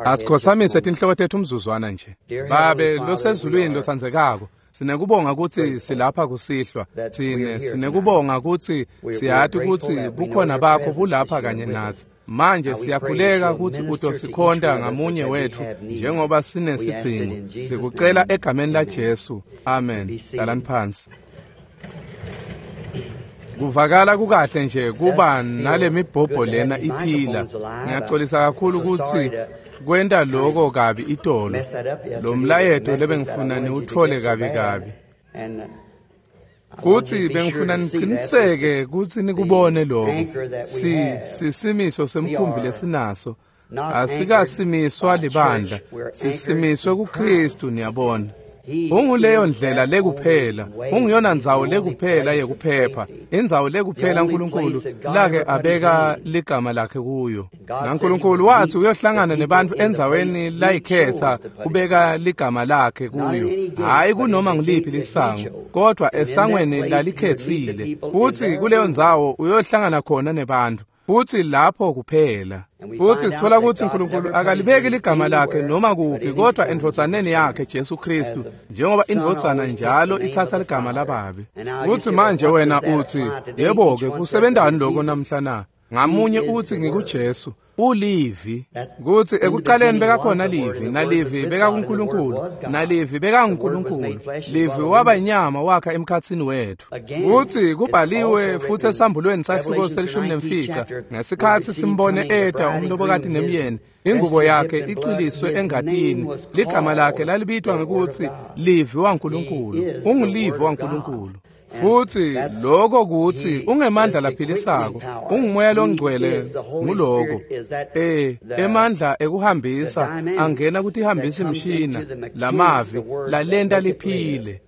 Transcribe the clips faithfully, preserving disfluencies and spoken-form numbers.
Asikhothamise tinhloko tetfu umzuzwana nje. Babe losezulwini lotsandzekako, sinekubonga kutsi silapha kusihlwa. Sine sinekubonga kutsi siyati kutsi bukhona bakho bulapha kanye natsi. Manje siyakhuleka kutsi utosikhonta ngamunye wetfu njengoba sinesidzingo. Sikucela egameni la Jesu. Amen. Hlalani phansi. Kuvakala kukahle nje kuba nalemibhobho lena iphila. Ngiyaxolisa kakhulu kutsi kwenta lokho kabi itolo. Lo mlayeto lebengifuna niwutfole kabi kabi. Kutsi bengifuna niciniseke kutsi nikubone lokho. Si sisimiso semkhumbi lesinaso. Asikasimiswa libandla, sisimiswe kuKristu, niyabona. Unguleyo ndlela lekuphela, unguyona ndzawo lekuphela yekuphepha, indzawo lekuphela uNkulunkulu lake abeka ligama lakhe kuyo. NaNkulunkulu wathi uyohlangana nebantu endzaweni layikhetha kubeka ligama lakhe kuyo, hhayi kunoma ngiliphi lisango, kodwa esangweni lalikhetsile. Futhi kuleyo ndzawo uyohlangana khona nebantu, futhi lapho kuphela. Futhi sithola kutsi uNkulunkulu akalibeki ligama lakhe noma kuphi kodwa endvodzaneni yakhe Jesu Kristu, njengoba indvodzana njalo ithatha ligama lababe. Kutsi manje wena utsi, yebo-ke, kusebentani lokho namhla na? Ngamunye utsi ngikuJesu, ulivi. Kutsi ekuqaleni bekakhona livi, nalivi bekakuNkulunkulu, nalivi bekanguNkulunkulu. Livi waba inyama wakha emkhatsini wetfu. Kutsi kubhaliwe futhi esambulweni sahluko selishumi nemfica, ngesikhatsi simbone eta umlobokati nemyeni, ingubo yakhe icwiliswe engatini, ligama lakhe lalibitwa ngekutsi Livi waNkulunkulu. Ungulivi waNkulunkulu. Futhi lokho kuthi ungemandla laphilisako, ungumoya longcwele nguloko. Eh emandla ekuhambisa angena kutihambisa imshina lamavi lalenta liphile.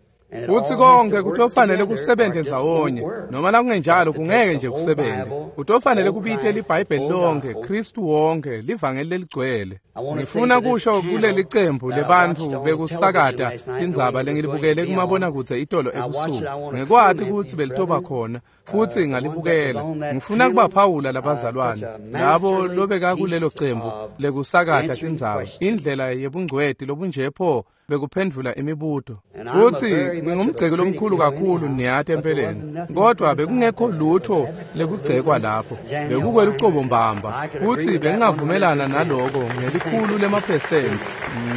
Futhi konke kutofanele kusebenze ndzawonye, noma nakungenjalo kungeke nje kusebenze. Kutofanele kubite liBhayibheli lonke, Kristu wonke, livangeli leligcwele. Ngifuna kusho kuleli cembu lebantfu bekusakata tindzaba lengilibukele kumabonakudze itolo ebusuku. Ngekwati kutsi belitoba khona, futhi ngalibukela. Ngifuna kubaphawula labazalwane, labo lobeka kulelo cembu lekusakata tindzaba, indlela yebungcweti lobunje pho bekuphendvula imibuto. Futhi ngingumgceki lomkhulu kakhulu niyati empeleni, kodwa bekungekho lutho lekugcekwa lapho. Bekukwelucobo mbamba, futhi bengingavumelana naloko ngelikhulu lemaphesenti.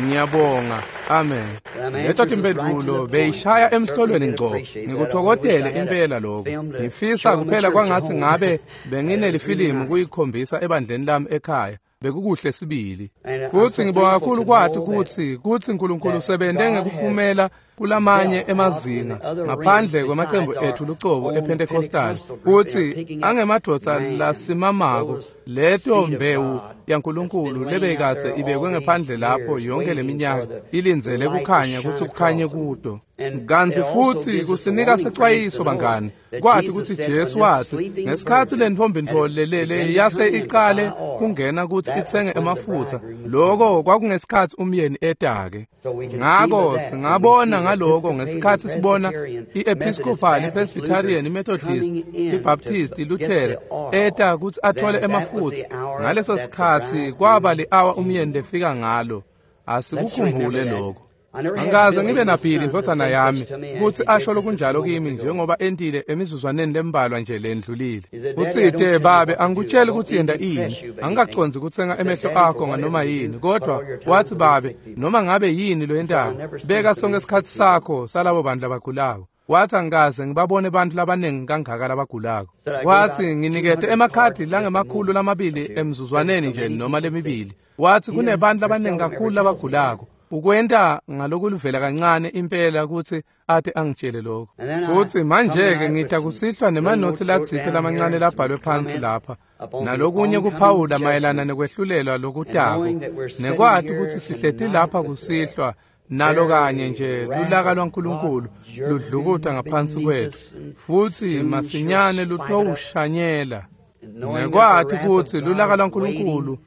Ngiyabonga. Amen. Leto timphendvulo beyishaya emhlolweni ngco. Ngikuthokodele impela lokho. Ngifisa kuphela kwangathi ngabe benginelifilimu kuyikhombisa ebandleni lami ekhaya. Bekukuhle sibili. Futhi ngibonga kakhulu kwati kutsi kutsi uNkulunkulu usebente ngekuphumela kulamanye emazinga ngaphandle kwemacembu ethu lucobo ePentecostal, kutsi angemadvodza lasimamako leto mbewu yaNkulunkulu lebeyikadze ibekwe ngephandle lapho yonke leminyaka ilindzele kukhanya kutsi kukhanye kuto. Kantsi futhi kusinika secwayiso bangani, kwati kutsi Jesu watsi ngesikhatsi lentfombi lelele yase icale kungena kutsi itsenge emafutsa, lokho kwakungesikhatsi umyeni etake. Ngako singabona ngaloko ngesikhatsi sibona i-Episcopal, i-Presbyterian, i-Methodist, i-Baptist, i-Lutheran eta kutsi athole emafutsa. Ngaleso sikhatsi kwaba li-awa umyeni lefika ngalo. Asikukhumbule lokho. Angikaze ngibe naBhili indvodzana yami kutsi asho lokunjalo kimi njengoba entile emizuzwaneni lembalwa nje lendlulile. Utsite, babe, angikutsheli kutsi yenta ini, angikacondzi kutsenga emehlo akho nganoma yini, kodwa wathi babe, noma ngabe yini loyentako, beka sonke isikhatsi sakho salabo bantu labagulako. Wathi angikaze ngibabone bantu labaningi kangaka labagulako. Wathi nginikete emakhadi langemakhulu lamabili emzuzwaneni nje noma lemibili. Wathi kunebantu labaningi kakhulu labagulako. Ukwenta ngalokuluvela kancane impela kutsi ate angitshele lokho. Futhi manje-ke ngita kusihlwa nemanothi latsite lamancane labhalwe phansi lapha, nalokunye kuphawula mayelana nekwehlulelwa lokutako, nekwati kutsi sihleti lapha kusihlwa nalo kanye nje lulaka lwaNkulunkulu ludlukuta ngaphansi kwetfu, futhi masinyane lutowushanyela. Nekwati kutsi lulaka lwaNkulunkulu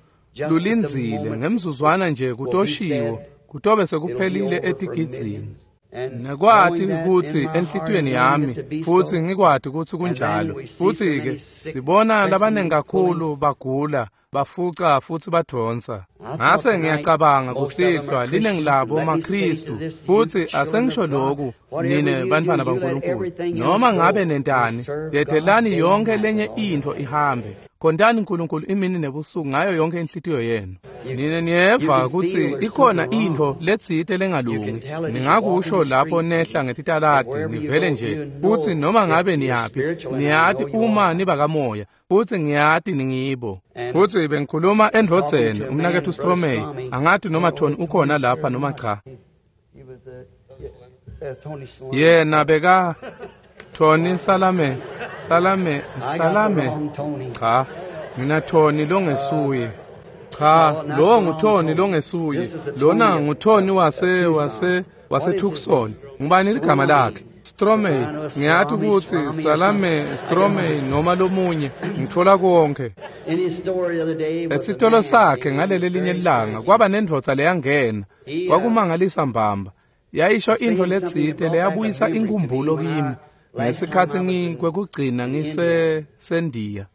lulindzile ngemzuzwana nje kutoshiwo, kutobe sekuphelile etigidzini. Nekwati kutsi enhlitiyweni yami futsi ngikwati kutsi kunjalo. Futsi-ke sibona labanengi kakhulu bagula, bafuca futsi badvonsa. Ngase ngiyacabanga kusihlwa linengi labo maKhristu, futsi asengisho loku nine bantfwana baNkulunkulu, noma ngabe nentani, dedelani yonke lenye intfo ihambe. Khontani uNkulunkulu imini nebusuku ngayo yonke inhlitiyo yenu. Nine niyeva kutsi ikhona intfo letsite lengalungi. Ningakusho lapho nehla ngetitaladi nivele nje kutsi noma ngabe niyaphi, niyati uma nibakamoya, futsi ngiyati ningibo. Futsi bengikhuluma endvodzeni umnaketfu Stromey, angati noma Tony ukhona lapha noma cha. Yena beka Tony Salame, Salame, Salame. Cha, mina Tony longesuye. Cha, lo nguTony longesuye. Lona nguTony wase wase wase Tucson. Ngubani ligama lakhe? Stromey. Ngiyati kutsi Salame Stromey noma lomunye, ngitfola konke. Esitolo sakhe ngaleli linye ilanga kwaba nendvodza leyangena. Kwakumangalisa mbamba. Yayisho intfo letsite leyabuyisa inkumbulo kimi ngesikhatsi ngikwekugcina ngise sendiya.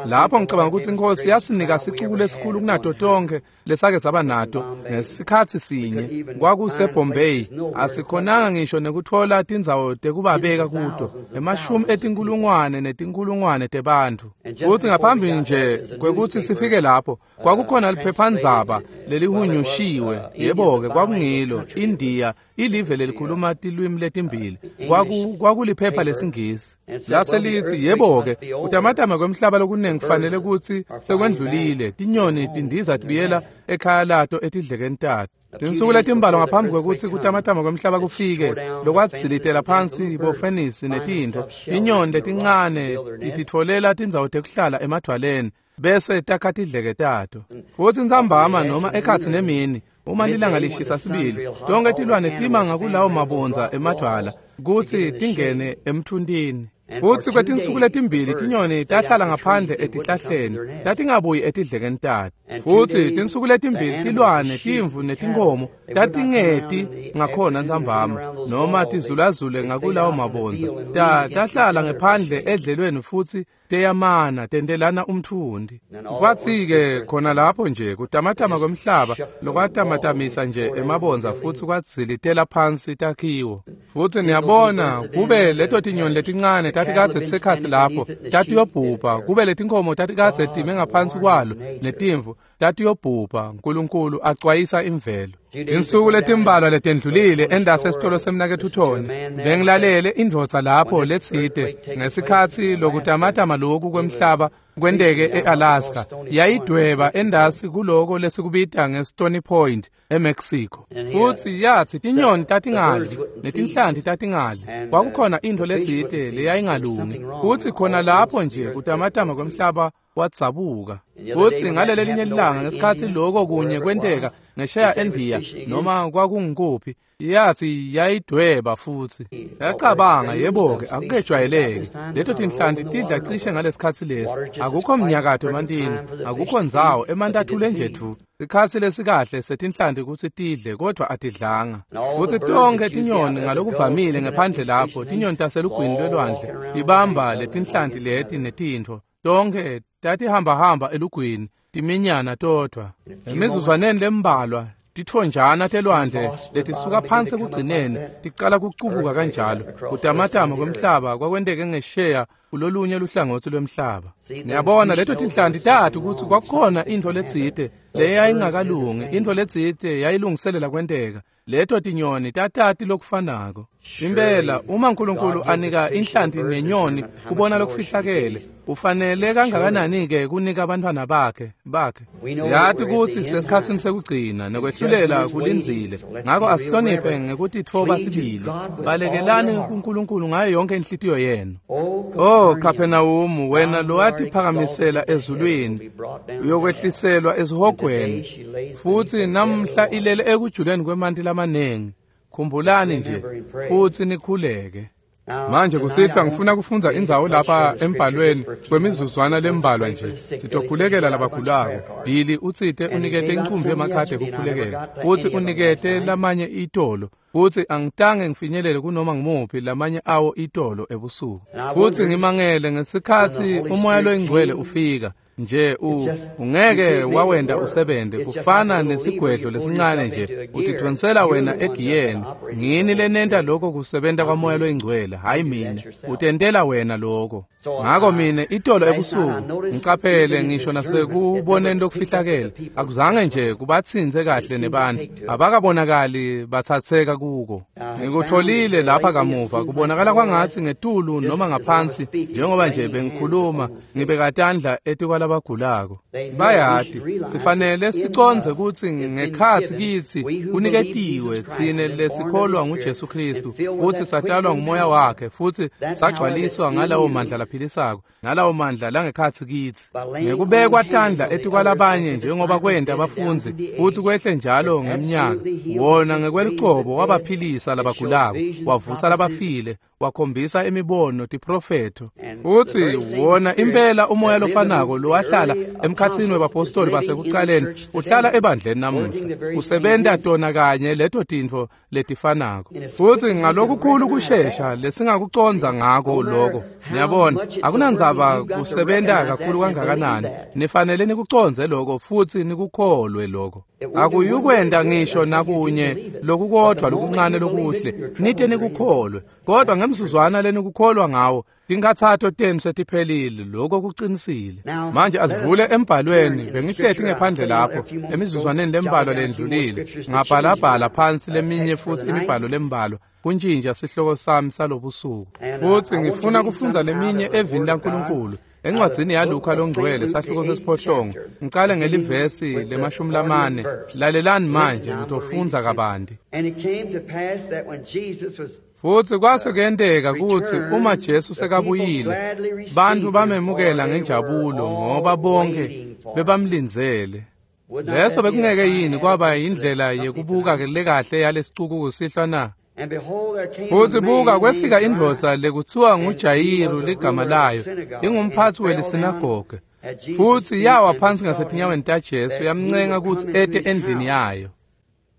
Lapho ngicabanga ukuthi inkosi yasinika sicuku lesikhulu kunato tonke lesake saba nato ngesikhatsi sinye. KwakuseBombay, asikhonanga ngisho nekutfola tindzawo tekubabeka kuto, emashumi etinkulungwane netinkulungwane tebantfu. Futsi ngaphambi nje kwekutsi sifike lapho, kwakukhona liphephandzaba lelihunyushiwe, yebo-ke kwakungilo, India ilive lelikhuluma tilwimi letimbili. Kwaku kwakuliphepha lesingisi. Lase litsi, yebo-ke, kutamatama kwemhlaba lokunengi kufanele kutsi sekwendlulile, tinyoni tindiza tibuyela ekhaya lato etidlekeni tato. Tinsuku letimbalwa ngaphambi kwekutsi kutamatama kwemhlaba kufike, lokwadzilitela phansi bofenisi netintfo, tinyoni letincane tititfolela tindzawo tekuhlala emadvwaleni, bese takha tidleke tato. Futsi ntsambama noma ekhatsi nemini, uma lilanga lishisa sibili, tonke tilwane tima ngakulawo mabondza emadvwala kutsi tingene emthuntini. Futsi kwetinsuku letimbili tinyoni tahlala ngaphandle etihlahleni, tatingabuyi etidlekeni tato. Futsi tinsuku letimbili tilwane, timvu netinkhomo tatingeti ngakhona ntsambama noma tizulazule ngakulawo mabondza. Ta tahlala ngephandle edlelweni futsi teyamana tentelana umthundi. Kwatsi-ke khona lapho nje kutamatama kwemhlaba lokwatamatamisa nje emabondza futsi kwadzilitela phansi takhiwo. Futsi niyabona kube leto tinyoni letincane tatikadze tisekhatsi lapho tatiyobhubha, kube letinkhomo tatikadze time ngaphansi kwalo netimvu tatiyobhubha. Nkulunkulu acwayisa imvelo. Tinsuku letimbalwa letendlulile endase esitolo semnaketfu Tony, bengilalele indvodza lapho letsite ngesikhatsi lokutamatama loku kwemhlaba kwenteke e-Alaska. Yayidweba endasi kuloko lesikubita nge-Stony Point eMexico. Futsi yatsi tinyoni tatingadli netinhlanti tatingadli. Kwakukhona intfo letsite leyayingalungi. Futsi khona lapho nje kutamatama kwemhlaba wadzabuka. Futsi ngaleli linye ilanga ngesikhatsi loko kunye kwenteka ngesheya eNdiya noma kwakungikuphi, yatsi yayidweba futsi. Yacabanga, yebo-ke, akukejwayeleki. Leto tinhlanti tidla cishe ngalesikhatsi lesi. Akukho mnyakato emantini, akukho ndzawo, emanti athule nje dvu. Sikhatsi lesikahle setinhlanti kutsi tidle, kodvwa atidlanga. Futsi tonkhe tinyoni ngalokuvamile ngephandle lapho, tinyoni taselugwini lwelwandle, tibamba letinhlanti leti netintfo. Tonkhe tatihambahamba elugwini, timinyana todvwa. Emizuzwaneni lembalwa, titfonjana telwandle letisuka phansi ekugcineni ticala kucubuka kanjalo. Kutamatama kwemhlaba kwakwenteke ngesheya kulolunye luhlangotsi lwemhlaba. Niyabona leto tinhlanti tati kutsi kwakukhona intfo letsite leyayingakalungi, intfo letsite yayilungiselela kwenteka. Leto tinyoni tatati lokufanako. Impela uma uNkulunkulu anika inhlanti nenyoni kubona lokufihlakele, ufanele kangakanani-ke kunika abantwana bakhe bakhe. Siyati kutsi sesikhatsini sekugcina nekwehlulela kulindzile, ngako asihloniphe ngekutitfoba sibili. Balekelani kuNkulunkulu ngayo yonke inhlitiyo yenu. Oh Kaphenawumu, wena lowatiphakamisela ezulwini, uyokwehliselwa esihogweni, futsi namhla ilele ekujuleni kwemanti lamanengi. Khumbulani nje futsi nikhuleke. Manje kusihlwa ngifuna kufundza indzawo lapha embhalweni kwemizuzwana lembalwa nje. Sitokhulekela labagulako. Billy utsite unikete incumbi yemakhadi ekukhulekela, futsi unikete lamanye itolo. Futsi angitange ngifinyelele kunoma ngimuphi lamanye awo itolo ebusuku. Futsi ngimangele ngesikhatsi uMoya loyiNgcwele ufika nje u ungeke wawenda usebente kufana nesigwedlo lesincane nje utidvonsela wena egiyeni. Ngini lenenta lokho kusebenta kwaMoya loyiNgcwele, hayi mina. Utentela wena lokho. Ngako mine itolo ebusuku ngicaphele ngisho nasekuboneni lokufihlakele akuzange nje kubatsintse kahle nebantu abakabonakali batsatseka kuko. Ngikutholile lapha kamuva kubonakala kwangatsi ngetulu noma ngaphansi njengoba nje bengikhuluma ngibeka tandla etikwalabagulako. Bayati sifanele sicondze kutsi ngekhatsi kitsi kuniketiwe tsine lesikholwa nguJesu Kristu kutsi satalwa nguMoya wakhe futsi sagcwaliswa ngalawo mandla laphilisako nalawo mandla langekhatsi kitsi ngekubekwa tandla etikwalabanye njengoba kwenta abafundzi futsi kwehle njalo ngeminyaka. Wona ngekwelucobo wabaphilisa labagulako, wavusa labafile, wakhombisa imibono tiprofetho. Futsi wona impela umoya lofanako lowahlala emkhatsini webapostoli basekucaleni uhlala ebandleni namuhla, usebenta tona kanye leto tintfo letifanako. Futsi ngalokukhulu kushesha lesingakucondza ngako lokho, niyabona akunandzaba kusebenta kakhulu kangakanani, nifanele nikucondze lokho futsi nikukholwe lokho. Akuyukwenta ngisho nakunye lokukodvwa lokuncane lokuhle nite nikukholwe, kodwa ngemzuzwana lenikukholwa ngawo tinkhatsato tenu setiphelile. Lokho kucinisile. Manje asivule embhalweni. Bengihleti ngephandle lapho emizuzwaneni lembalwa lendlulile, ngabhalabhala phansi leminye futsi imibhalo lembalwa kuntjintja sihloko sami salobusuku. Futsi ngifuna kufundza leminye evini laNkulunkulu encwadzini yaLuka longcwele sahluko sesiphohlongo, ngicale ngelivesi lemashumi lamane. Lalelani manje, ngitofundza kabanti. Futsi kwase kuyenteka kutsi uma Jesu sekabuyile, bantfu bamemukela ngenjabulo ngoba bonke bebamlindzele. Leso bekungeke yini kwaba yindlela yekubuka lekahle yalesicuku kusihlwa na? Futsi buka kwefika indvodza lekutsiwa nguJayiru ligama layo, ingumphatsi welisinagoge. Futsi yawa phansi ngasetinyaweni taJesu yamncenga kutsi ete endlini yayo,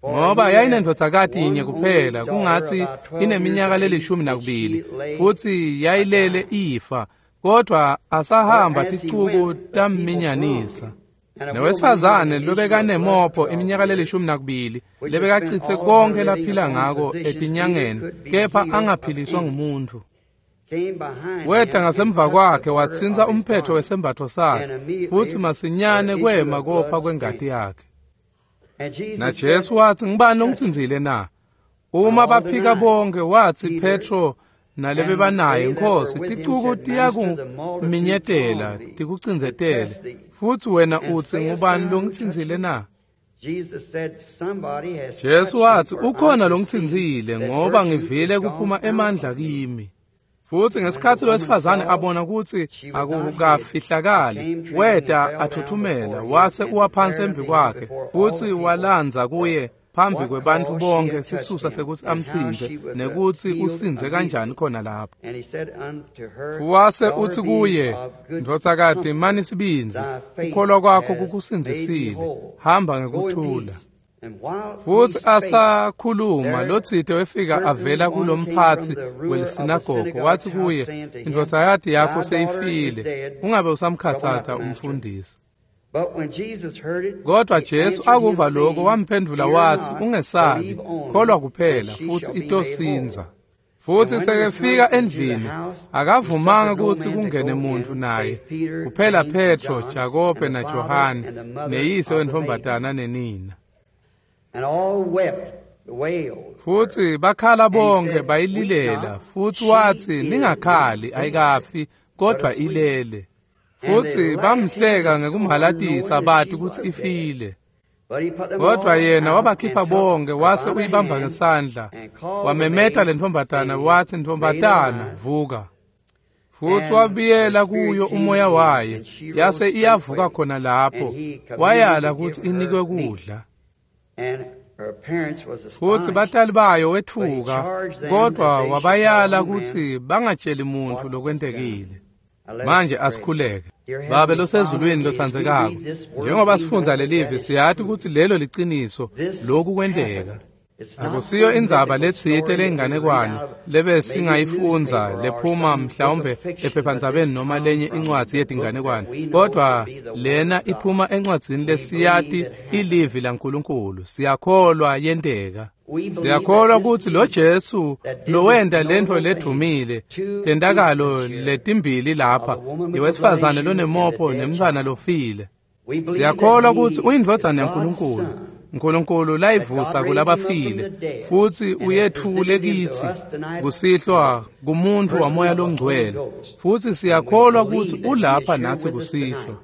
ngoba yayinendvodzakati yinye kuphela, kungatsi ineminyaka lelishumi nakubili, futsi yayilele ifa, kodvwa asahamba ticuku tamminyanisa. Nowesifazane lobekanemopho iminyaka lelishumi nakubili lebekacitse konke laphila ngako etinyangeni kepha angaphiliswa ngumuntfu, weta ngasemva kwakhe watsintsa umphetho wesembatfo sakhe, futsi masinyane kwema kopha kwengati yakhe. Na Jesu watsi, ngibani longitsintsile na? Uma baphika bonke, watsi Petro nalebebanaye, Nkosi, ticuku tiyakuminyetela tikucindzetele, futsi wena utsi ngubani longitsintsile na? Jesu watsi, ukhona longitsintsile ngoba ngivile kuphuma emandla kimi. Futsi ngesikhatsi lowesifazane abona kutsi akukafihlakali, weta athuthumela wase uwa phansi embi kwakhe, futsi walandza kuye phambi kwebantfu bonke sisusa sekutsi amtsintse nekutsi usindze kanjani khona lapho. Wase utsi kuye, ndvodzakati, mani sibindzi, kukholwa kwakho kukusindzisile, hamba ngekuthula. Futsi asakhuluma lotsite wefika avela kulomphatsi welisinagogo, watsi kuye, indvodzakati yakho seyifile, ungabe usamkhatsata umfundisi. Kodwa Jesu akuva lokho wamphendvula watsi, ungesabi, kholwa kuphela futsi itosindza. Futsi sekefika endlini akavumanga kutsi kungene muntfu naye kuphela Petro, Jakobe naJohane neyise wentfombatana nenina. Futsi bakhala bonke bayililela, futsi watsi, ningakhali, ayikafi kodwa ilele. Futsi bamhleka ngekumhalatisa bati kutsi ifile. Kodwa yena wabakhipha bonke wase uyibamba ngesandla, wamemeta lentfombatana watsi, ntfombatana, vuka. Futsi wabuyela kuyo umoya wayo, yase iyavuka khona lapho, wayala kutsi inikwe kudla. Futsi batali bayo wetfuka, kodwa wabayala kutsi bangatsheli muntfu lokwentekile. Manje asikhuleke. Babe losezulwini lotsandzekako, njengoba sifundza lelivi siyati kutsi lelo liciniso, lokhu kwenteka. Akusiyo indzaba letsite lenganekwane lebe singayifundza lephuma mhlawumbe ephephandzabeni noma lenye incwadzi yetinganekwane, kodwa lena iphuma encwadzini lesiyati ilivi laNkulunkulu. Siyakholwa yenteka. Siyakholwa kutsi lo Jesu lowenta lentfo ledvumile tentakalo letimbili lapha, iwesifazane lonemopho nemntfwana lofile. Siyakholwa kutsi uyindvodzana yaNkulunkulu, Nkulunkulu layivusa kulabafile, futsi uyetfule kitsi kusihlwa kumuntfu wamoya longcwele, futsi siyakholwa kutsi ulapha natsi kusihlwa.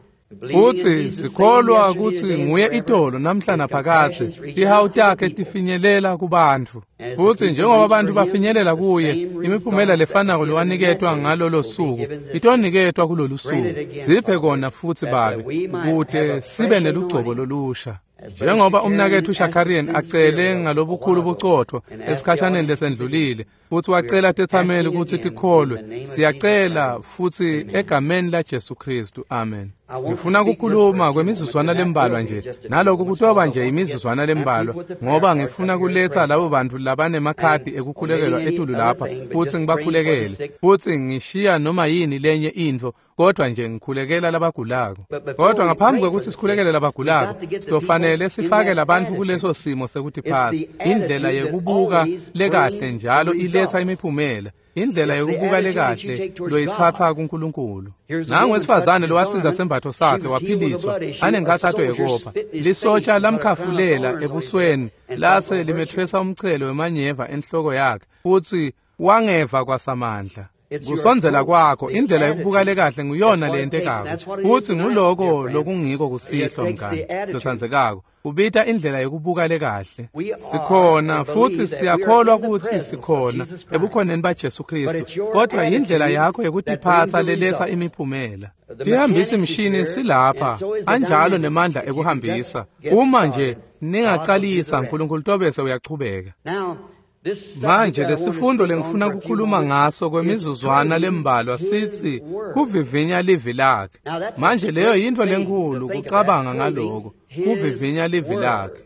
Futsi sikholwa kutsi nguye itolo namhla naphakadze, tihawu takhe tifinyelela kubantfu. Futsi njengoba bantfu bafinyelela kuye, imiphumela lefanako lowaniketwa ngalolo suku itoniketwa kulolu suku. Siphe kona futsi Babe, kute sibe nelugcobo lolusha. Njengoba umnaketfu Shakarian acele ngalobukhulu bucotfo esikhashaneni lesendlulile, futsi wacela tetsameli kutsi tikholwe, siyacela futsi egameni la Jesu Kristu, amen. Ngifuna ukukhuluma kwemizuzwana lembalwa nje, naloku kutoba nje imizuzwana lembalwa, ngoba ngifuna kuletsa labo bantu labanemakhadi ekukhulekelwa etulu lapha futsi ngibakhulekele, futsi ngishiya noma yini lenye intfo, kodwa nje ngikhulekela labagulako. Kodwa ngaphambi kwekutsi sikhulekele labagulako, sitofanele sifake labantfu kuleso simo sekutiphatsa. Indlela yekubuka lekahle njalo iletsa imiphumela. Indlela yekubuka lekahle loyitsatsa kuNkulunkulu. Nangu wesifazane lowatsinza sembatfo sakhe waphiliswa anenkhatsato yekopha. Lisotsha lamkhafulela ebusweni lase limetfwesa umchelo wemanyeva enhloko yakhe, futsi wangeva kwasamandla. Kusondzela kwakho, indlela yekubuka lekahle nguyona leyentekako, futsi nguloko lokungiko kusihlwa mngani lotsandzekako. Ubita indlela yekubuka lekahle. Sikhona futsi siyakholwa kutsi sikhona ebukhoneni baJesu Kristu, kodwa indlela yakho yekutiphatsa leletsa imiphumela. Tihambisi mshini silapha, anjalo nemandla ekuhambisa. Uma nje ningacalisa, uNkulunkulu tobese uyachubeka. Manje lesifundo lengifuna ukukhuluma ngaso kwemizuzwana lembalwa sithi kuvivinya livi lakhe. Manje leyo yintfo lenkulu kucabanga ngaloko, kuvivinya livi lakhe.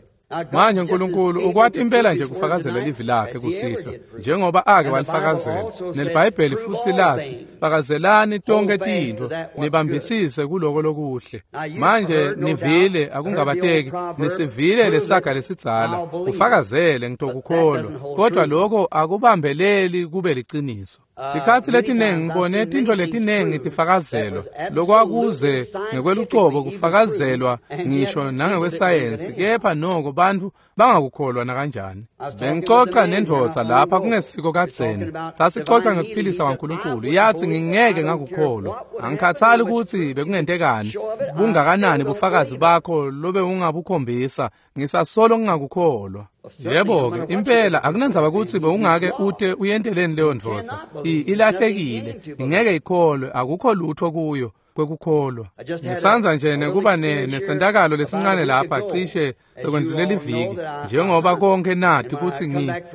Manje uNkulunkulu ukwati impela nje kufakazela livi lakhe kusihlwa, njengoba ake walifakazela. NeliBhayibheli futsi lathi, fakazelani tonke tintfo, nibambisise kuloko lokuhle. Manje nivile, akungabateki, nisivile lesaga lesidzala, ufakazele ngitokukholwa, kodwa lokho akubambeleli kube liciniso. Tikhatsi letinengi ngibone tintfo letinengi tifakazelwa, lokwakuze ngekwelucobo kufakazelwa ngisho nangekwesayensi, kepha noko bantfu bangakukholwa nakanjani. Bengicoca nendvodza lapha kungesiko kadzeni, sasicoca ngekuphilisa kwaNkulunkulu. Yathi ngingeke ngakukholwa, angikhathali kutsi bekungentekani, bungakanani bufakazi bakho lobe ungabukhombisa, ngisasolo ngingakukholwa. Yebo-ke, impela akunandzaba kutsi bewungake ute uyenteleni leyo ndvodza, ilahlekile, ingeke ikholwe, akukho lutho kuyo kwekukholwa. Ngisandza nje nekuba nesentakalo lesincane lapha cishe sekwendlulela iviki, njengoba konke nati kutsi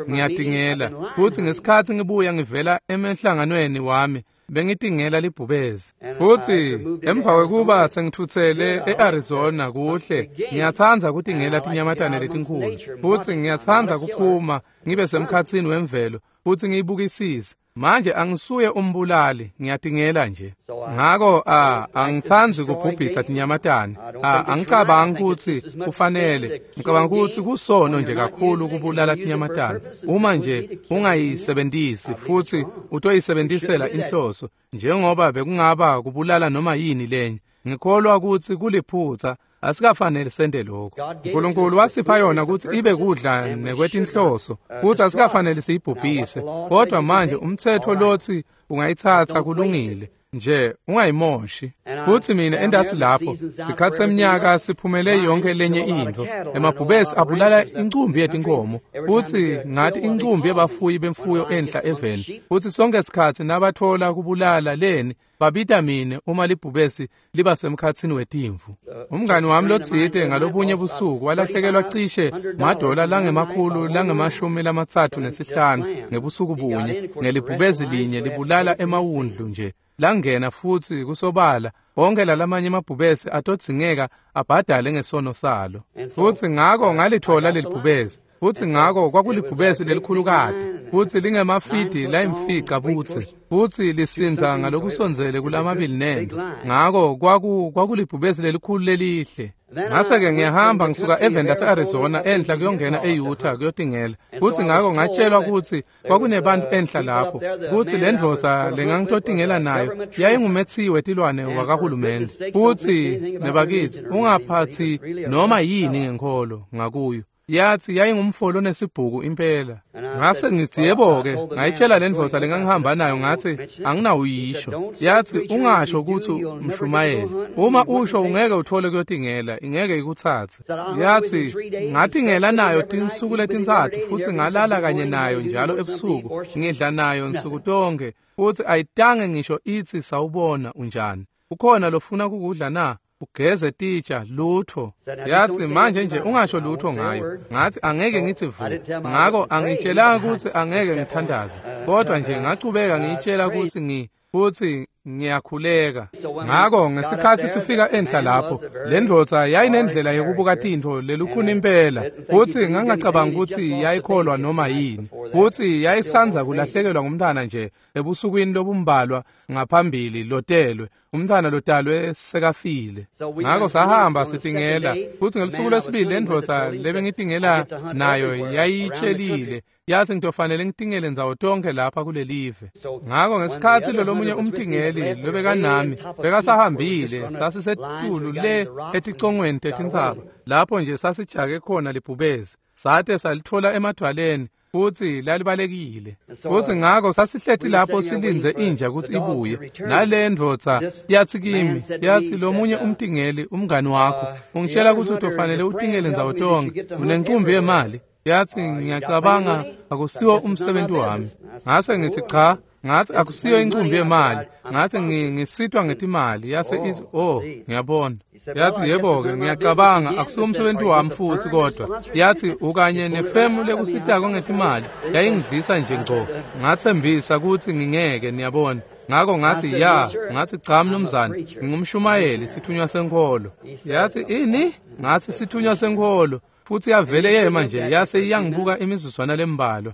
ngiyatingela, kutsi ngesikhatsi ngibuya ngivela emhlanganweni wami bengitingela libhubezi. Futsi emva kwekuba sengitfutsele e-Arizona kuhle, ngiyatsandza kutingela tinyamatane letinkhulu, futsi ngiyatsandza kuphuma ngibe semkhatsini wemvelo futsi ngiyibukisise. Manje angisuye umbulali, ngiyatingela nje. Ngako a angitsandzi kubhubhisa tinyamatane. A angicabangi kutsi kufanele, ngicabanga kutsi kusono nje kakhulu kubulala tinyamatane. Uma nje ungayisebentisi futsi utoyisebenzisela inhloso, njengoba bekungaba kubulala noma yini lenye. Ngikholwa kutsi kuliphutsa, asikafanele sente lokho. uNkulunkulu wasipha yona kutsi ibe kudla nekwetinhloso, kutsi asikafanele siyibhubhise. Kodwa manje umtsetfo lotsi ungayitsatsa kulungile nje, ungayimoshi. Futsi mina endatsi lapho sikhatsi semnyaka siphumele yonke lenye intfo. Emabhubesi abulala incumbi yetinkomo, futsi ngathi incumbi yebafuyi bemfuyo enhla eveni. Futsi sonke sikhatsi nabatfola kubulala leni, babita mine uma libhubesi liba semkhatsini wetimvu. Umngani wami lotsite ngalobunye busuku walahlekelwa cishe madola langemakhulu langemashumi lamatsatfu nesihlanu ngebusuku bunye ngelibhubesi linye libulala emawundlu nje. Langena futsi kusobala Onkhe lalamanye emabhubesi atodzingeka abhadale ngesono salo. Futsi ngako ngalitfola lelibhubesi. Futsi ngako kwakulibhubesi lelikhulukati, futsi lingemafidi layimfica budze, futsi lisindza ngalokusondzele kulamabili nento. Ngako kwaku kwakulibhubesi lelikhulu lelihle. Ngase-ke ngiyahamba ngisuka eveni lase-Arizona enhla kuyongena e-Utah kuyotingela. Futsi ngako ngatshelwa kutsi kwakunebantu enhla lapho, kutsi le ndvodza lengangitotingela nayo yayingumetsiwe wetilwane wakahulumende. Futsi nebakitsi ungaphatsi noma yini ngenkholo ngakuyo. Yathi yayingumfo lonesibhuku impela. Ngase ngitsi yebo-ke, ngayitshela le ndvodza lengangihamba nayo ngathi anginawuyisho. Yathi ungasho kutsi umshumayeli. Uma usho ungeke uthole kuyotingela, ingeke ikutsatse. Yathi ngatingela nayo tinsuku letintsatfu futsi ngalala kanye nayo njalo ebusuku, ngidla nayo nsuku tonke, futsi ayitange ngisho itsi sawubona unjani. Ukhona lofuna kukudla na? Ugeze titsha lutho. Yathi manje nje ungasho lutho ngayo. Ngathi angeke ngithi vu. Ngako angitshelanga ukuthi angeke ngithandaze, kodwa nje ngachubeka ngiyitshela ukuthi ngi futhi ngiyakhuleka. Ngako ngesikhathi sifika enhla lapho, le ndvodza yayinendlela yokubuka tintfo lelukhuni impela, futsi ngangacabanga ukuthi yayikholwa noma yini. Futsi yayisandza kulahlekelwa ngumntwana nje ebusukwini lobumbalwa ngaphambili lotelwe, umntwana lotalwe sekafile. Ngako sahamba sitingela, futsi ngelusuku lwesibili le ndvodza lebengitingela nayo yayitshelile. Yathi ngitofanele ngitingele ndzawo tonke lapha kulelive. Ngako ngesikhathi lolomunye umtingeli lobekanami bekasahambile, sasisetulu le eticongweni tetintsaba, lapho nje sasijake khona libhubesi, sate salitfola emadvwaleni, futsi lalibalekile. Futsi ngako sasihleti lapho silindze inja kutsi ibuye. Nale ndvodza yathi kimi, yathi lomunye umtingeli umngani wakho ungitshela kutsi utofanele utingele ndzawo tonke, unencumbi yemali. Yathi ngiyacabanga akusiwo umsebenzi wami. Ngase ngithi cha, ngathi akusiyo incumbi yemali. Ngathi ngisitwa ngetimali. Yase ithi oh ngiyabona. Yathi yebo-ke ngiyacabanga akusiwo umsebenzi wami futhi kodwa. Yathi ukanye nefemu lekusitako ngetimali yayingidlisa nje ngco. Ngathembisa ukuthi ngingeke niyabona. Ngako ngathi ya, ngathi cha mnumzane, ngingumshumayeli sithunywa senkholo. Yathi ini? Ngathi sithunywa senkholo. Futsi yavele yema nje yase iyangibuka imizuzwana lembalwa.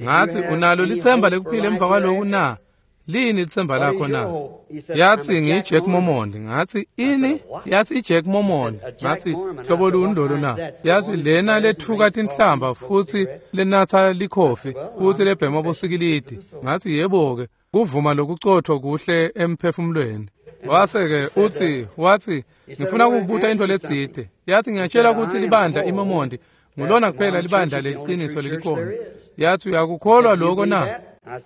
Ngathi unalo litsemba lekuphila emva kwaloku na? Lini litsemba lakho na? Yathi ngiyiJack Mormon. Ngathi ini? Yathi iJack Mormon. Ngathi hlobo luni lolo na? Yathi lena lethuka tinhlamba futhi lenatha likhofi futhi lebhema bosikilidi. Ngathi yebo-ke, kuvuma lokucotho kuhle emphefumulweni. Wase-ke uthi wathi ngifuna ukukubuta into letsite. Yathi ngiyatshela ukuthi libandla iMormon ngulona kuphela libandla leliqiniso lelikhona. Yathi uyakukholwa lokho na?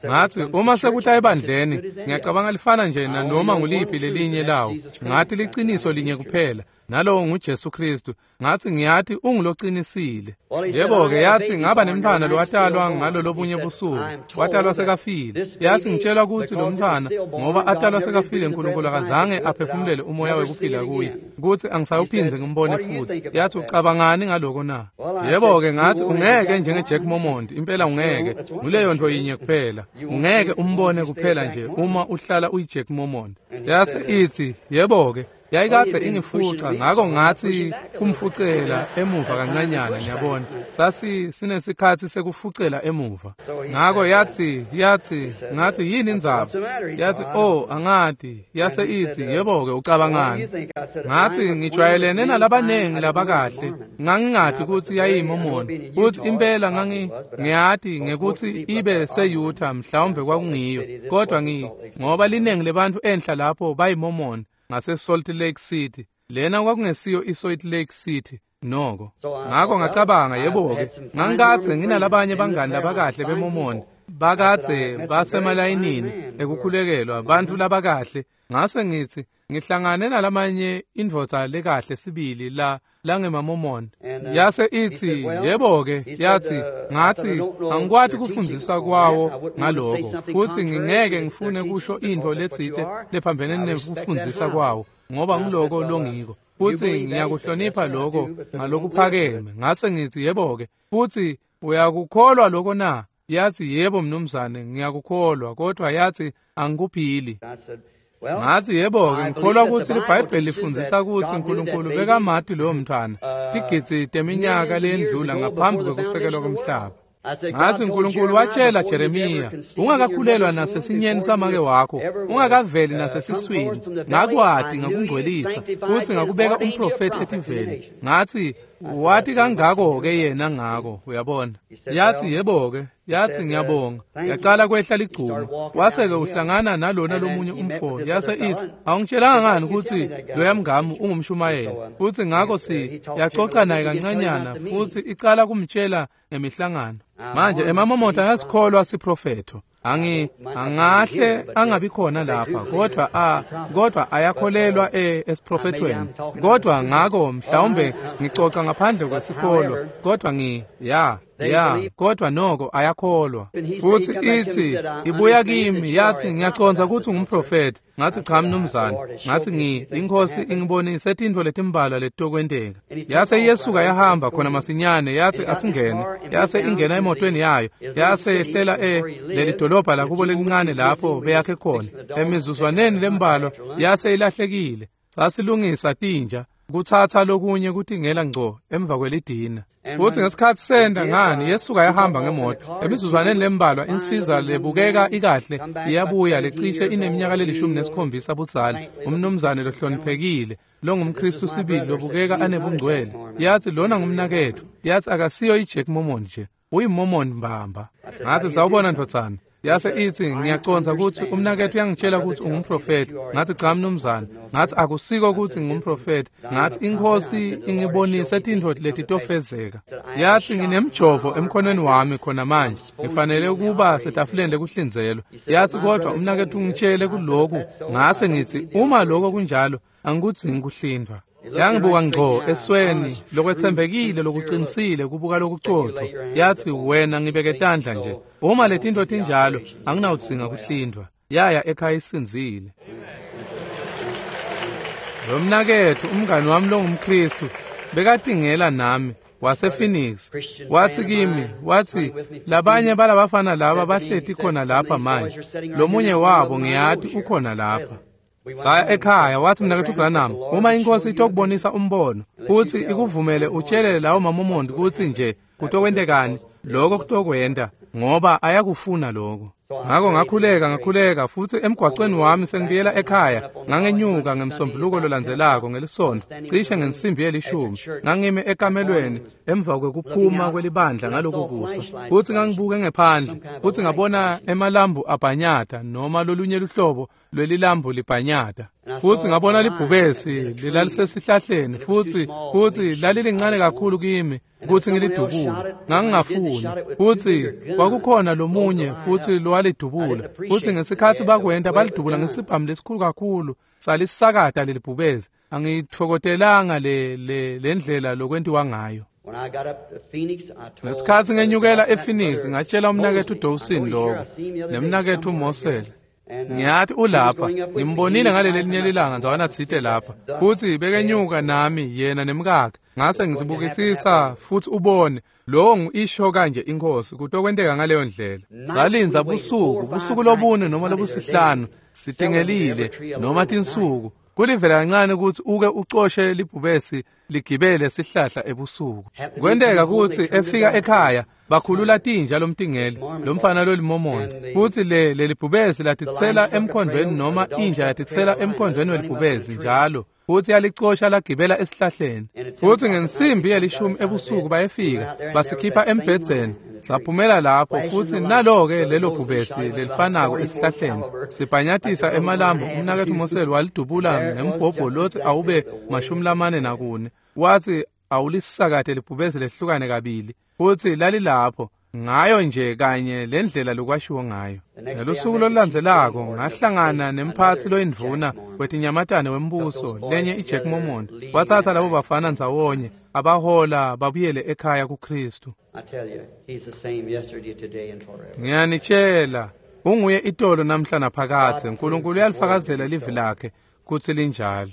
Ngathi uma sekuta ebandleni ngiyacabanga lifana nje nanoma nguliphi lelinye lawo. Ngathi liqiniso linye kuphela, nalowo nguJesu Kristu. Ngathi ngiyathi unguloqinisile. Yebo-ke yathi ngaba nemntwana lowatalwa ngalo lobunye busuku, watalwa sekafile. Yathi ngitshelwa ukuthi lo mntwana ngoba atalwa sekafile uNkulunkulu akazange aphefumulele umoya wekuphila kuye, ukuthi angisawuphindze ngimbone futhi. Yathi ucabangani ngaloko na? Yebo-ke ngathi ungeke njenge-Jack Mormon, impela ungeke. Nguleyo nto yinye kuphela, ungeke umbone kuphela nje uma uhlala uyi-Jack Mormon. Yase ithi yebo-ke yayikadze ingifuca, ngako ngathi kumfucela emuva kancanyana niyabona. Sasi sinesikhathi sekufucela emuva. Ngako yathi yathi ngathi yini indzaba? Yathi oh angati. Yase ithi yebo-ke ucabangani? Ngathi ngijwayelene nalabanengi labakahle, ngangingati ukuthi yayiyiMormon. Futhi impela ngangi ngiyati ngekuthi ibe se-Utah mhlawumbe kwakungiyo, kodwa ngi ngoba linengi lebantfu enhla lapho bayiMormon ngase Salt Lake City. Lena kwakungesiyo iSalt Lake City noko. Ngako ngacabanga yebo-ke, ngangikadze nginalabanye bangani labakahle beMormon, bakadze basemalayinini ekukhulekelwa, bantfu labakahle. Ngase ngithi ngihlangane nalamanye indvodza lekahle sibili la langemaMormon. Yase ithi yebo-ke, yathi ngathi angikwati kufundzisa kwawo ngaloko, futhi ngingeke ngifune kusho intfo letsite lephambene nekufundzisa kwawo, ngoba ngiloko longiko, futhi ngiyakuhlonipha lokho ngalokuphakeme. Ngase ngithi yebo-ke, futhi uyakukholwa lokho na? Yathi yebo mnumzane ngiyakukholwa, kodwa yathi angikuphili. Ngathi yebo-ke ngikholwa ukuthi liBhayibheli lifundzisa ukuthi uNkulunkulu bekamati loyo mntwana tigidzi teminyaka leyendlula ngaphambi kwekusekelwa komhlaba. Ngathi uNkulunkulu watshela Jeremiya, ungakakhulelwa nasesinyeni samake wakho, ungakaveli nasesiswini, ngakwati ngakungcwelisa, futhi ngakubeka umprofeti etiveni. Ngathi wathi kangako-ke yena ngako, uyabona. Yathi yebo-ke, yathi ngiyabonga. Yacala kwehla ligcuma. Wase-ke uhlangana nalona lomunye umfo, yase ithi, awungitshelanga ngani ukuthi loya mngami ungumshumayeli? Futhi ngakho si yacoca naye kancanyana, futhi icala kumtshela ngemihlangano. Manje emaMormon ayasikholwa siprofetho. Angi angahle angabi khona lapha, kodwa a kodwa ayakholelwa e esiprofethweni. Kodwa ngako mhlawumbe ngicoca ngaphandle kwesikolo, kodwa ngi ya ya kodwa noko ayakholwa. Futhi ithi ibuya kimi yathi ngiyacondza ukuthi ungumprofeti. Ngathi cha mnumzane. Ngathi ngi inkosi ingibonise tintfo letimbalwa letokwenteka. Yase iyesuka yahamba khona masinyane, yathi asingene. Yase ingena emotweni yayo, yase yehlela e leli dolobha lakubo lelincane lapho beyakhe khona. Emizuzwaneni lembalwa yase ilahlekile. Sasilungisa tinja kuthatha lokunye kutingela ngco emva kwelidina. Futhi ngesikhathi senda ngani yesuka yahamba ngemoto. Emizuzwaneni lembalwa insiza lebukeka ikahle iyabuya lecishe ineminyaka lelishumi nesikhombisa budzala, umnumzane lohloniphekile longumKristu sibili lobukeka anebungcwele. Yathi lona ngumnaketfu. Yathi akasiyo iJack Mormon nje, uyiMormon mbamba. Ngathi sawubona ndvodzana. Yase ithi ngiyacondza ukuthi umnaketfu uyangitshela ukuthi ungumprofeti. Ngathi cha mnumzane. Ngathi akusiko ukuthi ngingumprofeti. Ngathi inkosi ingibonise tintfo letitofezeka. Yathi nginemjovo emkhonweni wami khona manje, ngifanele ukuba setafuleni lekuhlinzelwa. Yathi kodwa umnaketfu ungitshele kuloku. Ngase ngithi uma lokho kunjalo angikudzingi kuhlindwa. Yangibuka ngco esweni lokwethembekile lokuqinisile kubuka lokucotho. Yathi wena ngibeke tandla nje, uma letinto tinjalo anginawudzinga kuhlindwa. Yaya ekhaya isinzile. Lo mnaketfu umngani wami longumKristu bekatingela nami wasePhoenix. Wathi kimi, wathi labanye balabafana laba bahleti khona lapha manje, lomunye wabo ngiyati ukhona lapha. Saya ekhaya, wathi mnaketfu Branham, uma inkosi itokubonisa umbono futhi ikuvumele utshelele lawo maMormon ukuthi nje kutokwentekani, lokho kutokwenta ngoba ayakufuna lokho. Ngakho ngakhuleka ngakhuleka futhi emgwaqweni wami sengibuyela ekhaya ngangenyuka ngemsombuluko lolandzelako ngelisonto cishe ngensimbi yelishumi. Ngangime ekamelweni emva kwekuphuma kwelibandla ngalokhu kusa, futhi ngangibuke ngephandle futhi ngabona emalambu abhanyata noma lolunye luhlobo lwelilambu libhanyata. Futhi ngabona libhubesi lilalisesihlahleni futhi futhi lalilincane kakhulu kimi ukuthi ngilidubule. Ngangingafuni. Futhi kwakukhona lomunye futhi lowalidubula. Futhi ngesikhathi bakwenta balidubula ngesibhamu lesikhulu kakhulu salisakata lelibhubesi. Angithokotelanga le le lendlela lokwentiwa ngayo. Ngesikhathi ngenyukela ePhoenix ngatshela umnaketfu Dawson lokho nemnaketfu Mosel. Ngiyathi ulapha, ngimbonile ngaleli linye lilanga ndzawana tsite lapha. Futhi bekenyuka nami yena nemkakhe. Ngase ngizibukisisa futhi ubone lowo ngisho kanje inkosi kutokwenteka ngaleyo ndlela. Salinza busuku, busuku lobune noma lobusihlanu, sitingelile noma tinsuku. Kulivela kancane ukuthi uke ucoshe libhubesi ligibele sihlahla ebusuku. Kwenteka ukuthi efika ekhaya bakhulula tinja lomtingeli lomfana loliMormon, futhi le lelibhubesi latitsela emkhondweni noma inja yatitsela emkhondweni welibhubesi njalo, futhi yalicosha lagibela esihlahleni. Futhi ngensimbi yelishumi ebusuku bayefika basikhipha embhedzeni, saphumela lapho futhi nalo-ke lelo bhubesi lelifanako esihlahleni sibhanyatisa emalambu. Umnaketfu Mosel walidubula ngembhobho lothi awube mashumi lamane nakune. Wathi awulisakade libhubesi lehlukane kabili, futhi lalilapho ngayo nje kanye lendlela lokwashiwo ngayo. Ngelusuku lolulandzelako ngahlangana nemphathi loyindvuna wetinyamatane wembuso lenye iJack Mormon. Wathatha labo bafana ndzawonye abahola babuyele ekhaya kuKristu. Ngiyanitshela unguye itolo namhla naphakadze. uNkulunkulu uyalifakazela livi lakhe kutsi linjalo.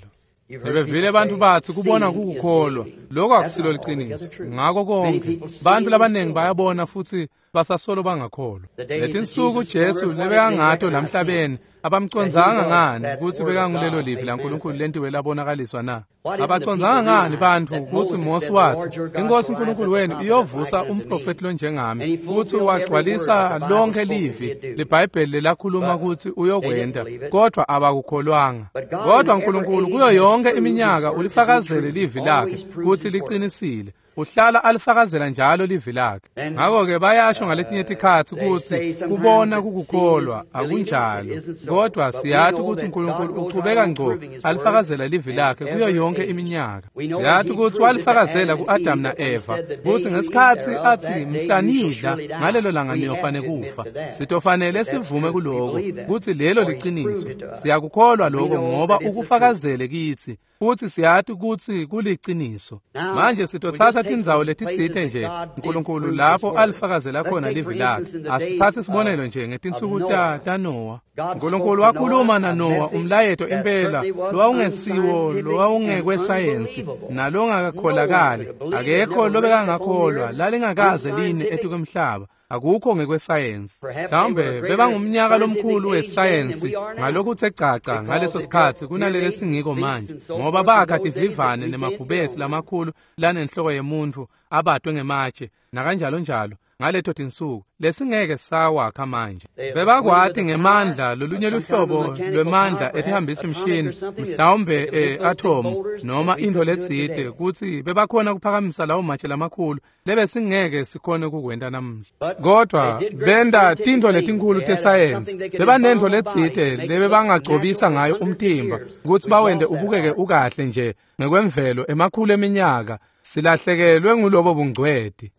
Nebevile bantu bathi kubona kukukholwa. Lokho akusilo liciniso. Ngako konke bantu labaningi bayabona futhi basasolo bangakholwa. Letinsuku Jesu lebekangato lamhlabeni Abamcondzanga ngani kutsi bekangulelo livi laNkulunkulu lentiwe labonakaliswa na? Abacondzanga ngani bantfu kutsi Mose watsi, iNkhosi uNkulunkulu wenu iyovusa umprofethi lonjengami, kutsi wagcwalisa lonke livi liBhayibheli lelakhuluma kutsi uyokwenta, kodvwa abakukholwanga. Kodvwa uNkulunkulu kuyo yonke iminyaka ulifakazele livi lakhe kutsi liqinisile. Uhlala alifakazela njalo livi lakhe. Ngakho-ke bayasho ngaletinye tikhatsi kutsi kubona kukukholwa akunjalo, kodwa siyati kutsi uNkulunkulu uchubeka ngco alifakazela livi lakhe kuyo yonke iminyaka. Siyati kutsi walifakazela ku-Adamu na-Eva kutsi ngesikhatsi atsi mhla nidla ngalelo langa niyofane kufa. Sitofanele sivume kuloko kutsi lelo liciniso. Siyakukholwa loko ngoba ukufakazele kitsi, futsi siyati kutsi kuliciniso. Manje sitotsatsa tindzawo letitsite nje uNkulunkulu lapho alifakazela khona livi lakhe. Asitsatse sibonelo nje ngetinsuku taNowa. uNkulunkulu wakhuluma naNowa umlayeto impela lowawungesiwo lowawungekwesayensi nalongakakholakali. Akekho lobekangakholwa, lalingakaze line etukwemhlaba. Akukho ngekwesayensi. Mhlawumbe bebangumnyaka lomkhulu wesayensi ngalokuthe caca ngaleso sikhatsi kunalele singiko manje, ngoba bakha tivivane nemabhubesi lamakhulu lanenhloko yemuntfu abatwe ngematshe nakanjalo njalo ngaleto tinsuku lesingeke sawakha manje. Bebakwati ngemandla lolunye luhlobo lwemandla etihambisa imshini, mhlawumbe e-atom noma into letsite, kutsi bebakhona kuphakamisa lawo matshe lamakhulu lebesingeke sikhone kukwenta namuhla. Kodwa benta tintfo letinkhulu tesayensi, bebanentfo letsite lebebangagcobisa ngayo umtimba kutsi bawente ubukeke ukahle nje ngekwemvelo emakhulu eminyaka. Silahlekelwe ngulobo bungcweti.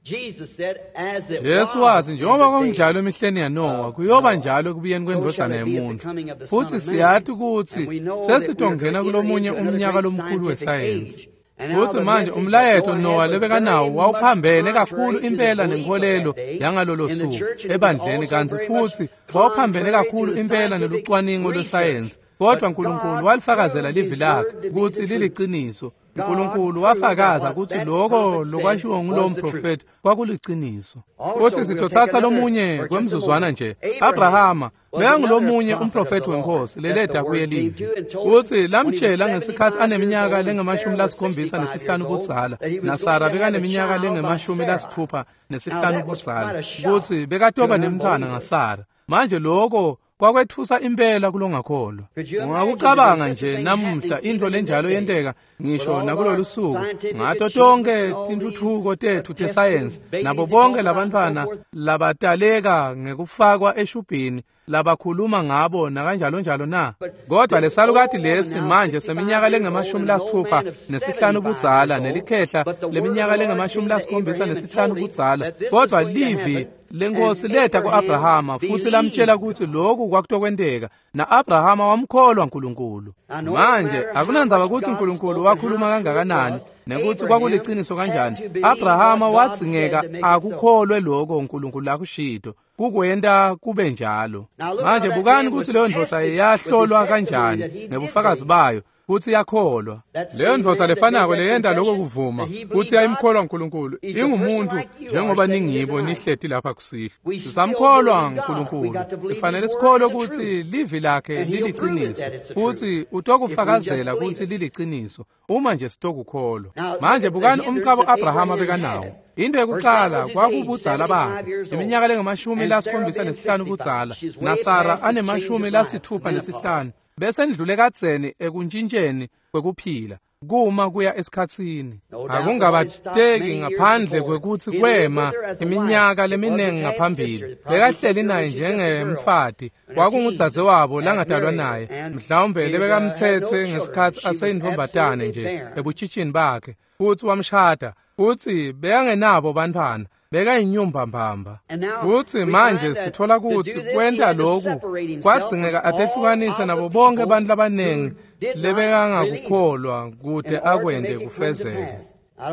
Jesu watsi njengoba kwakunjalo emihleni yaNowa, kuyoba njalo ekubuyeni kwendvodzana yemuntfu. Futsi siyati kutsi sesitongena kulomunye umnyaka lomkhulu wesayensi. Futsi manje umlayeto Nowa lebekanawo wawuphambene kakhulu impela nenkholelo yangalolo suku ebandleni, kantsi futsi wawuphambene kakhulu impela nelucwaningo lwesayensi. Kodwa uNkulunkulu walifakazela livi lakhe kutsi liliciniso. uNkulunkulu wafakaza kutsi loko lokwashiwo ngulowo mprofethi kwakuliciniso. Futsi sitotsatsa lomunye kwemzuzwana nje. Abrahama bekangulomunye umprofethi wenkosi leleta kuye livi, futsi lamtshela ngesikhatsi aneminyaka lengemashumi lasikhombisa nesihlanu budzala, naSara bekaneminyaka lengemashumi lasitfupha nesihlanu budzala, kutsi bekatoba nemntfwana ngaSara. Manje loko kwakwetfusa impela kulongakholwa. Ungakucabanga nje namuhla intfo lenjalo yenteka ngisho nakulolu suku, ngato tonke tintfutfuko tetfu tesayensi, nabo bonke labantfwana labataleka ngekufakwa eshubhini labakhuluma ngabo nakanjalo njalo na. Kodwa lesalukati lesi manje seminyaka lengemashumi lasitfupha nesihlanu budzala, nelikhehla leminyaka lengemashumi lasikhombisa nesihlanu budzala, kodwa livi lenkosi leta ku-Abrahama futsi lamtshela kutsi loku kwakutokwenteka, na-Abrahama wamkholwa uNkulunkulu. Manje akunandzaba kutsi uNkulunkulu wakhuluma kangakanani nekutsi kwakuliciniso kanjani, Abrahama wadzingeka akukholwe loko uNkulunkulu lakushito kukwenta kube njalo. Manje bukani kutsi leyo ndvodza yahlolwa kanjani ngebufakazi bayo kutsi yakholwa. Leyo ndvodza lefanako leyenta loko kuvuma kutsi yayimkholwa uNkulunkulu ingumuntu njengoba ningibo nihleti lapha kusihlwa. Sisamkholwa uNkulunkulu, ifanele sikholwe kutsi livi lakhe liliciniso, futsi utokufakazela kutsi liliciniso uma nje sitokukholwa. Manje bukani umcabo Abrahama bekanawo. Into yekuqala kwakubudzala bakhe, iminyaka lengamashumi lasikhombisa nesihlanu budzala, naSara anemashumi lasitfupha nesihlanu. Bese ndlule kadzeni ekuntshintsheni kwekuphila kuma kuya esikhatsini. Akungabateki ngaphandle kwekutsi kwema iminyaka leminingi ngaphambili. Bekahleli naye njengemfati, kwakungudzadzewabo langadalwa naye, mhlawumbe lebekamtsetse ngesikhatsi aseyintfombatane nje ebutshitshini bakhe, futsi wamshada, futsi bekangenabo bantfwana. Bekayinyumba mbamba. Futsi manje sithola kutsi kwenta loku kwadzingeka atehlukanise nabo bonke bantfu labanengi lebekangakukholwa kute akwente kufezeke.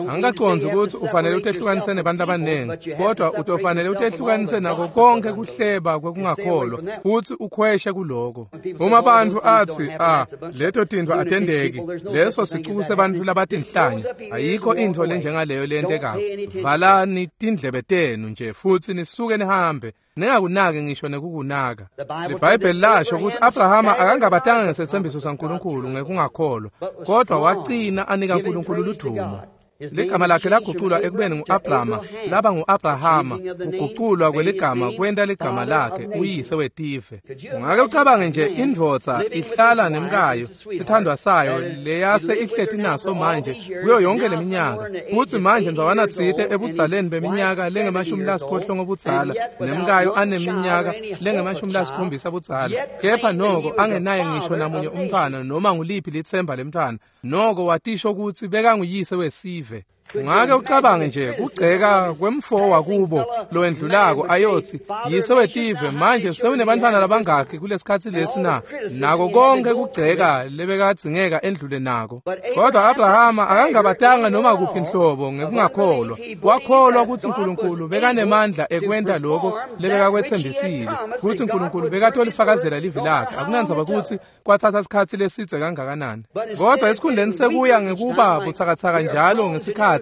Angikacondzi ukuthi ufanele utehlukanise nebantu abaningi, kodwa utofanele utehlukanise nako konke kuhleba kwekungakholwa futhi ukhweshe kuloko. Uma abantu athi ah leto tintfo atendeki, leso sicuku sebantfu labatinhlanya, ayikho intfo lenjengaleyo lentekako. Valani tindlebe tenu nje futhi nisuke nihambe, ningakunaki ngisho nekukunaka. LiBhayibheli lasho ukuthi Abrahama akangabatanga ngesetsembiso saNkulunkulu ngekungakholwa, kodwa wagcina anika uNkulunkulu ludumo. Ligama lakhe laguculwa ekubeni ngu-Abrama laba ngu-Abrahama. Kuguculwa kweligama kwenta ligama lakhe uyise wetive. Ungake ucabange nje indvodza ihlala nemkayo, sithandwa sayo leyase ihleti naso manje kuyo yonke leminyaka, futsi manje ndzawana tsite ebudzaleni beminyaka lengemashumi lasiphohlongo budzala, nemkayo aneminyaka lengemashumi lasikhombisa budzala, kepha noko angenaye ngisho namunye umntfwana noma nguliphi litsemba lemntfwana, noko watisho kutsi bekanguyise wesive. Ungake ucabange nje kugceka kwemfo wakubo lowendlulako ayothi yise wetive, manje sewunebantfwana labangakhi kulesikhatsi lesi na? Nako konke kugceka lebekadzingeka endlule nako. Kodwa Abrahama akangabatanga noma kuphi inhlobo ngekungakholwa. Wakholwa kutsi uNkulunkulu bekanemandla ekwenta loko lebekakwetsembisile, kutsi uNkulunkulu bekatolifakazela livi lakhe. Akunandzaba kutsi kwatsatsa sikhatsi lesidze kangakanani, kodwa esikhundleni sekuya ngekuba butsakatsaka njalo ngesikhatsi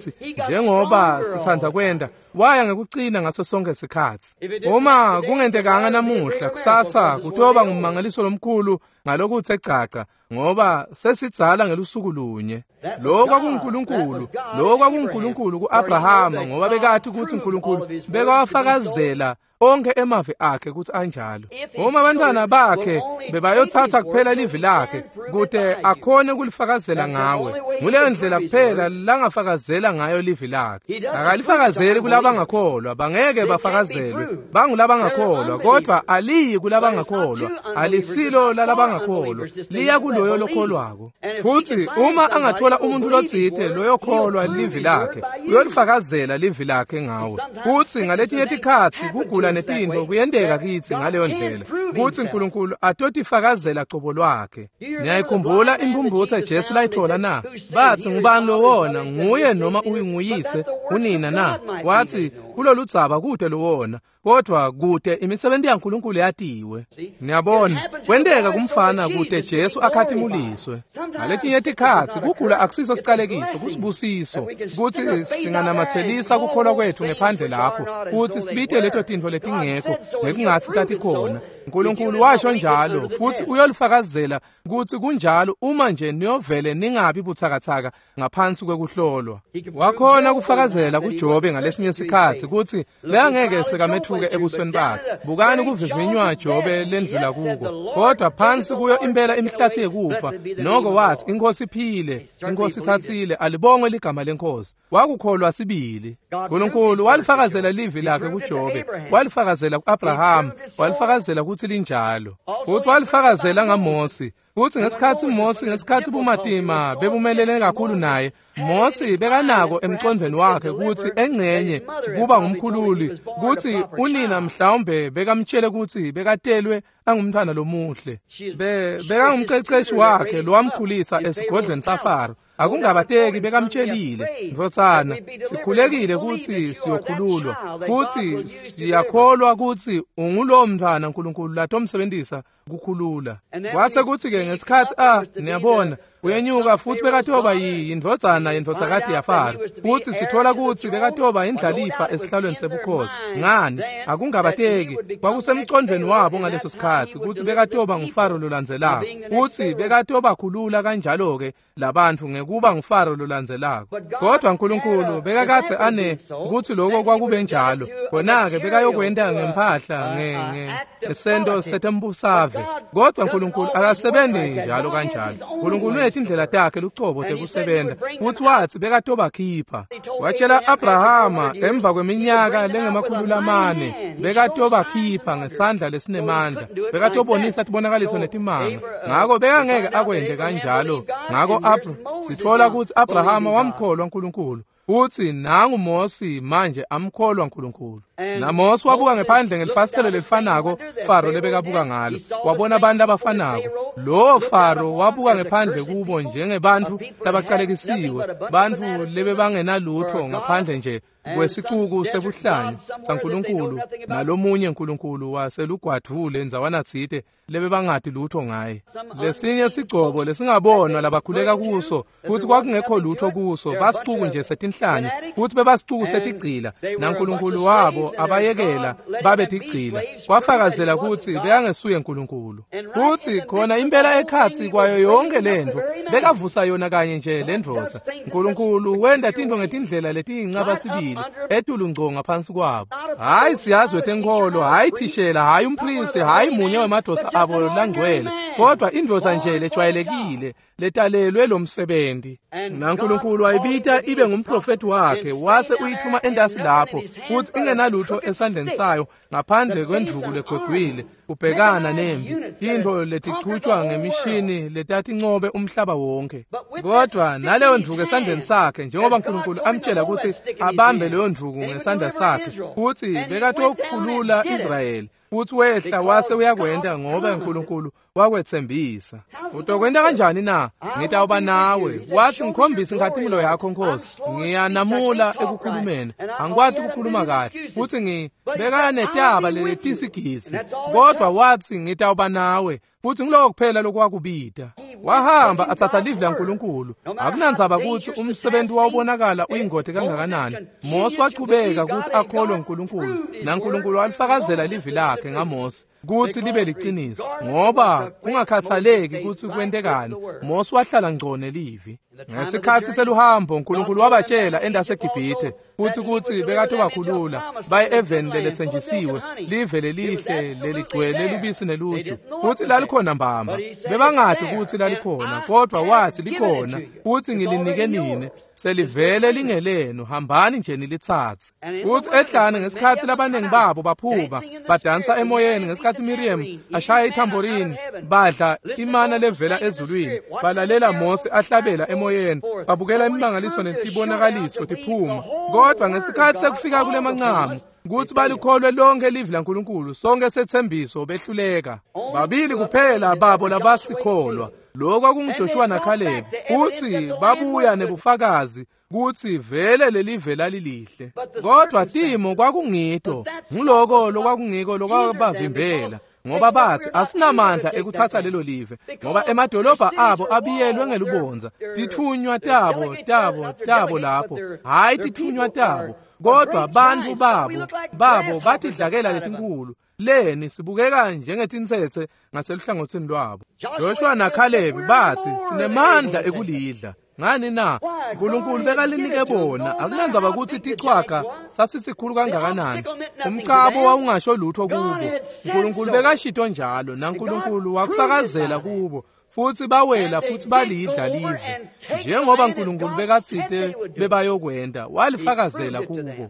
njengoba sitsandza kwenta, waya ngekucina ngaso sonke sikhatsi. Uma kungentekanga namuhla, kusasa kutoba ngumangaliso lomkhulu ngalokuthe caca, ngoba sesidzala ngelusuku lunye. Lo kwakunguNkulunkulu, lo kwakunguNkulunkulu ku-Abrahama, ngoba bekati kutsi uNkulunkulu bekawafakazela onke emavi akhe kutsi anjalo. Uma abantwana bakhe bebayotsatsa kuphela livi lakhe kute akhone kulifakazela ngawe, nguleyo ndlela kuphela langafakazela ngayo livi lakhe. Akalifakazeli kulabangakholwa, bangeke bafakazelwe, bangulabangakholwa, kodwa aliyi kulabangakholwa, alisilo lalabangakholwa, liya kuloyo lokholwako. Futhi uma angathola umuntu lotsite loyokholwa livi lakhe, uyolifakazela livi lakhe ngawe. Futhi ngaletinye tikhatsi kugula netintfo kuyenteka kitsi ngaleyo ndlela, kutsi uNkulunkulu atotifakazela cobo lwakhe. Niyayikhumbula imphumphutse Jesu layithola na? Bathi ngubani lowona, nguye noma uyinguyise unina na? Wathi kuloludzaba kude lowona, kodwa kude imisebenzi yaNkulunkulu yatiwe. Niyabona, kwenteka kumfana kude Jesu akhatimuliswe. Ngaletinye tikhatsi kugula akusiso sicalekiso, kusibusiso kutsi singanamatselisa kukholwa kwethu ngephandle lapho, kutsi sibite leto tintfo letingekho ngekungatsi tatikhona. uNkulunkulu washo njalo, futhi uyolifakazela kutsi kunjalo uma nje niyovele ningabi butsakatsaka ngaphansi kwekuhlolwa. Wakhona kufakazela kuJobe ngalesinye sikhatsi kutsi bekangeke sekametfuke ebusweni bakhe. Bukani kuvivinywa Jobe lendlula kuko, kodwa phansi kuyo impela imhlathi yekufa, noko wathi inkosi iphile, inkosi ithatsile, alibongwe ligama lenkosi. Wakukholwa sibili. uNkulunkulu walifakazela livi lakhe kuJobe, walifakazela ku-Abraham, walifakazela kutsi linjalo. Futhi walifakazela ngaMosi. Futhi ngesikhatsi Mosi, ngesikhatsi bumatima bebumelene kakhulu naye, Mosi bekanako emcondvweni wakhe kutsi engcenye kuba ngumkhululi, kutsi unina mhlawumbe bekamtshele kutsi bekatelwe angumntfwana lomuhle. Be bekangumceceshi wakhe lowamkhulisa esigodlweni saFaro. Akungabateki bekamtshelile, ndvodzana, sikhulekile kutsi siyokhululwa, futhi siyakholwa kutsi ungulowo mntfwana uNkulunkulu latomsebentisa kukhulula. Kwase kutsi-ke ngesikhatsi a niyabona uyenyuka futhi bekatoba yindvodzana yendvodzakati yaFaro, futhi sithola kutsi bekatoba indlalifa esihlalweni sebukhosi. Ngani? Akungabateki kwakusemcondvweni wabo ngaleso sikhatsi kutsi bekatoba nguFaro lolandzelako, futsi bekatobakhulula kanjalo-ke labantfu ngekuba nguFaro lolandzelako. Kodwa uNkulunkulu bekakadze ane kutsi loko kwakube njalo, khona-ke bekayokwenta ngemphahla ngesento setembusave. Kodwa uNkulunkulu akasebenzi njalo kanjalo. uNkulunkulu unetindlela takhe lucobo tekusebenza, futhi wathi bekatobakhipha. Watshela Abrahama emva kweminyaka lengemakhulu lamane bekatobakhipha ngesandla lesinemandla, bekatobonisa tibonakaliso netimanga. Ngako bekangeke akwente kanjalo. Ngako sithola kutsi Abrahama wamkholwa uNkulunkulu, futhi nangu Mosi manje amkholwa uNkulunkulu. NaMosi wabuka ngephandle ngelifasitelo lelifanako Faro lebekabuka ngalo, wabona abantu abafanako, Lo Faro wabuka ngephandle kubo njengebantfu labacalekisiwe, bantfu lebebangenalutho ngaphandle nje kwesicuku sebuhlanya saNkulunkulu nalomunye nkulunkulu waselugwadvule ndzawana tsite lebebangati lutho ngaye. Lesinye sigcobo lesingabonwa labakhuleka kuso kutsi kwakungekho lutho kuso, basicuku nje setinhlanya kutsi bebasicuku setigcila naNkulunkulu wabo abayekela babe tigcila, kwafakazela kutsi bekangesuye Nkulunkulu. Futsi khona impela ekhatsi kwayo yonke lentfo bekavusa yona kanye nje lendvodza. Nkulunkulu wenta tintfo ngetindlela letiyincaba sibili etulu ngco ngaphansi kwabo. Hayi siyazi wetenkholo, hayi thishela, hayi umpristi, hayi munye wemadvodza abo langcwele, kodwa indvodza nje lejwayelekile letalelwe lo msebenzi. NaNkulunkulu wayibita ibe ngumprofeti wakhe, wase uyithuma entasi lapho kutsi ingenalutho esandleni sayo ngaphandle kwendvuku legwegwile kubhekana nempi, tintfo letichutjwa ngemishini letatincobe umhlaba wonke. Kodwa naleyo ndvuku esandleni sakhe, njengoba Nkulunkulu amtjela kutsi abambe leyo ndvuku ngesandla sakhe, kutsi bekatokhulula Israyeli, futsi wehla wase uyakwenta ngoba Nkulunkulu wakwetsembisa. Utokwenta kanjani na? Ngitawuba nawe. Wathi ngikhombise inkhatimulo yakho Nkosi. Ngiyanamula ekukhulumeni, angikwati ukukhuluma kahle, futsi ngibeka netaba leletisigisi, kodwa wathi ngitawuba nawe, futsi ngiloko kuphela lokwakubita. Wahamba atsatsa livi laNkulunkulu. Akunandzaba kutsi umsebenzi wawubonakala uyingoti kangakanani, Mose wachubeka kutsi akholwe uNkulunkulu, naNkulunkulu walifakazela livi lakhe ngaMose kutsi libe liciniso, ngoba kungakhathaleki kutsi kwentekani, Mose wahlala ngco nelivi. Ngesikhatsi seluhambo Nkulunkulu wabatjela endaseGibhithe kutsi kutsi bekatobakhulula baye eveni leletsenjisiwe, live lelihle leligcwele lubisi neluju, kutsi lalikhona mbamba. Bebangati kutsi lalikhona, kodwa wathi likhona, kutsi ngilinike nine, selivele lingelenu, hambani nje nilitsatse. Kutsi ehlane ngesikhatsi labaningi babo baphuma badansa emoyeni, ngesikhatsi Miriam ashaya ithamborini, badla imana levela ezulwini, balalela Mose ahlabela emoyeni, babukela imimangaliso netibonakaliso tiphuma. Kodwa ngesikhatsi sekufika kule mancamu kutsi balikholwe lonke livi laNkulunkulu, sonke sethembiso, behluleka. Babili kuphela babo labasikholwa, lokho kwakunguJoshua naKhalebi, futsi babuya nebufakazi kutsi vele lelive lalilihle. Kodwa timo kwakungito, ngiloko lokwakungiko lokwabavimbela, ngoba bathi asinamandla ekuthatha lelo live, ngoba emadolobha abo abiyelwe ngelubondza, titfunywa tabo tabo tabo lapho, hayi titfunywa tabo, kodwa bantfu babo babo batidlakela letinkulu. Leni sibukeka njengetintsetse ngaseluhlangotsini lwabo. Joshua naKhalebi bathi sinemandla ekulidla. Ngani na? Nkulunkulu bekalinike bona. Akunandzaba kutsi tichwaga sasisikhulu kangakanani, umcabo wawungasho lutho kubo. Nkulunkulu bekashito njalo, naNkulunkulu wakufakazela kubo, futsi bawela futsi balidla live njengoba Nkulunkulu bekatsite bebayokwenta, walifakazela kubo.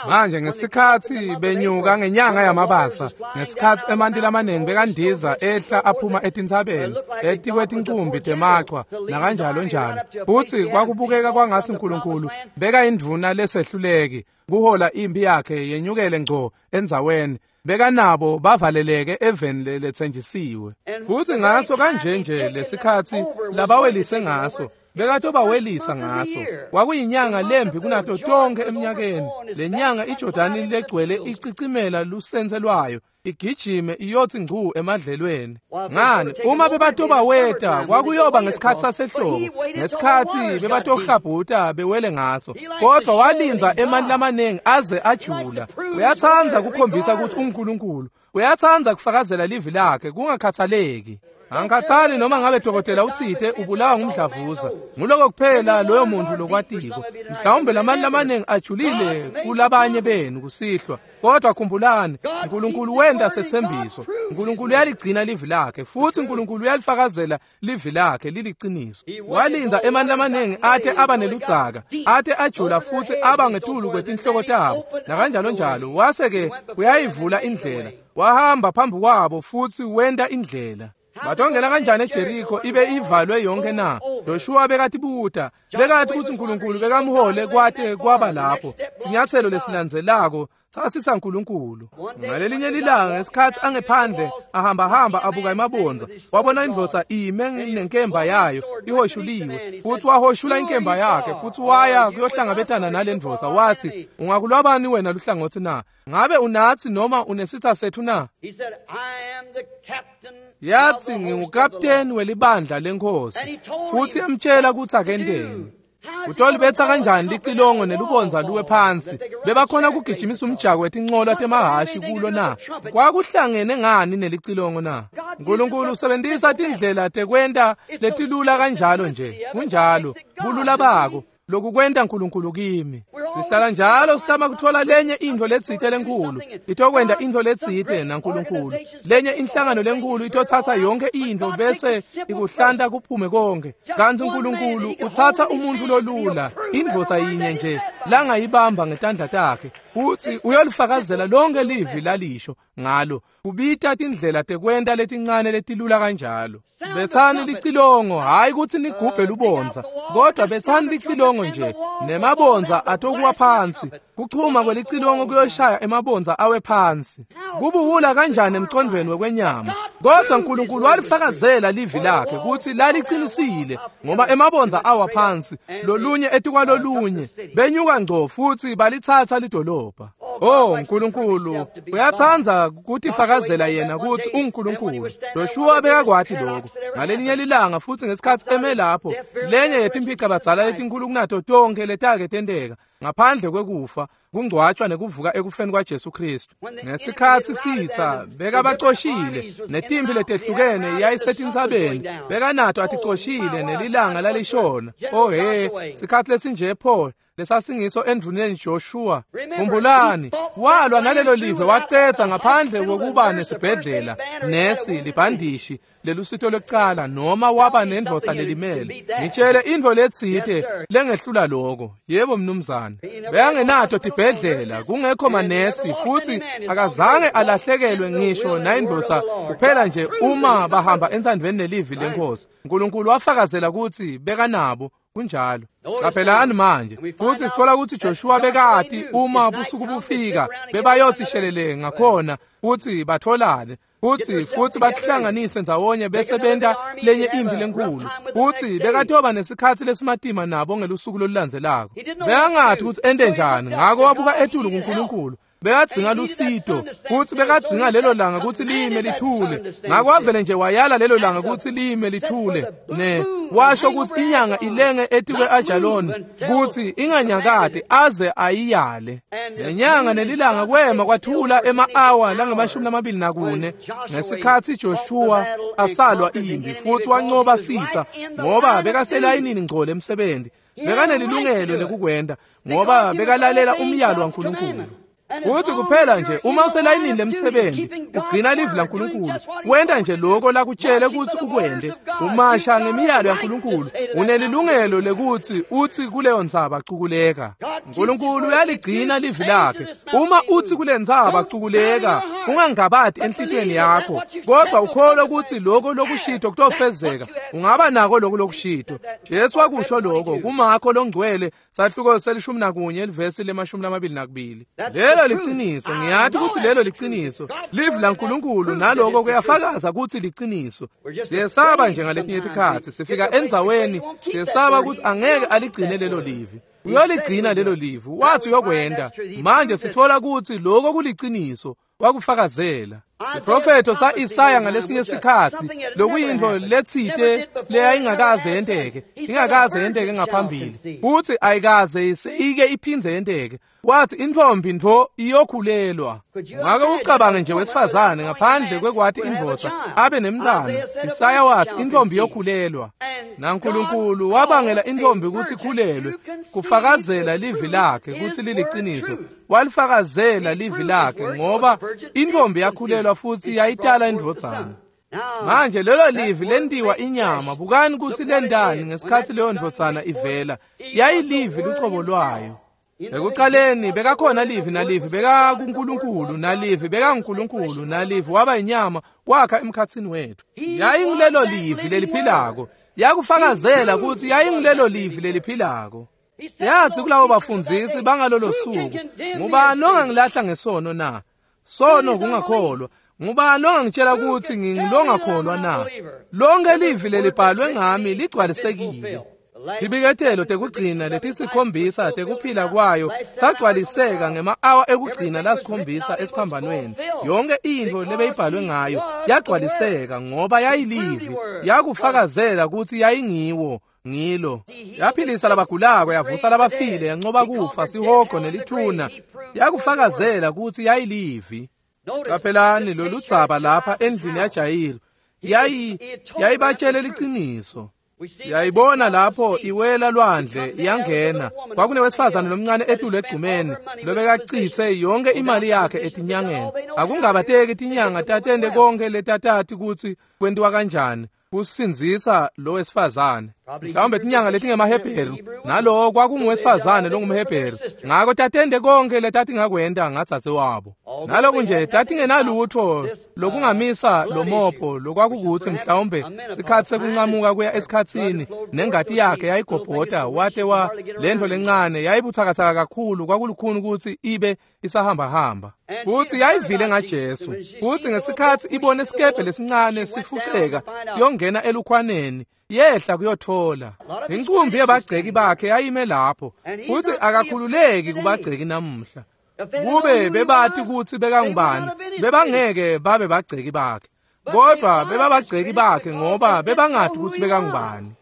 Manje ngesikhatsi benyuka ngenyanga yamabasa, ngesikhatsi emanti lamanengi bekandiza ehla aphuma etintsabeni etikwetincumbi temachwa nakanjalo njalo, futsi kwakubukeka kwangatsi Nkulunkulu bekayindvuna lesehluleki kuhola impi yakhe yenyukele ngco endzaweni, bekanabo bavaleleke eveni leletsenjisiwe. Futsi ngaso kanje nje lesikhatsi labawelise ngaso, bekatobawelisa ngaso, kwakuyinyanga lembi kunato tonke eminyakeni. Lenyanga iJordani legcwele icicimela lusense lwayo, igijime iyothi ngcu emadlelweni. Ngani uma bebatobaweta kwakuyoba ngesikhatsi sasehlobo, ngesikhatsi bebatohlabhuta bewele ngaso, kodwa walindza emanti lamaningi aze ajula. Uyatsandza kukhombisa kutsi uNkulunkulu, uyatsandza kufakazela livi lakhe kungakhathaleki. Angikhathali noma ngabe dokotela utsite ubulawa ngumdlavuza, nguloko kuphela loyo muntu lokwatiko. Mhlawumbe lamanti lamaningi ajulile kulabanye benu kusihlwa, kodwa khumbulani, Nkulunkulu wenta setsembiso. Nkulunkulu uyaligcina livi lakhe, futsi Nkulunkulu uyalifakazela livi lakhe liliciniso. Walinda emanti lamaningi ate aba neludzaka, ate ajula futsi aba ngetulu kwetinhloko tabo nakanjalo njalo, wase ke uyayivula indlela. Wahamba phambi kwabo futsi wenta indlela. Batongena kanjani eJeriko ibe ivalwe yonke na? Joshua bekatibuta, bekati kutsi uNkulunkulu bekamhole kwate kwaba lapho. Sinyatselo lesilandzelako sasisa uNkulunkulu. Ngalelinye lilanga ngesikhatsi angephandle ahamba hamba abuka emabondza, wabona indvodza ime nenkemba yayo ihoshuliwe, futhi wahoshula inkemba yakhe futhi waya kuyohlangabetana nalendvodza. Wathi, ungakulwabani wena luhlangotsi na? Ngabe unatsi noma unesitha sethu na? Yathi, ngingukapteni welibandla lenkosi. Futhi yamtshela kutsi akenteni. Utolibetsa kanjani licilongo nelubondza luwe phansi? Bebakhona kugijimisa umjako wetincola temahhashi kulo na? Kwakuhlangene ngani nelicilongo na? uNkulunkulu usebenzisa tindlela tekwenta letilula kanjalo nje. Kunjalo, bulula bako lokukwenta uNkulunkulu kimi. Sihlala njalo sitama kutfola lenye intfo letsite lenkhulu itokwenta intfo letsite naNkulunkulu. Lenye inhlangano lenkhulu itotsatsa yonke intfo bese ikuhlanta kuphume konke. Kantsi uNkulunkulu utsatsa umuntfu lolula, indvodza yinye nje langayibamba ngetandla takhe, utsi uyolifakazela lonke livi lalisho ngalo. Kubita tindlela tekwenta letincane letilula kanjalo. Betsani licilongo, hayi kutsi nigubhe lubondza, kodwa betsani licilongo nje, nemabondza atokuwa phansi. Kuchuma kwelicilongo kuyoshaya emabondza awe phansi. Kubuwula kanjani emcondvweni wekwenyama? Kodwa uNkulunkulu walifakazela livi lakhe kutsi laliqinisile, ngoba emabondza awa phansi lolunye etikwalolunye, benyuka ngco futhi balitsatsa lidolobha. Oh, uNkulunkulu uyatsandza kutifakazela yena kutsi unguNkulunkulu. Joshua bekakwati lokho. Ngalelinye lilanga futhi ngesikhatsi eme lapho, lenye yetimphicabadzala letinkulu kunato tonkhe letake tenteka ngaphandle kwekufa, kungcwatshwa nekuvuka ekufeni kwaJesu Kristu. Ngesikhatsi sitsa bekabacoshile netimpi letehlukene yayisetintsabeni, bekanato aticoshile nelilanga lalishona. Oh he, sikhatsi lesinje pho lesasingiso endvuneni Joshua. Khumbulani, walwa nalelo live wacetsa ngaphandle kokuba nesibhedlela, nesi, libhandishi lelusito lwekucala, noma waba nendvodza lelimele. Ngitshele intfo letsite lengehlula lokho. Yebo mnumzane. Bekangenato tibhedlela, kungekho manesi, futhi akazange alahlekelwe ngisho nayindvodza kuphela nje uma bahamba entsandvweni nelivi lenkosi. uNkulunkulu wafakazela kutsi bekanabo. Kunjalo. Qaphelani manje kutsi sithola kutsi Joshua bekati uma busuku bufika bebayothi shelele ngakhona kutsi batholane futsi futsi bakuhlanganise ndzawonye bese benta lenye impi lenkhulu. Futsi bekatoba nesikhatsi lesimatima nabo ngelusuku lolulandzelako. Bekangathi kutsi ente njani, ngako wabuka etulu kuNkulunkulu. Bekadzinga lusito, futsi bekadzinga lelo langa kutsi lime lithule. Ngako wavele nje wayala lelo langa kutsi lime lithule, ne washo kutsi inyanga ilenge etikwe Ajaloni kutsi inganyakati aze ayiyale. Nenyanga nelilanga kwema kwathula ema-awa langemashumi lamabili nakune ngesikhatsi Joshua asalwa impi futhi wancoba sitsa, ngoba bekaselayinini ngco lemsebenzi. Bekanelilungelo lekukwenta ngoba bekalalela umyalo waNkulunkulu. Futhi kuphela nje uma uselayinini lemsebenzi ugcina livi laNkulunkulu, wenta nje lokho lakutshele kutsi ukwente, umasha ngemiyalo yaNkulunkulu, unelilungelo lekutsi utsi kuleyo ntsaba cukuleka. uNkulunkulu uyaligcina livi lakhe. Uma utsi kule ntsaba cukuleka, ungangabati enhlitiyweni yakho, kodwa ukholwe kutsi lokho lokushito kutofezeka, ungaba nako lokho lokushito. Jesu wakusho lokho kuMakho longcwele sahluko selishumi nakunye livesi lemashumi lamabili nakubili. Lelo liciniso, ngiyathi kutsi lelo liciniso. Livi laNkulunkulu naloko kuyafakaza kutsi liciniso. Siyesaba nje ngaletinye tikhatsi sifika endzaweni siyesaba kutsi angeke aligcine lelo livi. Uyoligcina lelo livi, wathi uyokwenta. Manje sitfola kutsi lokho kuliciniso, wakufakazela. Siprofetho sa-Isaya ngalesinye sikhatsi lokuyintfo letsite leyayingakaze yenteke, ingakaze yenteke ngaphambili, futsi ayikaze seyike iphindze yenteke. Wathi intfombi ntfo iyokhulelwa. Ngake ucabange nje wesifazane ngaphandle kwekwati indvodza abe nemntwana. Isaya wathi intfombi iyokhulelwa. NaNkulunkulu wabangela intfombi kutsi ikhulelwe kufakazela livi lakhe kutsi liliciniso. Walifakazela livi lakhe ngoba intfombi yakhulelwa futhi yayitala indvodzana. Manje lelo livi lentiwa inyama. Bukani kutsi lendani ngesikhatsi leyo ndvodzana ivela. Yayilivi lucobo lwayo. Ekuqaleni bekakhona livi, nalivi bekakuNkulunkulu, nalivi bekanguNkulunkulu, nalivi waba inyama wakha emkhatsini wethu. Yayingilelo livi leliphilako, yakufakazela ukuthi yayingilelo livi leliphilako. Yathi kulabo bafundzisi bangalolo suku, ngubani ongangilahla ngesono na? Sono kungakholwa. Ngubani ongangitshela ukuthi ngingilongakholwa na? Lonke livi lelibhalwe ngami ligcwalisekile. Tibiketelo tekugcina letisikhombisa tekuphila kwayo sagcwaliseka ngema-awa ekugcina lasikhombisa esiphambanweni. Yonke intfo lebeyibhalwe ngayo yagcwaliseka ngoba yayilivi, yakufakazela ukuthi yayingiwo ngilo. Yaphilisa labagulako, yavusa labafile, yancoba kufa, sihogo nelithuna. Yakufakazela ukuthi yayilivi. Qaphelani lolu dzaba lapha endlini yaJayiru, yayi yayibatshele liciniso. Siyayibona lapho iwela lwandle iyangena. Kwakunewesifazane lomncane etulu egcumeni lobekacitse yonke imali yakhe etinyangeni. Akungabateki tinyanga tatende konke letatati kutsi kwentiwa kanjani kusindzisa lo wesifazane. Mhlawumbe tinyanga letingemahebheru, nalowo kwakunguwesifazane longumhebheru. Ngako tatende konke letatingakwenta ngadzadze wabo. Naloku nje tatingenalutho lokungamisa lo mopho, lokwakukuthi mhlawumbe sikhatsi sekuncamuka kuya esikhatsini, nengati yakhe yayigobhota wate wa lentfo lencane yayibutsakatsaka kakhulu, kwakulukhuni ukuthi ibe isahambahamba. Futhi yayivile ngaJesu. Futhi ngesikhatsi ibone isikebhe lesincane sifuceka siyongena elukhwaneni, yehla kuyothola. Inqumbi yabagceki bakhe yayime lapho, futhi akakhululeki kubagceki namuhla. Kube bebati ukuthi bekangubani, bebangeke babe bagceki bakhe. Kodwa bebabagceki bakhe ngoba bebangati ukuthi bekangubani.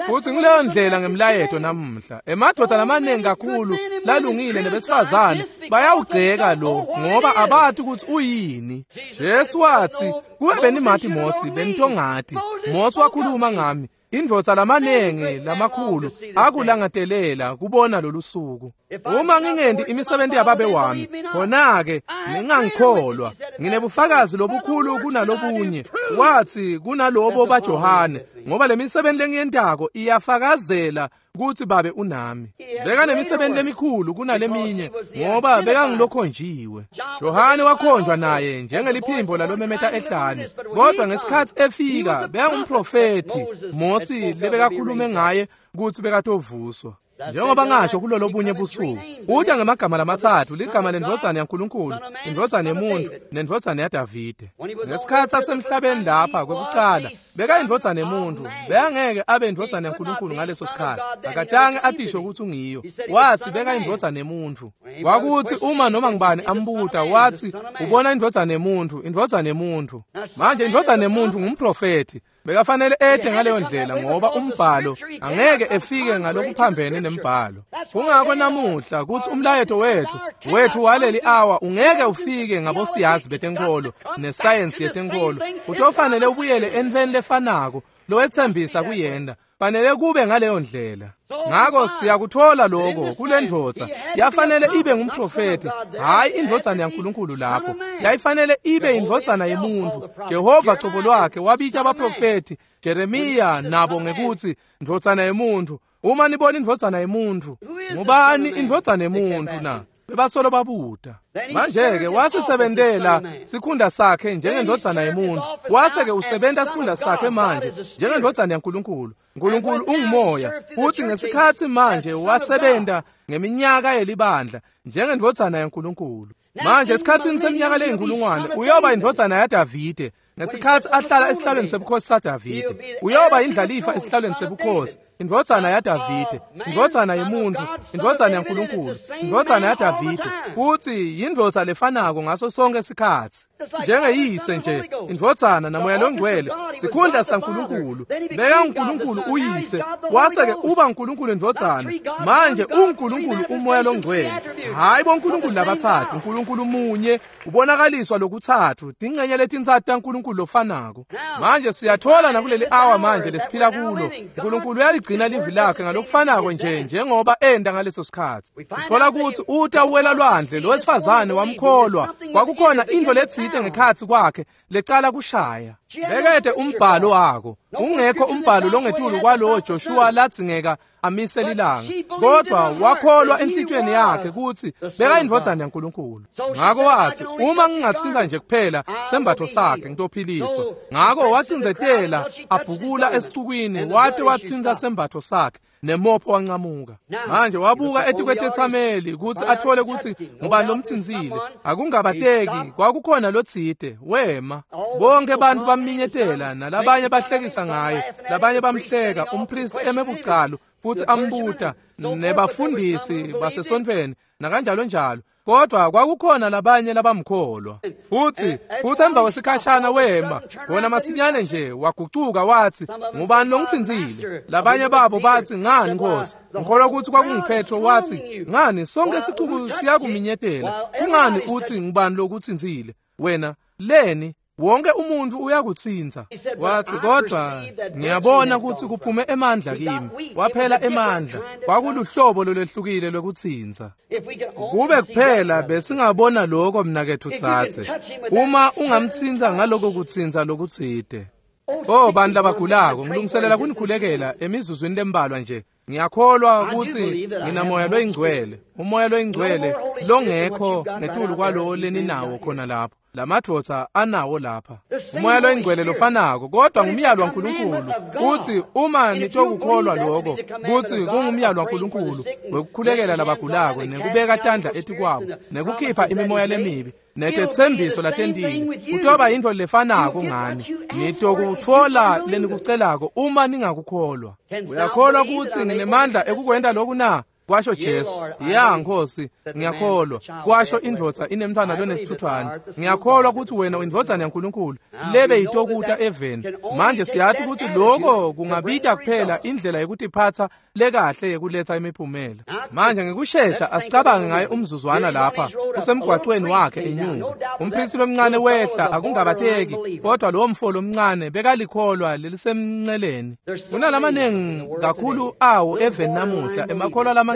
Futhi ngileyo ndlela ngemlayeto namuhla. Emadoda lamaningi kakhulu lalungile nebesifazane bayawugceka lo ngoba abati ukuthi uyini. Jesu wathi, kube benimati Mosi benitongati. Mosi wakhuluma ngami. Indvodza lamaningi lamakhulu akulangatelela kubona lolu suku. Uma ngingendi imisebenzi yababe wami, khona-ke ningangikholwa. Nginebufakazi lobukhulu kunalobunye, wathi kunalobo baJohane, ngoba le misebenzi lengiyentako iyafakazela ukuthi babe unami. Bekanemisebenzi lemikhulu kunaleminye ngoba bekangilokhonjiwe. Johane wakhonjwa naye njengeliphimbo lalomemeta ehlane, kodwa ngesikhathi efika bekangumprofethi Mosi lebekakhulume ngaye ukuthi bekatovuswa. Njengoba ngasho kulolo bunye busuku, uta ngemagama lamatsatfu, ligama lendvodzana yaNkulunkulu, indvodzana yemuntu, nendvodzana yaDavide. Ngesikhatsi asemhlabeni lapha kwekucala, bekayindvodzana yemuntu, bekangeke abe indvodzana yaNkulunkulu ngaleso sikhatsi. Akatange atisho ukuthi ungiyo. Wathi bekayindvodzana yemuntu. Kwakuthi uma noma ngubani ambuta, wathi ubona indvodzana yemuntu, indvodzana yemuntu. Manje indvodzana yemuntu ngumprofethi. Bekafanele ede ngaleyo ndlela ngoba umbhalo angeke efike ngalokuphambene nembhalo. Kungako namuhla kuthi umlayeto wethu wethu waleli hour ungeke ufike ngabosiyazi betenkolo nesayensi yetenkolo. Utofanele ubuyele entfweni lefanako lowetsembisa kuyenda. Fanele kube ngaleyo ndlela. Ngako siyakuthola lokho kule ndvodza. Yafanele ibe ngumprofeti, hayi indvodzana yaNkulunkulu lapho. Yayifanele ibe indvodzana yemuntu. Jehova cobo lwakhe wabita abaprofeti Jeremiya nabo ngekuthi ndvodzana yemuntu. Uma nibona indvodzana yemuntu, ngubani indvodzana yemuntu na? Bebasolo babuta. Manje-ke wasisebentela sikhundla sakhe njengendvodzana yemuntu. Wase-ke usebenta sikhundla sakhe manje njengendvodzana yaNkulunkulu. Nkulunkulu ungumoya. Futhi ngesikhatsi manje wasebenta ngeminyaka yelibandla njengendvodzana yaNkulunkulu. Manje esikhatsini seminyaka leyinkulungwane uyoba indvodzana yaDavide. Ngesikhatsi ahlala esihlalweni sebukhosi saDavide, uyoba indlalifa esihlalweni sebukhosi, indvodzana yaDavide, indvodzana yemuntu, indvodzana yaNkulunkulu, indvodzana yaDavide. Futhi yindvodza lefanako ngaso sonke isikhatsi. Njengeyise nje, indvodzana naMoya loNgcwele, sikhundla saNkulunkulu. Beka uNkulunkulu uyise, wase-ke uba uNkulunkulu indvodzana. Manje uNkulunkulu uMoya loNgcwele. Hayi boNkulunkulu labatsatfu, uNkulunkulu munye ubonakaliswa lokutsatfu, tincenye letintsatfu taNkulunkulu lofanako. Manje siyathola nakuleli hour manje lesiphila kulo, uNkulunkulu uyaligcina livi lakhe ngalokufanako nje njengoba enda ngaleso sikhatsi. Sithola kutsi uta uwela lwandle, lo wesifazane wamkholwa. Kwakukhona intfo letsite ngekhatsi kwakhe lecala kushaya. Bekete umbhalo wako, ungekho umbhalo longetulu kwalowo Joshua ladzingeka amise lilanga, kodwa wakholwa enhlitiyweni yakhe kutsi bekayindvodzana yaNkulunkulu. Ngako watsi, uma ngingatsintsa nje kuphela sembatfo sakhe ngitophiliswa. Ngako wacindzetela abhukula esicukwini wate watsintsa sembatfo sakhe, nemopho wancamuka. Manje wabuka etikwetetsameli kutsi athole kutsi ngubani lomtsintsile. Akungabateki kwakukhona lotsite wema. Bonke bantfu bamminyetela, nalabanye bahlekisa ngaye, labanye bamhleka. Umpristi eme bucalu futsi ambuta, nebafundisi basesontfweni nakanjalo njalo. Kodwa kwakukhona labanye labamkholwa. Futsi futsi emva kwesikhashana wema khona masinyane nje wagucuka watsi, ngubani longitsintsile? Labanye babo batsi, ngani Nkosi? Ngikholwa kutsi kwakunguPetro. Watsi, ngani sonke sicuku siyakuminyetela, kungani utsi ngubani lokutsintsile wena? Leni wonke umuntu uyakutsintsa. Watsi, kodwa ngiyabona kutsi kuphume emandla kimi. Waphela emandla. Kwakuluhlobo lolwehlukile lwekutsintsa. Kube kuphela besingabona lokho mnaketfu tsatse, uma ungamtsintsa ngaloko kutsintsa lokutsite. Oh, bantu labagulako, ngilungiselela kunikhulekela emizuzwini lembalwa nje. Ngiyakholwa kutsi nginamoya loyingcwele, umoya loyingcwele longekho ngetulu kwalo leninawo khona lapho. Lamadvodza anawo lapha umoya loyingcwele lofanako, kodwa ngumyalo waNkulunkulu kutsi uma nitokukholwa lokho kutsi kungumyalo waNkulunkulu wekukhulekela labagulako nekubeka tandla etikwabo nekukhipha imimoya lemibi netetsembiso latentile, kutoba yintfo lefanako ngani. Nitokutfola lenikucelako uma ningakukholwa. Uyakholwa kutsi nginemandla ekukwenta loku na? Kwasho Jesu. Ya Nkosi, ngiyakholwa. Kwasho indvodza inemntfwana lonesithuthwane. Ngiyakholwa kutsi wena uyindvodzana yaNkulunkulu lebe itokuta eveni. Manje siyati kutsi lokho kungabita kuphela indlela yekutiphatsa lekahle yekuletsa imiphumela. Manje ngekushesha asicabange ngaye umzuzwana lapha usemgwacweni wakhe enyuka. Umpristi lomncane wehla, akungabateki, kodwa lowo mfo lomncane bekalikholwa lelisemnceleni. Kunalamanengi kakhulu awo eveni namuhla, emakholwa lamancane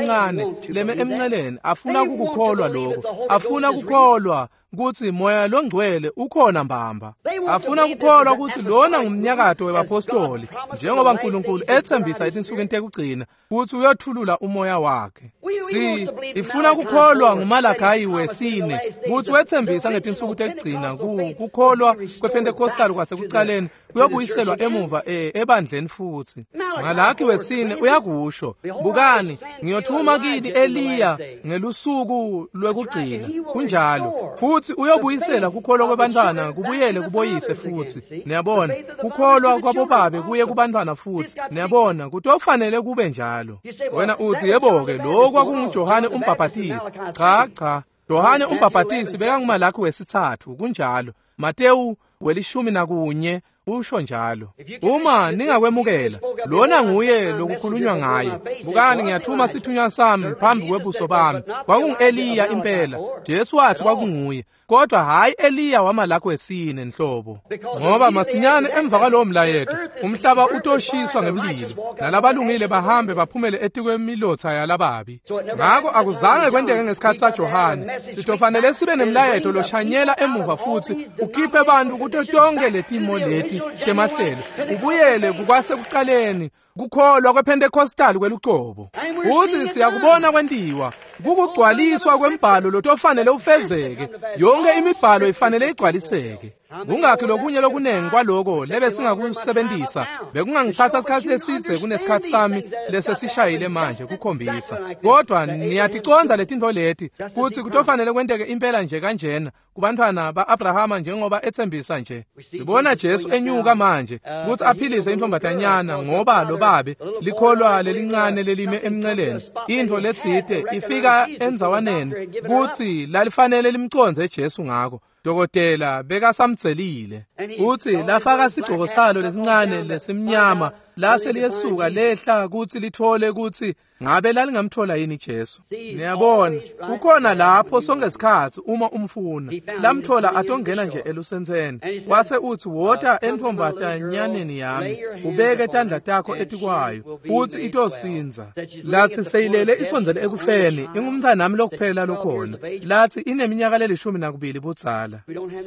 leme emnceleni afuna ukukholwa lokho, afuna ukukholwa kutsi moya longcwele ukhona mbamba, afuna ukukholwa kutsi lona ngumnyakato webapostoli njengoba uNkulunkulu etsembisa etinsukwini tekugcina kutsi uyothulula umoya wakhe. Si ifuna ukukholwa nguMalakayi wesine kutsi wetsembisa ngetinsuku tekugcina kukholwa kwePentecostal kwasekucaleni kuyobuyiselwa emuva ebandleni futhi. Malaki wesine uyakusho, bukani ngiyothuma kini Eliya ngelusuku lwekugcina. Kunjalo futhi uyobuyisela kukholwa kwebantwana kubuyele kuboyise futhi. Niyabona, kukholwa kwabobabe kuye kubantwana futhi. Niyabona, kutofanele kube njalo. Wena uthi, yebo-ke, lokho kwakunguJohane umbhaphatisi. Cha, cha, Yohane umbhaphatisi bekanguMalaki wesithathu. Kunjalo. Matewu welishumi nakunye usho njalo. Uma ningakwemukela, lona nguye lokukhulunywa ngaye. Bukani ngiyathuma sithunywa sami phambi kwebuso bami. Kwakungu-Eliya impela. Jesu wathi kwakunguye, kodwa hayi Eliya waMalaki wesine nhlobo. Ngoba masinyane emva kwalowo mlayeto umhlaba utoshiswa ngemlilo, nalabalungile bahambe baphumele etikwemilotha yalababi. Ngako akuzange kwenteke ngesikhathi saJohane. Sitofanele sibe nemlayeto loshanyela emuva futhi ukhiphe bantu kuto tonke letimo leti temahlelo, ubuyele kukwasekucaleni kukholwa kwePentecostal kwelucobo. Futhi siyakubona kwentiwa kukugcwaliswa kwembhalo lotofanele ufezeke. Yonke imibhalo ifanele igcwaliseke. Kungakhi lokunye lokunengi kwaloko lebe singakusebenzisa, bekungangithatha isikhathi lesidze kunesikhathi sami lesesishayile manje kukhombisa. Kodwa niyaticonza letintfo leti kutsi kutofanele kwenteke impela nje kanjena kubantwana ba-Abrahama njengoba etsembisa nje. Sibona Jesu enyuka manje kutsi aphilise intfombatanyana ngoba lobabe likholwa lelincane lelime emnceleni, intfo letsite ifika endzawaneni kutsi lalifanele limcondze Jesu ngako. Dokotela bekasamtselile utsi lafaka sigcoko salo lesincane lesimnyama lase liyesuka lehla kutsi lithole kutsi ngabe lalingamthola yini Jesu. Niyabona, ukhona lapho sonke sikhatsi uma umfuna. Lamthola atongena nje elusentseni. Wase utsi, wota entfombatanyaneni yami, ubeke tandla takho etikwayo, utsi itosindza. Latsi seyilele isondzele ekufeni, ingumntsanami lokuphela lokhona. Latsi ineminyaka lelishumi nakubili budzala.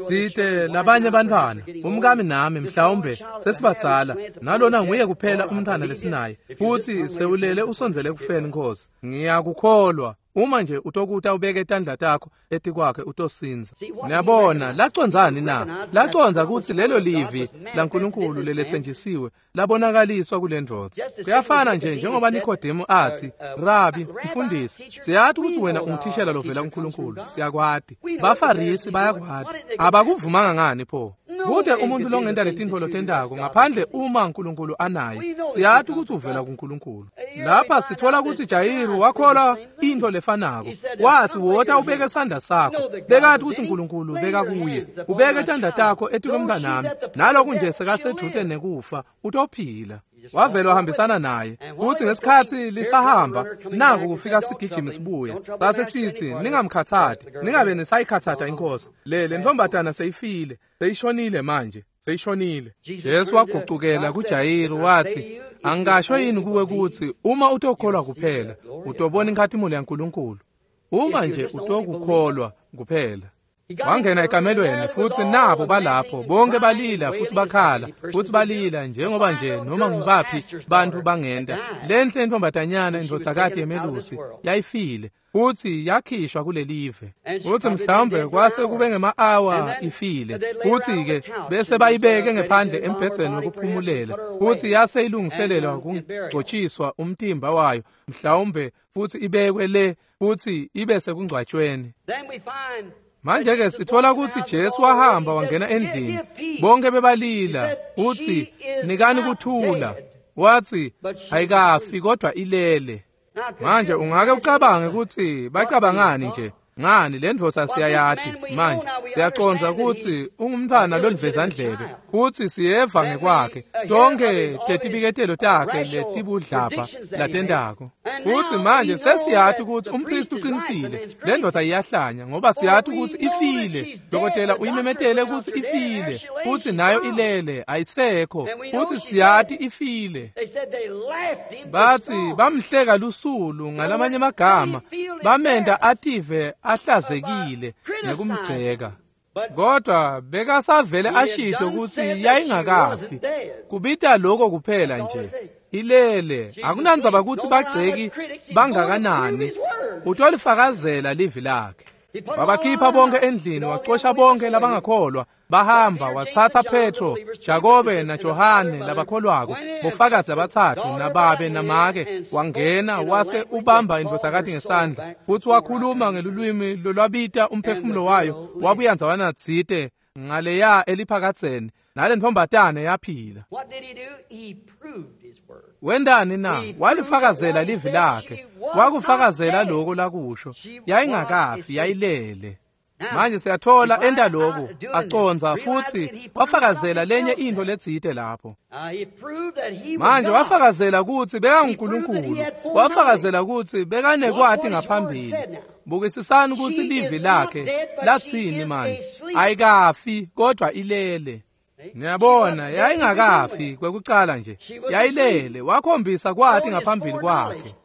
Site labanye bantfwana, umkami nami mhlawumbe sesibadzala, nalona nguye kuphela umntwana lesinaye, futhi sewulele usondzele kufeni Nkosi. Ngiyakukholwa. Uma nje utokuta ubeke tandla takho etikwakhe utosinza. Niyabona lacondzani na? Lacondza kutsi lelo livi laNkulunkulu leletsenjisiwe labonakaliswa kule ndvodza. Kuyafana nje njengoba Nikodemu athi, "Rabi, mfundisi, siyathi ukuthi wena ungithishela lovela kuNkulunkulu, siyakwati." Bafarisi bayakwati. Abakuvumanga ngani pho? Kude umuntu longenta letintfo lotentako ngaphandle uma uNkulunkulu anaye. Siyathi ukuthi uvela kuNkulunkulu. Lapha sithola ukuthi Jayiru wakholwa into lefanako. Wathi wota ubeke isandla sakho. Bekathi ukuthi uNkulunkulu beka kuye. Ubeke tandla takho etikwemntanami. Naloku nje sekasedvute nekufa utophila. Wavela wahambisana naye. Uthi ngesikhathi lisahamba naku kufika sigijimi sibuya. Base sithi ningamkhathati, ningabe nisayikhathata inkosi. Le le ntombatana seyifile, seyishonile manje, seyishonile. Jesu wagucukela kuJayiru wathi, "Angisho yini kuwe ukuthi uma utokholwa kuphela, utobona inkhatimulo yaNkulunkulu. Uma nje utokukholwa kuphela." Wangena ekamelweni futhi nabo balapho bonke balila futhi bakhala futhi balila njengoba nje noma ngibaphi bantu bangenda. Lenhle intombatanyana indvodzakati yemelusi yayifile futhi yakhishwa kulelive. Futhi mhlawumbe kwase kube ngema-awa ifile, futhi-ke bese bayibeke ngephandle embhedzeni wokuphumulela, futhi yase ilungiselelwa kugcotshiswa umtimba wayo mhlawumbe, futhi ibekwe le futhi ibe sekungcwatshweni. Manje ke sithola ukuthi Jesu wahamba wangena endlini, bonke bebalila, uthi nikani kuthula. Wathi ayikafi kodwa ilele. Manje ungake ucabange ukuthi bacabangani nje ngani le ndvodza siyayati manje siyacondza ukuthi ungumntwana lolivezandlebe, futhi siyeva ngekwakhe tonke tetibiketelo takhe letibudlapha latentako. Futhi manje sesiyathi ukuthi umpristi uqinisile, le ndoda iyahlanya ngoba siyathi ukuthi ifile. Dokotela uyimemetele ukuthi ifile, futhi nayo ilele ayisekho, futhi siyathi ifile. Bathi bamhleka lusulu ngalamanye amagama, bamenda ative ahlazekile nekumgceka. Kodwa bekasavele ashito ukuthi yayingakafi. Kubita lokho kuphela nje. Ilele, akunandzaba ukuthi bagceki bangakanani, utolifakazela livi lakhe. Wabakhipha bonke endlini, wacosha bonke labangakholwa. Bahamba wathatha Petro, Jakobe naJohane labakholwako, bofakazi labathathu nababe namake. Wangena wase ubamba indvodzakati ngesandla, futhi wakhuluma ngelulwimi lolwabita umphefumulo wayo, wabuya ndzawana tsite ngaleya eliphakatseni, nale ntombatane yaphila. Wendani na? Walifakazela livi lakhe, wakufakazela lokho lakusho. Yayingakafi, yayilele. Manje siyathola enta lokhu aconza futhi wafakazela lenye into letsite lapho. Manje wafakazela ukuthi bekanguNkulunkulu, wafakazela ukuthi bekanekwati ngaphambili. Bukisisani ukuthi livi lakhe lathini manje. Ayikafi kodwa ilele. Niyabona, yayingakafi kwekucala nje, yayilele. Wakhombisa kwati ngaphambili kwakhe.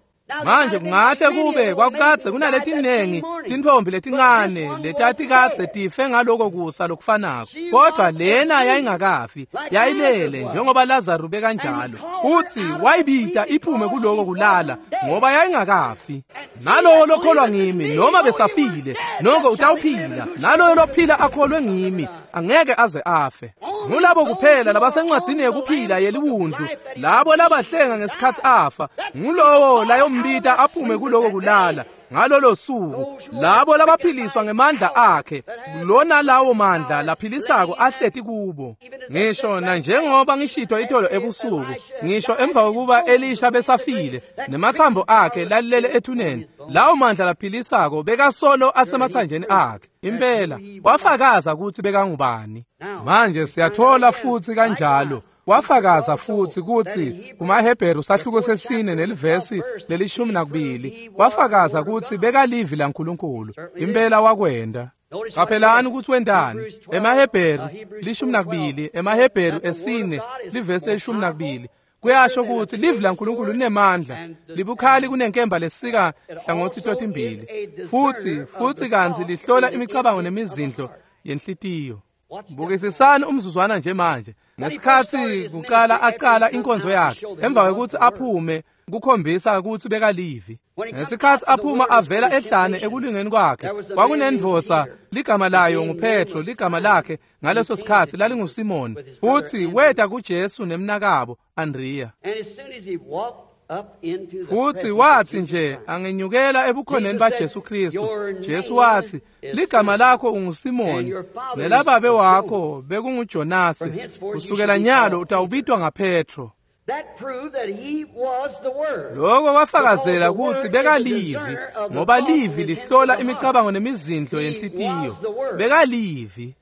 Manje kungahle kube kwakukadze kunaletinengi tintfombi letincane letatikadze tife ngaloko kusa lokufanako, kodwa lena yayingakafi, yayilele njengoba Lazaru bekanjalo. Uthi wayibita iphume kuloko kulala ngoba yayingakafi. Nalowo lokholwa ngimi noma besafile noko utawuphila, naloyo lophila akholwe ngimi angeke aze afe. Ngulabo kuphela labasencwadzini yekuphila yeliwundlu, labo labahlenga ngesikhathi afa, ngulowo layombita aphume kuloko kulala ngalolo suku. Labo labaphiliswa ngemandla akhe, lona lawo mandla laphilisako ahleti kubo. Ngisho na njengoba ngishito itolo ebusuku, ngisho emva kokuba Elisha besafile nemathambo akhe lalele ethuneni, lawo mandla laphilisako bekasolo asemathanjeni akhe. Impela wafakaza ukuthi bekangubani. Manje siyathola futhi kanjalo wafakaza futhi ukuthi kumaHebheru sahluko sesine nelivesi lelishumi nakubili wafakaza ukuthi bekalivi laNkulunkulu. Impela wakwenda. Qaphelani ukuthi wendani. EmaHebheru lishumi nakubili, emaHebheru esine livesi lelishumi nakubili kuyasho ukuthi livi laNkulunkulu linemandla, libukhali kunenkemba lesika hlangothi totimbili, futhi futhi kanzi lihlola imicabango nemizindlo yenhlitiyo. Bukisisani umzuzwana nje manje. Ngesikhatsi kucala aqala inkonzo yakhe, emva kwekutsi aphume kukhombisa kutsi bekalivi. Ngesikhatsi aphuma avela ehlane ekulingeni kwakhe, kwakunendvodza ligama layo nguPetro, ligama lakhe ngaleso sikhatsi lalinguSimoni, futsi weta kuJesu nemnakabo Andrea. Futsi watsi nje angenyukela ebukhoneni baJesu Kristu, Jesu watsi, ligama lakho unguSimoni, nelababe wakho bekunguJonasi, kusukela nyalo utawubitwa ngaPetro. Lokho kwafakazela kutsi bekalivi, ngoba livi lihlola imicabango nemizindlo yenhlitiyo. Bekalivi.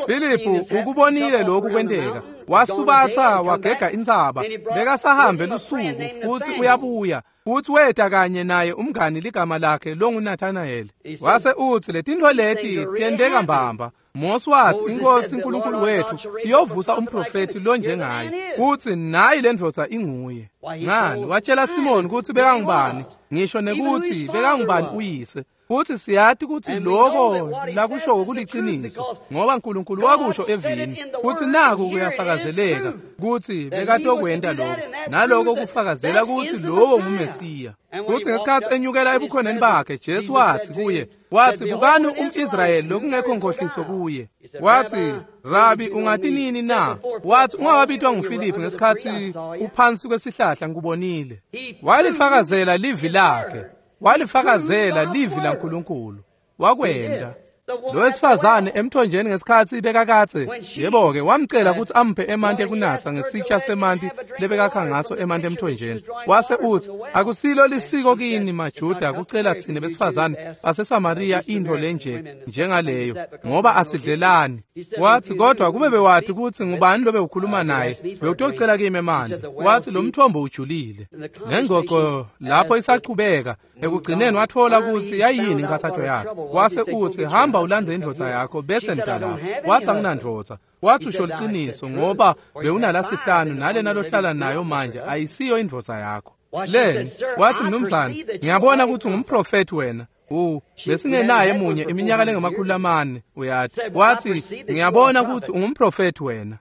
Filiphu ukubonile lokhu kwenteka. Wasubatha wagega intsaba, bekasahambe lusuku futsi uyabuya, futsi weta kanye naye umngani ligama lakhe longuNathanael. Wase utsi letintfo leti tenteka mbamba. Mose watsi inkosi uNkulunkulu wethu iyovusa umprofeti lonjengaye, utsi nayi lendvodza inguye. Ngani watshela Simoni kutsi bekangubani, ngisho nekutsi bekangubani uyise. Futsi siyati kutsi lokho lakusho kuliciniso, ngoba uNkulunkulu wakusho evini, futsi naku kuyafakazeleka kutsi bekatokwenta lokho, naloko kufakazela kutsi lowo nguMesiya. Futsi ngesikhatsi enyukela ebukhoneni bakhe, Jesu watsi kuye, watsi bukani umIsrayeli lokungekho nkhohliso kuye. Watsi, Rabi, ungati nini na? Watsi ungakabitwa nguFiliphu ngesikhatsi uphansi kwesihlahla ngikubonile. Walifakazela livi lakhe. Walifakazela livi laNkulunkulu. Wakwenta. Lo wesifazane emthonjeni ngesikhatsi bekakatse, yebo-ke wamcela kutsi amphe emanti ekunatsa ngesitsha semanti lebekakha ngaso emanti emthonjeni. Wase utsi, akusilo lisiko kini maJuda kucela tsine besifazane baseSamariya intfo lenje njengaleyo, ngoba asidlelani. Watsi kodwa kube bewati kutsi ngubani lobe ukhuluma naye, bewutocela kimi emanti. Watsi lo mthombo ujulile. Nengxoxo lapho isachubeka, ekugcineni watfola kutsi yayini inkhatsato yakhe. Wase utsi hamba ulandze indvodza yakho bese nidalapha. Watsi anginandvodza. Watsi usho liciniso, ngoba bewunalasihlanu nalena lohlala nayo manje ayisiyo indvodza yakho. Leni watsi mnumzane, ngiyabona kutsi ungumprofethi wena. U besingenaye munye iminyaka lengamakhulu lamane, uyati. Watsi ngiyabona kutsi ungumprofethi wena.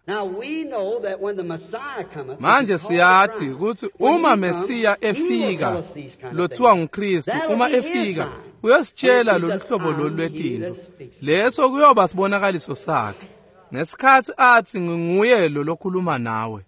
Manje siyati kutsi uma Mesiya efika, lothiwa nguKristu, uma efika uyositshela lolu hlobo lolu lwetintfo. Leso kuyoba sibonakaliso sakhe. Ngesikhatsi atsi nginguye lo lokhuluma nawe.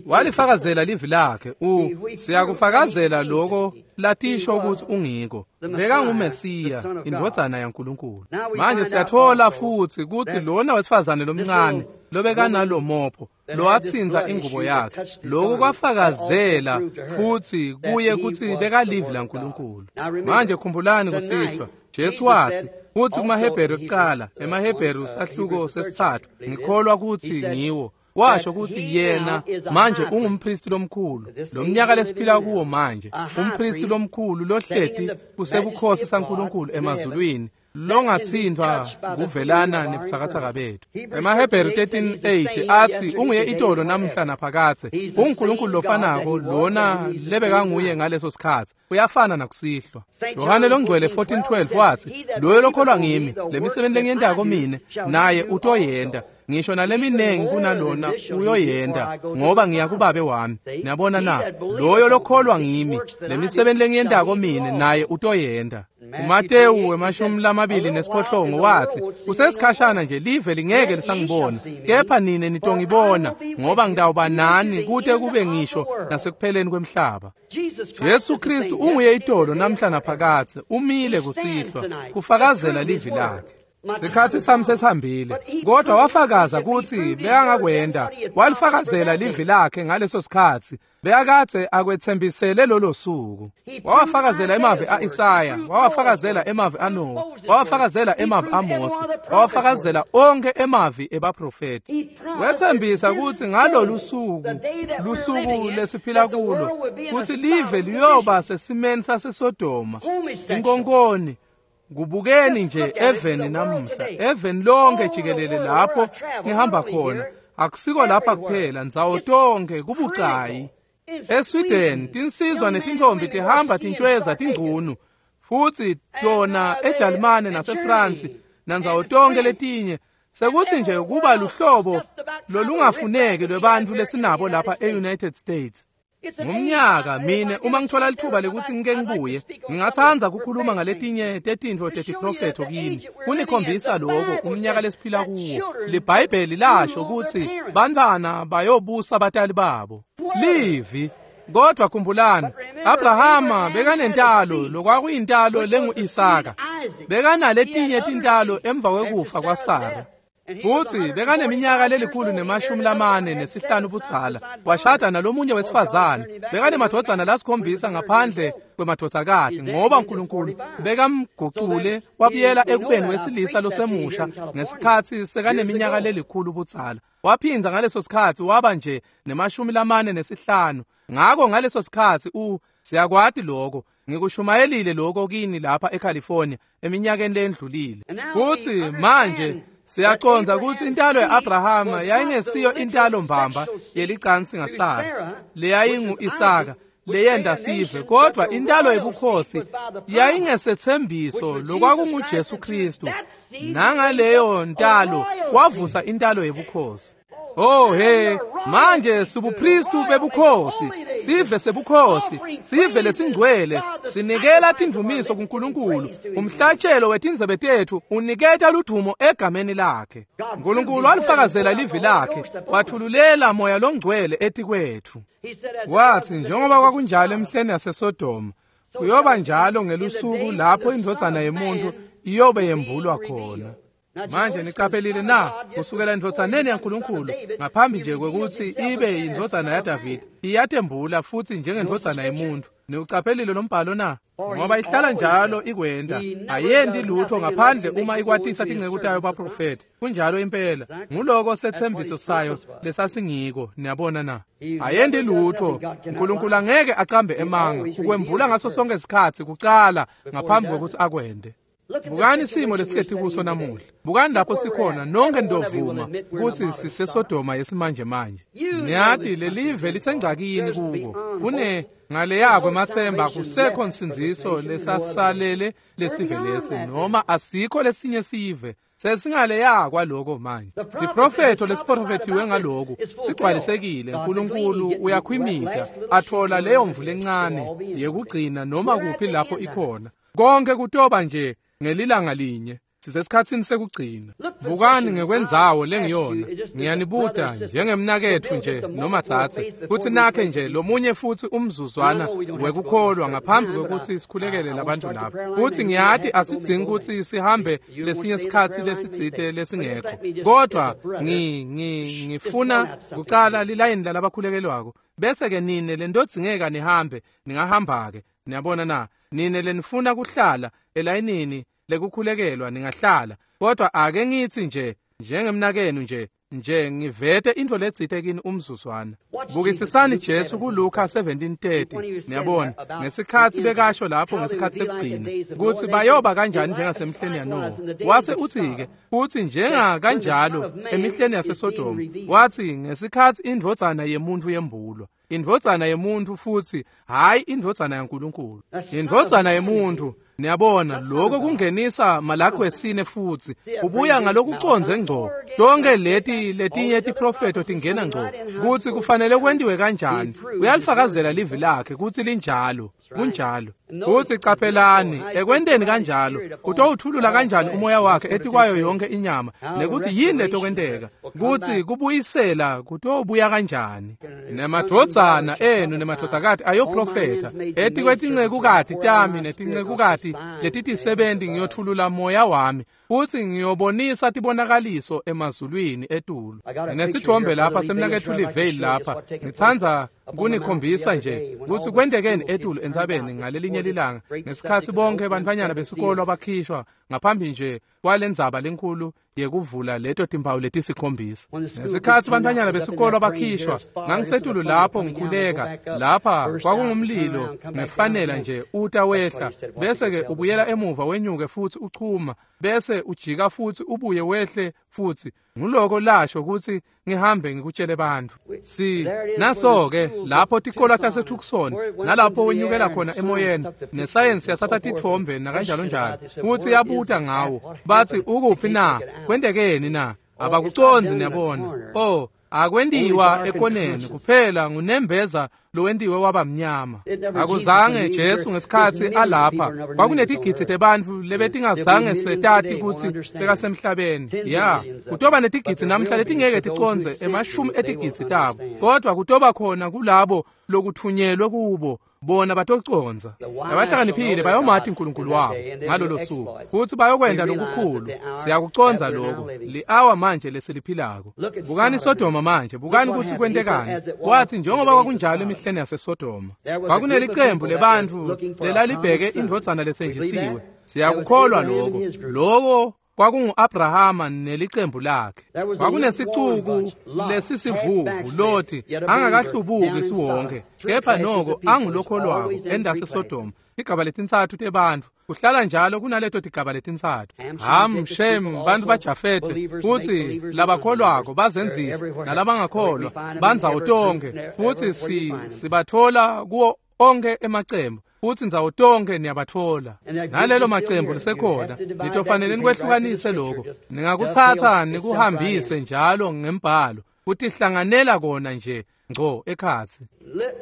Walifakazela livi lakhe. U siyakufakazela lokho latisho ukuthi ungiko. BekanguMesiya, indvodzana yaNkulunkulu. Manje siyatfola futsi kutsi lona wesifazane lomncane lobekanalomopho lowatsinza ingubo yakhe, lokhu kwafakazela futsi kuye kutsi bekalivi laNkulunkulu. Manje khumbulani kusihlwa, Jesu watsi kutsi kumaHebheru ekucala, emaHebheru sahluko sesitsatfu, ngikholwa kutsi ngiwo, washo kutsi yena manje ungumpristi lomkhulu, lomnyaka lesiphila kuwo manje, umpristi lomkhulu lohleti kusebukhosi saNkulunkulu emazulwini, longatsintfwa kuvelana nebutsakatsaka bethu. EmaHebheru thirteen eight atsi unguye itolo namhla naphakadze, unguNkulunkulu lofanako lona lebekanguye ngaleso sikhatsi, uyafana nakusihlwa. Yohane longcwele fourteen twelve watsi loyo lokholwa ngimi, lemisebenti lengiyentako mine naye utoyenta, ngisho naleminengi kunalona uyoyenta, ngoba ngiya kubabe wami. Niyabona na? Loyo lokholwa ngimi, lemisebenti lengiyentako mine naye utoyenta. uMatewu wemashumi lamabili nesiphohlongo watsi kusesikhashana nje live lingeke lisangibona, kepha nine nitongibona, ngoba ngitawuba nani kute kube ngisho nasekupheleni kwemhlaba. Jesu Kristu unguye itolo namhla naphakadze, umile kusihlwa kufakazela livi lakhe. Sikhatsi sami sesihambile, kodwa wafakaza kutsi bekangakwenta. Walifakazela livi lakhe ngaleso sikhatsi, bekakadze akwetsembisele lolo suku. Wawafakazela emavi a-Isaya, wawafakazela emavi aNowa, wawafakazela emavi aMose, wawafakazela onke emavi ebaprofeti. Wetsembisa kutsi ngalolu suku, lusuku lesiphila kulo, kutsi live liyoba sesimeni saseSodoma, inkonkoni. Kubukeni nje eveni namuhla, eveni lonke jikelele lapho ngihamba khona, akusiko lapha kuphela, ndzawo tonke kubucayi. ESweden tinsizwa netintombi tihamba tintshweza tingcunu, futsi tona eJalimane naseFrance nandzawo tonke letinye, sekuthi nje kuba luhlobo lolungafuneki lwebantfu lesinabo lapha e-United States. Ngumnyaka mine uma ngithola lithuba lekuthi ngike ngibuye ngingatsandza kukhuluma ngaletinye tetintfo tetiprofetho kini kunikhombisa loko umnyaka lesiphila kuwo. LiBhayibheli lasho kutsi bantfwana bayobusa batali babo. Livi. Kodwa khumbulani, Abrahama bekanentalo lokwakuyintalo lengu-Isaka. Bekanaletinye tintalo emva kwekufa kwaSara. Futhi bekaneminyaka lelikhulu nemashumi lamane nesihlanu budzala. Washada nalomunye wesifazane. Bekanemadvodzana lasikhombisa ngaphandle kwemadvodzakati ngoba uNkulunkulu bekamgucule wabuyela ekubeni wesilisa losemusha ngesikhatsi sekaneminyaka lelikhulu budzala. Waphinza ngaleso sikhatsi waba nje nemashumi lamane nesihlanu. Ngako ngaleso sikhatsi u siyakwati lokho. Ngikushumayelile lokho kini lapha eCalifornia eminyakeni lendlulile. Futhi manje siyacondza kutsi intalo ya-Abrahama yayingesiyo intalo mbamba yelicansi ngaSara leyayingu-Isaka leyenda sive, kodwa intalo yebukhosi yayingesethembiso lokwakunguJesu Kristu. Nangaleyo ntalo wavusa intalo yebukhosi. Oh he, manje sibupristu bebukhosi, sive sebukhosi, sive lesingcwele, sinikela tindumiso kuNkulunkulu. Umhlatshelo wetindzebe tethu uniketa ludumo egameni lakhe. uNkulunkulu walifakazela livi lakhe, wathululela moya longcwele etikwetfu. Wathi njengoba kwakunjalo emhleni yaseSodoma, kuyoba njalo ngelusuku lapho indvodzana yemuntu iyobe yembulwa khona. Manje niqaphelile na kusukela endvodzaneni yaNkulunkulu ngaphambi nje kwekutsi ibe indvodzana yaDavide iyatembula futsi njengendvodzana yemuntu. Niucaphelile lo mbhalo na? Ngoba ihlala njalo ikwenta, ayendi lutho ngaphandle uma ikwatisa tinceku tayo baprofeti. Kunjalo impela, nguloko sethembiso sayo lesasingiko. Niyabona na? Ayendi lutho. uNkulunkulu angeke acambe emanga, ukwembula ngaso sonke isikhatsi kucala ngaphambi kwekutsi akwente. Bukani simo lesihleti kuso namuhla. Bukani lapho sikhona nonke ndovuma kutsi siseSodoma yesimanje manje. Niyati lelive lisengcakini kuko. Kune ngaleya kwemathemba kusekho nsindziso lesasalele lesive lesi noma asikho lesinye sive. Sesingaleya kwaloko manje. Tiprofetho lesiprofethiwe ngaloku sigcwalisekile. uNkulunkulu uyakhwimita athola leyo mvula encane yekugcina noma kuphi lapho ikhona. Konke kutoba nje ngelilanga linye. Sisesikhatsini sekugcina. Bukani ngekwendzawo lengiyona. Ngiyanibuta njengemnaketfu nje noma tsatse kutsi nakhe nje lomunye futsi umzuzwana wekukholwa ngaphambi kwekutsi sikhulekele labantu lapha. Kutsi ngiyati asidzingi kutsi sihambe lesinye sikhatsi lesitsite lesingekho. Kodwa ngi ngi ngifuna kucala lilayini lalabakhulekelwako. Bese ke nine lentodzingeka nihambe ningahamba ke. Niyabona na? Nine lenifuna kuhlala elayinini lekukhulekelwa ningahlala. Kodwa ake ngitsi nje njengemnakenu nje nje ngivete intfo letsite kini umzuzwana. Bukisisani Jesu kuLuka seventeen thirty. Niyabona ngesikhatsi bekasho lapho ngesikhatsi sekugcina kutsi bayoba kanjani njengasemhleni yaNowa. Wase utsi-ke utsi njenga kanjalo emihleni yaseSodoma. Watsi ngesikhatsi indvodzana yemuntu yembulwa. Indvodzana yemuntu futsi hayi indvodzana yaNkulunkulu. Indvodzana yemuntu. Niyabona lokho kungenisa Malaki wesine futsi ubuya ngalokucondze ngco. Tonke leti letinye tiprofetho tingena ngco kutsi kufanele kwentiwe kanjani. Uyalifakazela livi lakhe kutsi linjalo. Kunjalo. Kutsi caphelani ekwenteni kanjalo utowuthulula kanjani umoya wakhe etikwayo yonke inyama nekuthi yini letokwenteka kutsi kubuyisela kutobuya kanjani. Nemadvodzana enu nemadvodzakati ayoprofetha etikwetincekukati tami netincekukati letitisebenti ngiyothulula moya wami futsi ngiyobonisa tibonakaliso emazulwini etulu. Nesithombe lapha semnaketfu Livale lapha ngitsandza kunikhombisa nje kutsi kwentekeni etulu entsabeni ngalelinye lilanga ngesikhatsi bonke bantfwanyana besikolo bakhishwa ngaphambi nje kwalendzaba lenkulu yekuvula leto timpawu letisikhombisa. Ngesikhatsi bantfwanyana besikolo bakhishwa ngangisetulu lapho ngikhuleka lapha kwakungumlilo ngefanela nje uta wehla bese ke ubuyela emuva wenyuke futsi uchuma bese ujika futsi ubuye wehle futsi. Nguloko lasho kutsi ngihambe ngikutshele bantfu. Si naso ke lapho tikolo taseTucson nalapho wenyukela khona emoyeni nesayensi yathatha titfombe nakanjalo njalo kutsi yabuta ngawo bathi ukuphi na kwentekeni na abakucondzi. Niyabona oh Akwentiwa ekoneni kuphela ngunembeza lowentiwe waba mnyama. Akuzange Jesu ngesikhatsi alapha kwakunetigidzi tebantfu lebetingazange setati kutsi bekasemhlabeni. Ya, kutoba netigidzi namhla letingeke ticondze emashumi etigidzi tabo, kodwa kutoba khona kulabo lokuthunyelwe kubo bona batocondza. Labahlakaniphile bayomati uNkulunkulu wabo ngalolo suku futhi bayokwenta lokukhulu. Siyakucondza lokho li-awa manje lesiliphilako. Bukani Sodoma manje, bukani kutsi kwentekani. Kwathi njengoba kwakunjalo emihleni yaseSodoma, kwakunelicembu lebantfu lelalibheke indvodzana letsenjisiwe. Siyakukholwa lokho. Lokho kwakungu-Abrahama nelicembu lakhe. Kwakunesicuku lesisivuvu Loti angakahlubuki siwonke, kepha noko angulokholwako endaseSodoma. Igaba letintsatfu tebantfu kuhlala njalo kunaleto tigaba letintsatfu. Ham, Shem, bantfu baJafethe, futsi labakholwako bazenzisa nalabangakholwa bandzawo tonkhe, futsi si sibatfola kuwo onke emacembu, futsi ndzawo tonkhe niyabatfola. Nalelo macembu lisekhona, nitofanele nikwehlukanise lokho. Ningakutsatsa nikuhambise njalo ngembhalo, kutihlanganela kona nje ngco ekhatsi.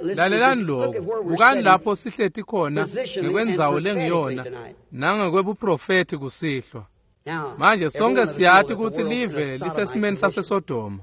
Lalelani lokho, bukani lapho sihleti khona ngekwendzawo lengiyona nangekwebuprofethi kusihlwa. Manje sonke siyati kutsi live lisesimeni saseSodoma.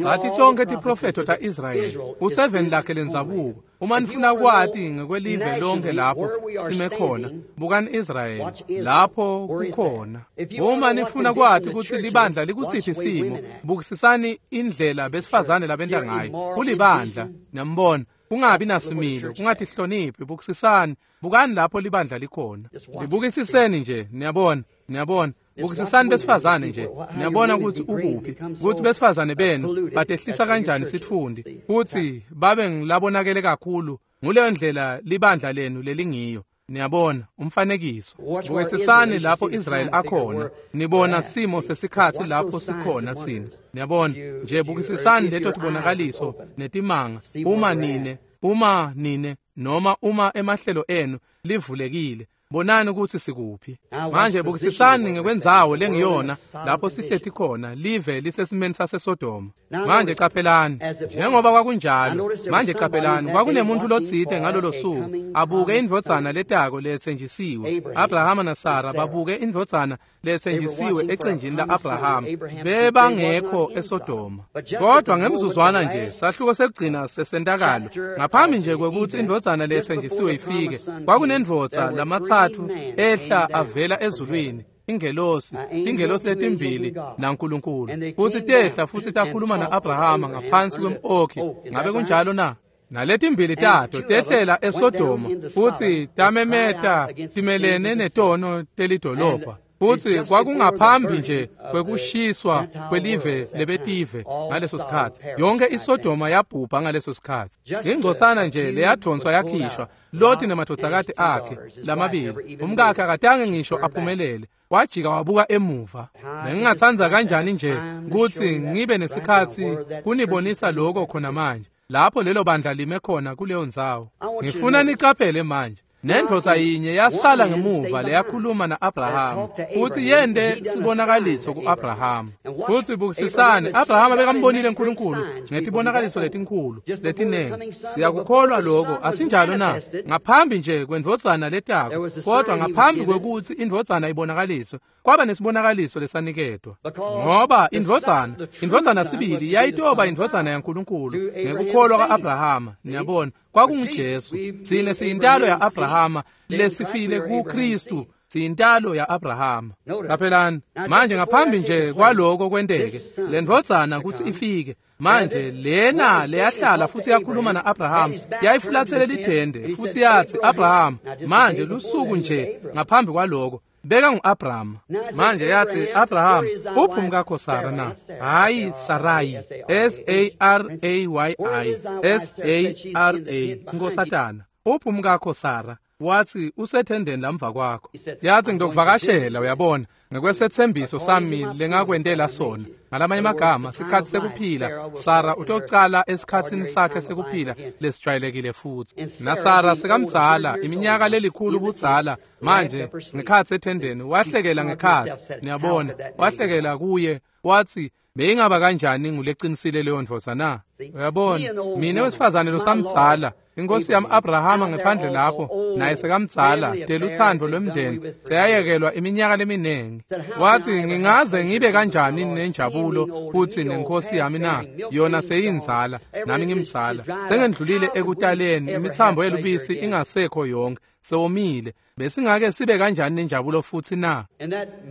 Sathi tonke tiprofetho ta-Israyeli useveni lakhe lendzabuko. Uma nifuna kwati ngekwelive lonke lapho sime khona, bukani Israyeli lapho kukhona. Uma nifuna kwati kutsi libandla likusiphi simo, bukisisani indlela besifazane labenta ngayo. Kulibandla, niyambona, kungabi nasimilo, kungatihloniphi. Bukisisani, bukani lapho libandla likhona. Libukisiseni nje, niyabona, niyabona. Bukisisani besifazane nje, niyabona kutsi ukuphi, kutsi besifazane benu batehlisa kanjani sitfundi, kutsi babe ngilabonakele kakhulu. Nguleyo ndlela libandla lenu lelingiyo. Niyabona umfanekiso. Bukisisani lapho Israyeli akhona, nibona simo sesikhatsi lapho sikhona tsine. Niyabona nje, bukisisani leto tibonakaliso netimanga. Uma nine, uma nine noma uma emahlelo enu livulekile, bonani kutsi sikuphi. Manje bukisisani ngekwendzawo lengiyona lapho sihleti khona, live lisesimeni saseSodoma. Manje caphelani, njengoba kwakunjalo. Manje caphelani, kwakunemuntu lotsite ngalolo suku abuke indvodzana letako letsenjisiwe. Abrahama naSara babuke indvodzana letsenjisiwe ecenjini la-Abrahama. Bebangekho eSodoma. Kodwa ngemzuzwana nje, sahluko sekugcina sesentakalo, ngaphambi nje kwekutsi indvodzana letsenjisiwe ifike, kwakunendvodza lamatsatfu ehla avela ezulwini, ingelosi, ingelosi letimbili naNkulunkulu, futsi tehla futsi takhuluma na-Abrahama ngaphansi kwem-okhi. Ngabe kunjalo na? Naletimbili tato tehlela eSodoma futsi tamemeta timelene netono telidolobha. Futsi kwakungaphambi nje kwekushiswa kwelive lebetive ngaleso sikhatsi. Yonke iSodoma yabhubha ngaleso sikhatsi. Ingcosana nje leyadvonswa yakhishwa, Loti nemadvodzakati akhe lamabili. Umkakhe akatange ngisho aphumelele, wajika wabuka emuva. Bengingatsandza kanjani nje kutsi ngibe nesikhatsi kunibonisa lokho khona manje, lapho lelo bandla lime khona kuleyo ndzawo. Ngifuna nicaphele manje. Nendvodza yinye yasala ngemuva leyakhuluma na-Abrahama futsi yente sibonakaliso ku-Abrahama. Futsi bukisisani, Abrahama bekambonile uNkulunkulu ngetibonakaliso letinkhulu letinengi. Siyakukholwa lokho, asinjalo na? Ngaphambi nje kwendvodzana letako, kodwa ngaphambi kwekutsi indvodzana ibonakaliswe, kwaba nesibonakaliso lesaniketwa. Ngoba indvodzana, indvodzana sibili yayitoba indvodzana yaNkulunkulu ngekukholwa ka-Abrahama. Niyabona, kwakunguJesu. Tsine siyintalo ya-Abrahama lesifile kuKristu, siyintalo ya-Abrahama. Caphelani manje, ngaphambi nje kwaloko kwenteke, le ndvodzana kutsi ifike manje, lena leyahlala futsi yakhuluma na-Abrahama yayifulathele lithende futsi yatsi, Abrahama, manje lusuku nje ngaphambi kwaloko beka ngu-Abrahama. Manje yatsi, Abraham, uphi umkakho Sara na? Hayi, Sarai, S A R A Y I, S A R A, nkosatana. Uphi umkakho Sara? Wathi, usethendeni lamva kwakho. Yathi, ngitokuvakashela, uyabona. Ngekwesetsembiso sami lengakwentela sona. Ngalamanye amagama, sikhatsi sekuphila, Sara utocala esikhatsini sakhe sekuphila lesijwayelekile futsi. NaSara sekamdzala, iminyaka lelikhulu budzala, manje ngekhatsi ethendeni, wahlekela ngekhatsi, niyabona, wahlekela kuye, watsi, beyingaba kanjani nguleqinisile leyo ndvodza na? Uyabona, mina wesifazane losamdzala, inkosi yami Abrahama ngephandle lapho, naye sekamdzala, telutsandvo lwemndeni, seyayekelwa iminyaka leminingi. Wathi, ngingaze ngibe kanjani nenjabulo futhi nenkosi yami na? Yona seyinzala, nami ngimdzala. Sengendlulile ekutaleni, imithambo yelubisi ingasekho yonke, sewomile. Besingake sibe kanjani nenjabulo futhi na?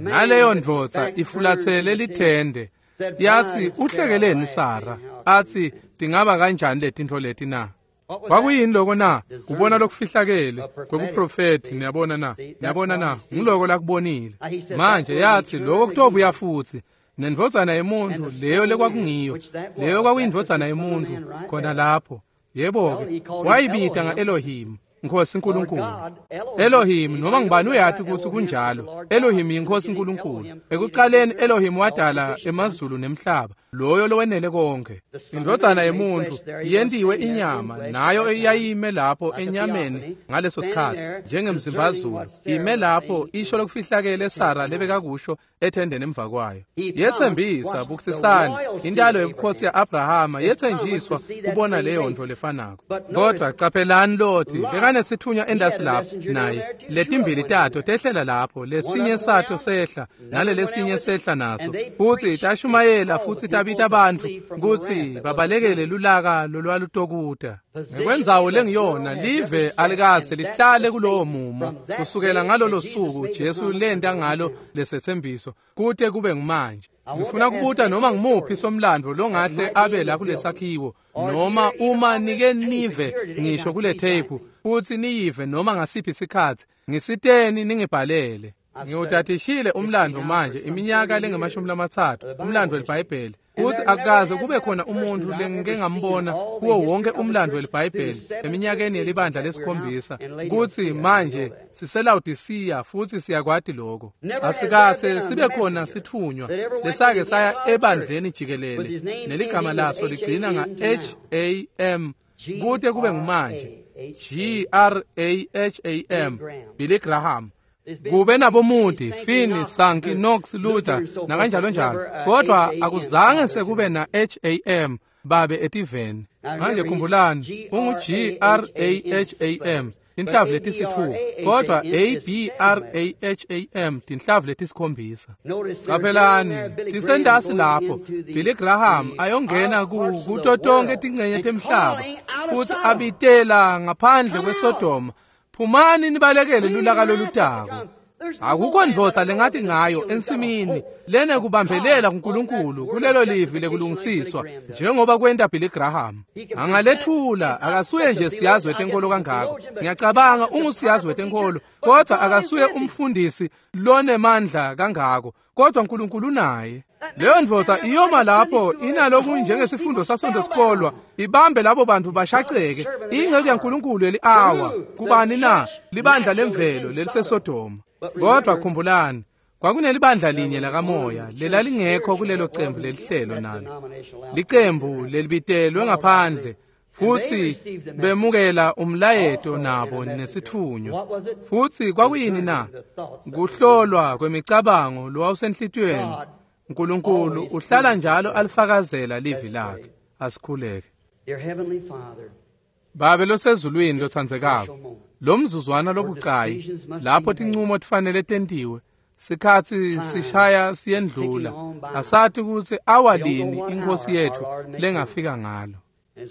Naleyo ndvodza ifulathele lithende. Yathi, uhlekeleni Sara? Athi, tingaba kanjani letintfo leti na? Kwakuyini lokho na? Kubona lokufihlakele kwekuprofethi, niyabona na? Niyabona na? Ngiloko lakubonile. Manje yathi lokho kutobuya futhi. Nendvodzana yemuntu leyo lekwakungiyo, leyo kwakuyindvodzana yemuntu khona lapho. Yebo-ke, wayibita nga-Elohim, Nkosi uNkulunkulu. Elohim, noma ngubani uyathi ukuthi kunjalo. Elohim yinkosi uNkulunkulu. Ekuqaleni Elohim wadala emazulu nemhlaba, loyo lowenele konke. Indvodzana yemuntu yentiwe inyama, nayo eyayime lapho enyameni ngaleso sikhathi, njengemzimbazulu, ime lapho isho lokufihlakele Sara lebekakusho ethendeni emva kwayo. Yethembisa bukisisani intalo yobukhosi ya-Abrahama yethenjiswa kubona leyo nto lefanako. Kodwa caphelani Loti bekanesithunywa endasi lapho naye, letimbili tato tehlela lapho, lesinye sato sehla nalelesinye sehla naso, futhi tashumayela futhi tabita bantfu kutsi babalekele lulaka lolwalutokuta. Ngekwendzawo lengiyona, live alikaze lihlale kulowo mumo kusukela ngalolo suku Jesu lenta ngalo lesethembiso kute kube ngumanje. Ngifuna kubuta noma ngimuphi somlandvo longahle abe la kulesakhiwo, noma uma nike nive ngisho kule tape futhi niyive noma ngasiphi isikhathi, ngisiteni ningibhalele. Ngiwutatishile umlandvo manje iminyaka lengemashumi lamatsatfu, umlandvo weliBhayibheli, kutsi akukaze kube khona umuntfu lengike ngambona kuwo wonke umlandvo weliBhayibheli eminyakeni yelibandla lesikhombisa, kutsi manje siseLawodisiya futhi siyakwati lokho. Asikase sibe khona sithunywa lesake saya ebandleni jikelele neligama laso ligcina nga-H A M kute kube ngumanje, G R A H A M, Billy Graham. Kube naboMoody, Finney, Sankey, Knox, Luther nakanjalo njalo, kodwa akuzange sekube na H A M babe etiveni. Manje khumbulani, ungu G R A H A M tinhlavu letisitfupha, kodwa A B R A H A M tinhlavu letisikhombisa. Caphelani, tisendasi lapho Billy Graham ayongena ku kuto tonke tincenye temhlaba futhi abitela ngaphandle kweSodoma, phumani nibalekele lulaka lolutako. Akukho ndvodza lengathi ngayo ensimini lene kubambelela kuNkulunkulu kulelo livi lekulungisiswa njengoba kwenta Billy Graham. Angalethula, akasuye nje siyazi wetenkolo kangako. Ngiyacabanga ungusiyazi wetenkolo, kodwa akasuye umfundisi lonemandla kangako, kodwa uNkulunkulu unaye. Leyo ndvodza iyoma lapho inaloku njengesifundo sasonto sikolwa, ibambe labo bantu bashaceke. Ingceku yaNkulunkulu yeli-awa kubani na? Libandla lemvelo leliseSodoma. Kodwa khumbulani, kwakunelibandla linye lakamoya lelalingekho kulelo cembu lelihlelo nalo, licembu lelibitelwe ngaphandle, futhi bemukela umlayeto nabo nesithunywa. Futhi kwakuyini na? Kuhlolwa kwemicabango lowawusenhlitiyweni. uNkulunkulu uhlala njalo alifakazela livi lakhe. Asikhuleke. Babe losezulwini lotsandzekako, lo mzuzwana lobucayi lapho tincumo tifanele tentiwe, sikhatsi sishaya siyendlula, asati kutsi awalini inkosi yethu lengafika ngalo.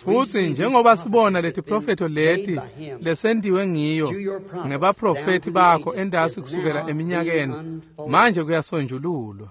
Futhi njengoba sibona leti profeto leti lesentiwe ngiyo ngebaprofeti bakho endasi kusukela eminyakeni, manje kuyasonjululwa.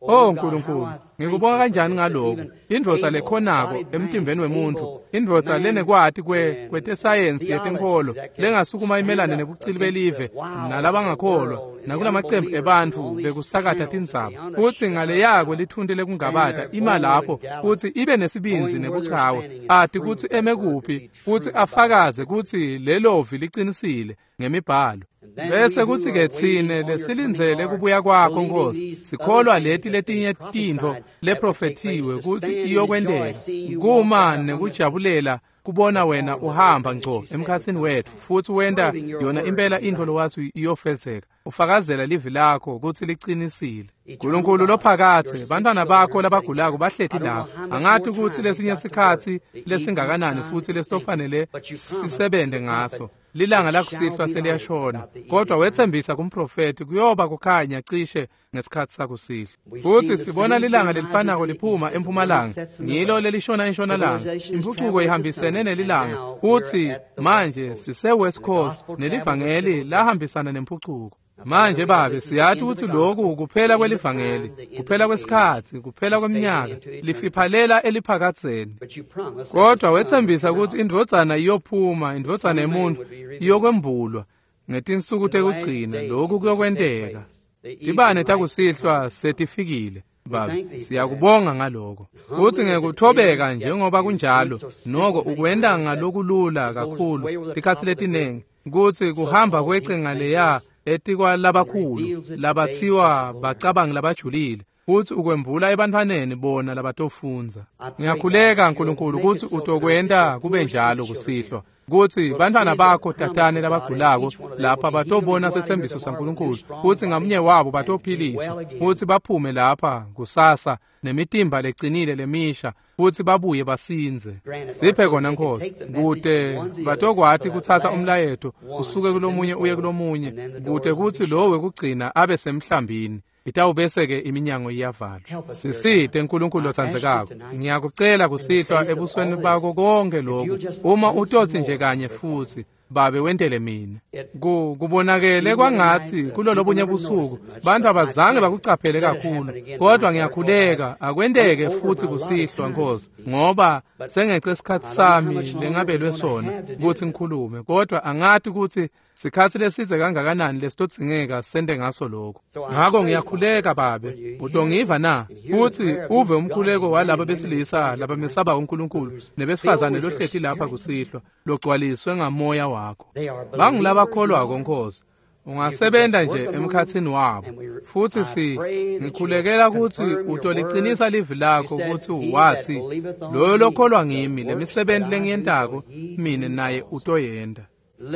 Oh Nkulunkulu, Ngikubonga kanjani ngaloko indvodza lekhonako emtimbeni wemuntfu, indvodza lenekwati kwe kwetesayensi yetenkholo lengasukuma imelane nebucili belive nalabangakholwa nakulamacembu ebantfu bekusakata tindzaba, futsi ngaleyako lithunti lekungabata ima lapho futsi ibe nesibindzi nebuchawe, ati kutsi eme kuphi futsi afakaze kutsi lelovi licinisile ngemibhalo. Bese kutsi-ke tsine lesilindzele kubuya kwakho Nkosi, sikholwa leti letinye tintfo leprofethiwe kutsi iyokwenteka, kuma nekujabulela kubona wena uhamba ngco emkhatsini wetfu futsi wenta yona impela intfo lowatsi iyofezeka, ufakazela livi lakho kutsi licinisile. Nkulunkulu lophakatse, bantfwana bakho labagulako bahleti lapha. Angati kutsi lesinye sikhatsi lesingakanani futsi lesitofanele sisebente ngaso. Lilanga lakusihlwa seliyashona, kodwa wetsembisa kumprofethi kuyoba kukhanya cishe ngesikhatsi sakusihlwa. Futsi sibona lilanga lelifanako liphuma empumalanga, ngilo lelishona entshonalanga. Impucuko ihambisene nelilanga, futsi manje sise-West Coast nelivangeli lahambisana nempucuko. Manje Babe, siyati kutsi lokhu kuphela kwelivangeli, kuphela kwesikhatsi, kuphela kweminyaka, lifiphalela eliphakadzeni. Kodwa wetsembisa kutsi indvodzana iyophuma, indvodzana yemuntfu iyokwembulwa ngetinsuku tekugcina. Lokhu kuyokwenteka. Tibane takusihlwa setifikile Babe, siyakubonga ngaloko. Futsi ngekuthobeka njengoba kunjalo, noko ukwenta ngalokulula kakhulu tikhatsi letinengi kutsi kuhamba kwece ngaleya etikwalabakhulu labathiwa bacabangi labajulile, futsi ukwembula ebantfwaneni bona labatofundza. Ngiyakhuleka Nkulunkulu kutsi utokwenta kube njalo kusihlwa, kutsi bantfwana bakho tatane labagulako lapha batobona setsembiso saNkulunkulu, kutsi ngamunye wabo batophiliswa futsi baphume lapha kusasa nemitimba lecinile lemisha, futsi babuye basindze. Siphe kona Nkosi, kute batokwati kutsatsa umlayeto usuke kulomunye uye kulomunye, kute kutsi lo wekugcina abe semhlambini. Itawubese-ke iminyango iyavalwa. Sisite Nkulunkulu lotsandzekako, ngiyakucela kusihlwa ebusweni bakho konke lokhu, uma utotsi nje kanye futsi Babe wentele mina. Ku kubonakele kwangatsi kulolobunye busuku bantfu abazange bakucaphele kakhulu, kodwa ngiyakhuleka akwenteke futsi kusihlwa Nkosi, ngoba sengece isikhatsi sami lengabelwe sona kutsi ngikhulume, kodwa angati kutsi sikhatsi lesidze kangakanani lesitodzingeka sente ngaso lokho. Ngako ngiyakhuleka Babe, utongiva na kutsi uve umkhuleko walaba besilisa labamesaba uNkulunkulu nebesifazane lohleti lapha kusihlwa logcwaliswe ngamoya wakho. Bangulabakholwako Nkosi, ungasebenta nje emkhatsini wabo, futsi si ngikhulekela kutsi utolicinisa livi lakho kutsi watsi loyo lokholwa ngimi, lemisebenti lengiyentako mine naye utoyenta.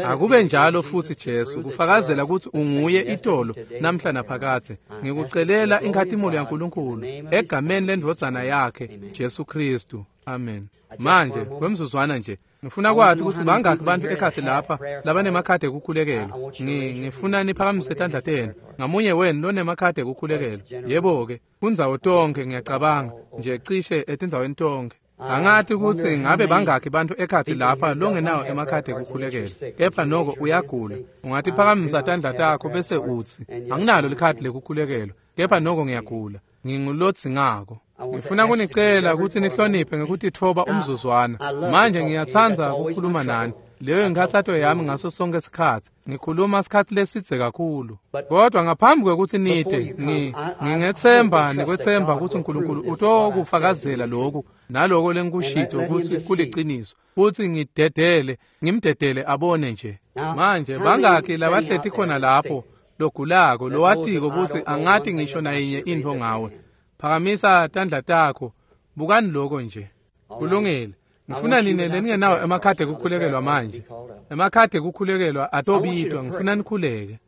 Akube njalo futsi Jesu, kufakazela kutsi unguye itolo namhla naphakadze. Ngikucelela inkhatimulo yaNkulunkulu egameni lendvodzana yakhe Jesu Kristu. Amen. Manje kwemzuzwana nje ngifuna kwati kutsi bangaki bantfu ekhatsi lapha labanemakhadi ekukhulekelwa. Ngifuna niphakamise tandla tenu, ngamunye wenu lonemakhadi ekukhulekelwa. Yebo-ke, kundzawo tonke ngiyacabanga nje cishe etindzaweni tonke. Angati kutsi ngabe bangaki bantfu ekhatsi lapha longenawo emakhadi ekukhulekelwa, kepha noko uyagula. Ungatiphakamisa tandla takho bese utsi, anginalo likhadi lekukhulekelwa, kepha noko ngiyagula, ngingulodzingako. Ngifuna kunicela kutsi nihloniphe ngekutitfoba umzuzwana. Manje ngiyatsandza ukukhuluma nani. Leyo inkhatsato yami ngaso sonke sikhatsi. Ngikhuluma sikhatsi lesidze kakhulu. Kodwa ngaphambi kwekutsi nite, ngingetsemba nekwetsemba kutsi uNkulunkulu utokufakazela lokhu naloko lengikushito kutsi kuliciniso, futsi ngidedele, ngimdedele abone nje. Manje bangaki labahleti khona lapho logulako lowatiko kutsi angati ngisho nayinye intfo ngawe? Phakamisa tandla takho, bukani loko nje. Kulungile. Ngifuna nine leningenawo emakhadi ekukhulekelwa manje. Emakhadi ekukhulekelwa atobitwa, ngifuna nikhuleke.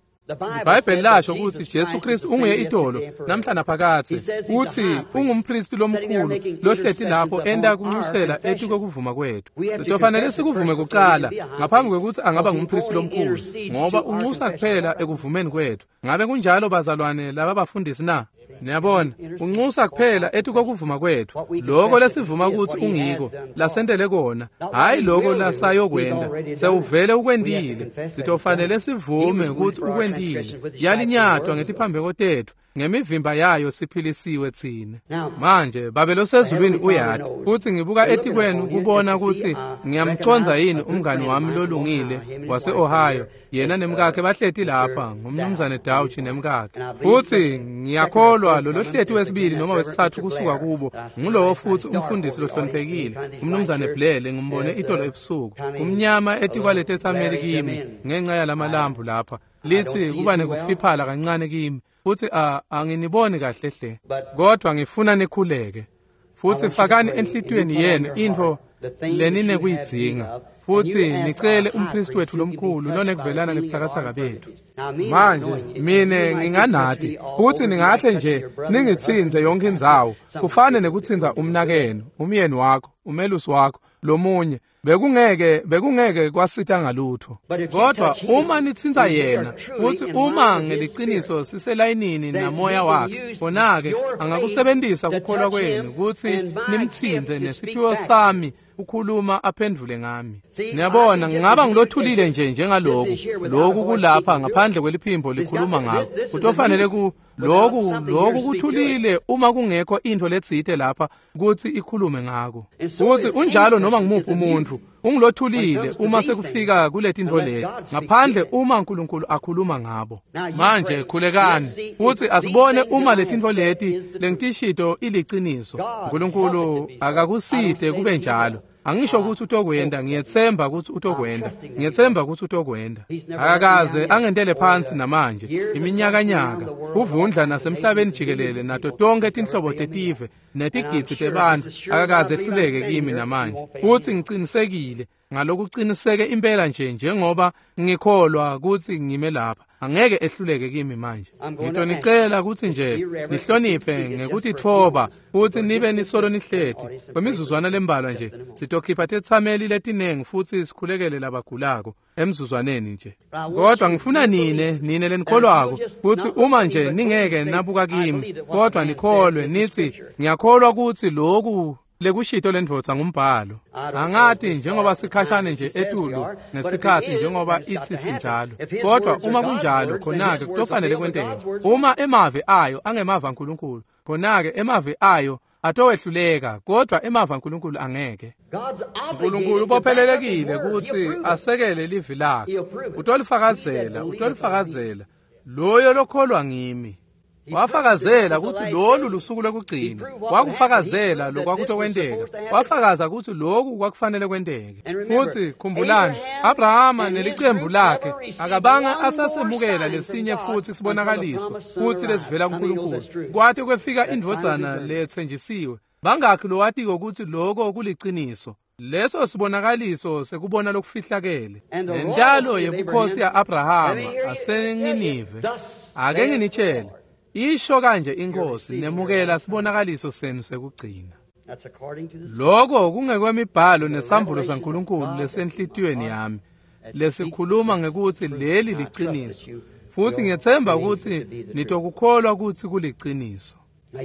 IBhayibheli lasho kutsi Jesu Kristu unguye itolo namhla naphakadze, kutsi ungumpristi lomkhulu lohleti lapho enta kunxusela etikwekuvuma kwetfu. Sitofanele sikuvume kucala ngaphambi kwekutsi angaba ngumpristi lomkhulu, ngoba unxusa kuphela ekuvumeni kwetfu. Ngabe kunjalo bazalwane laba bafundisi na? Niyabona, unxusa kuphela etikwekuvuma kwetfu, loko lesivuma kutsi ungiko lasentele kona, hhayi loko lasayokwenta. Sewuvele ukwentile, sitofanele sivume kutsi ukwentile. Yalinyatwa ngetiphambeko tetfu, Ngemivimba yayo siphilisiwe tsine. Manje Babe losezulwini uyati futsi ngibuka etikwenu kubona kutsi ngiyamcondza yini umngani wami lolungile wase-Ohio. Yena nemkakhe bahleti lapha, ngumnumzane Dauch nemkakhe. Futsi ngiyakholwa lolohleti wesibili noma wesitsatfu kusuka kubo ngulowo futsi umfundisi lohloniphekile, umnumzane Blair, lengimbone itolo ebusuku. Kumnyama etikwaletetsameli kimi ngenxa yalamalambu lapha. Lithi kuba nekufiphala kancane kimi. Futsi anginiboni kahle hle, kodwa ngifuna nikhuleke. Futsi fakani enhlitiyweni yenu intfo leninekuyidzinga, futsi nicele umphristi wethu lomkhulu lonekuvelana nebutsakatsaka bethu. Manje mine nginganati, futsi ningahle nje ningitsintse yonke indzawo, kufane nekutsintsa umnakenu, umyeni wakho, umelusi wakho, lomunye. Bekungeke bekungeke kwasita ngalutho. Kodwa uma nitsintsa yena, futsi uma ngeliciniso siselayinini namoya wakhe, khona-ke angakusebentisa kukholwa kwenu kutsi nimtsintse nesiphiwo sami ukhuluma aphendvule ngami. Niyabona, ngingaba ngilothulile nje njengaloku. Loku kulapha ngaphandle kweliphimbo likhuluma ngako. Kutofanele ku loku loku kuthulile uma kungekho intfo letsite lapha kutsi ikhulume ngako. Futsi unjalo noma ngimuphi umuntfu ungilothulile uma sekufika kuletintfo leti, ngaphandle uma uNkulunkulu akhuluma ngabo. Manje khulekani futsi asibone uma letintfo leti lengitishito iliciniso. uNkulunkulu akakusite kube njalo. Angisho ukuthi utokwenda, ngiyetsemba ukuthi utokwenda, ngiyetsemba ukuthi utokwenda. Akakaze angentele phansi namanje, iminyakanyaka, kuvundla nasemhlabeni jikelele nato tonke tinhlobo tetive netigidzi tebantfu, akakaze ehluleke kimi namanje. Futsi ngicinisekile ngalokuqiniseke impela nje njengoba ngikholwa kutsi ngime lapha, angeke ehluleke kimi manje. Ngitonicela kutsi nje nihloniphe ngekutitfoba futsi nibe nisolo nihleti kwemizuzwana lembalwa nje. Sitokhipha tetsameli letinengi futsi sikhulekele labagulako emzuzwaneni nje. Kodwa ngifuna nine nine lenikholwako kutsi uma nje ningeke nabuka kimi, kodwa nikholwe nithi ngiyakholwa kutsi loku lekushito lendvodza ngumbhalo. Angati njengoba sikhashane nje etulu ngesikhatsi njengoba ithi sinjalo, kodwa uma kunjalo khona-ke kutofanele kwenteke. Uma emavi ayo angemava aNkulunkulu, khona-ke emavi ayo atowehluleka, kodwa emava aNkulunkulu angeke. uNkulunkulu ubophelelekile kutsi asekele livi lakhe. Utolifakazela, utolifakazela loyo lokholwa ngimi. Wafakazela kutsi lolu lusuku lwekugcina. Wakufakazela lokwakutokwenteka. Wafakaza kutsi loku kwakufanele kwenteke. Futsi khumbulani, Abrahama nelicembu lakhe akabanga asasemukela lesinye futsi sibonakaliso kutsi lesivela kuNkulunkulu. Kwate kwefika indvodzana letsenjisiwe. Bangakhi lowatiko kutsi loko kuliciniso? Leso sibonakaliso sekubona lokufihlakele. Nentalo yebukhosi ya-Abrahama aseNinive. Ake nginitshele, isho kanje inkosi, nemukela sibonakaliso senu sekugcina. Loko kungekwemibhalo nesambulo saNkulunkulu lesenhlitiyweni yami, lesikhuluma ngekutsi leli liciniso. Futsi ngiyetsemba kutsi nitokukholwa kutsi kuliciniso.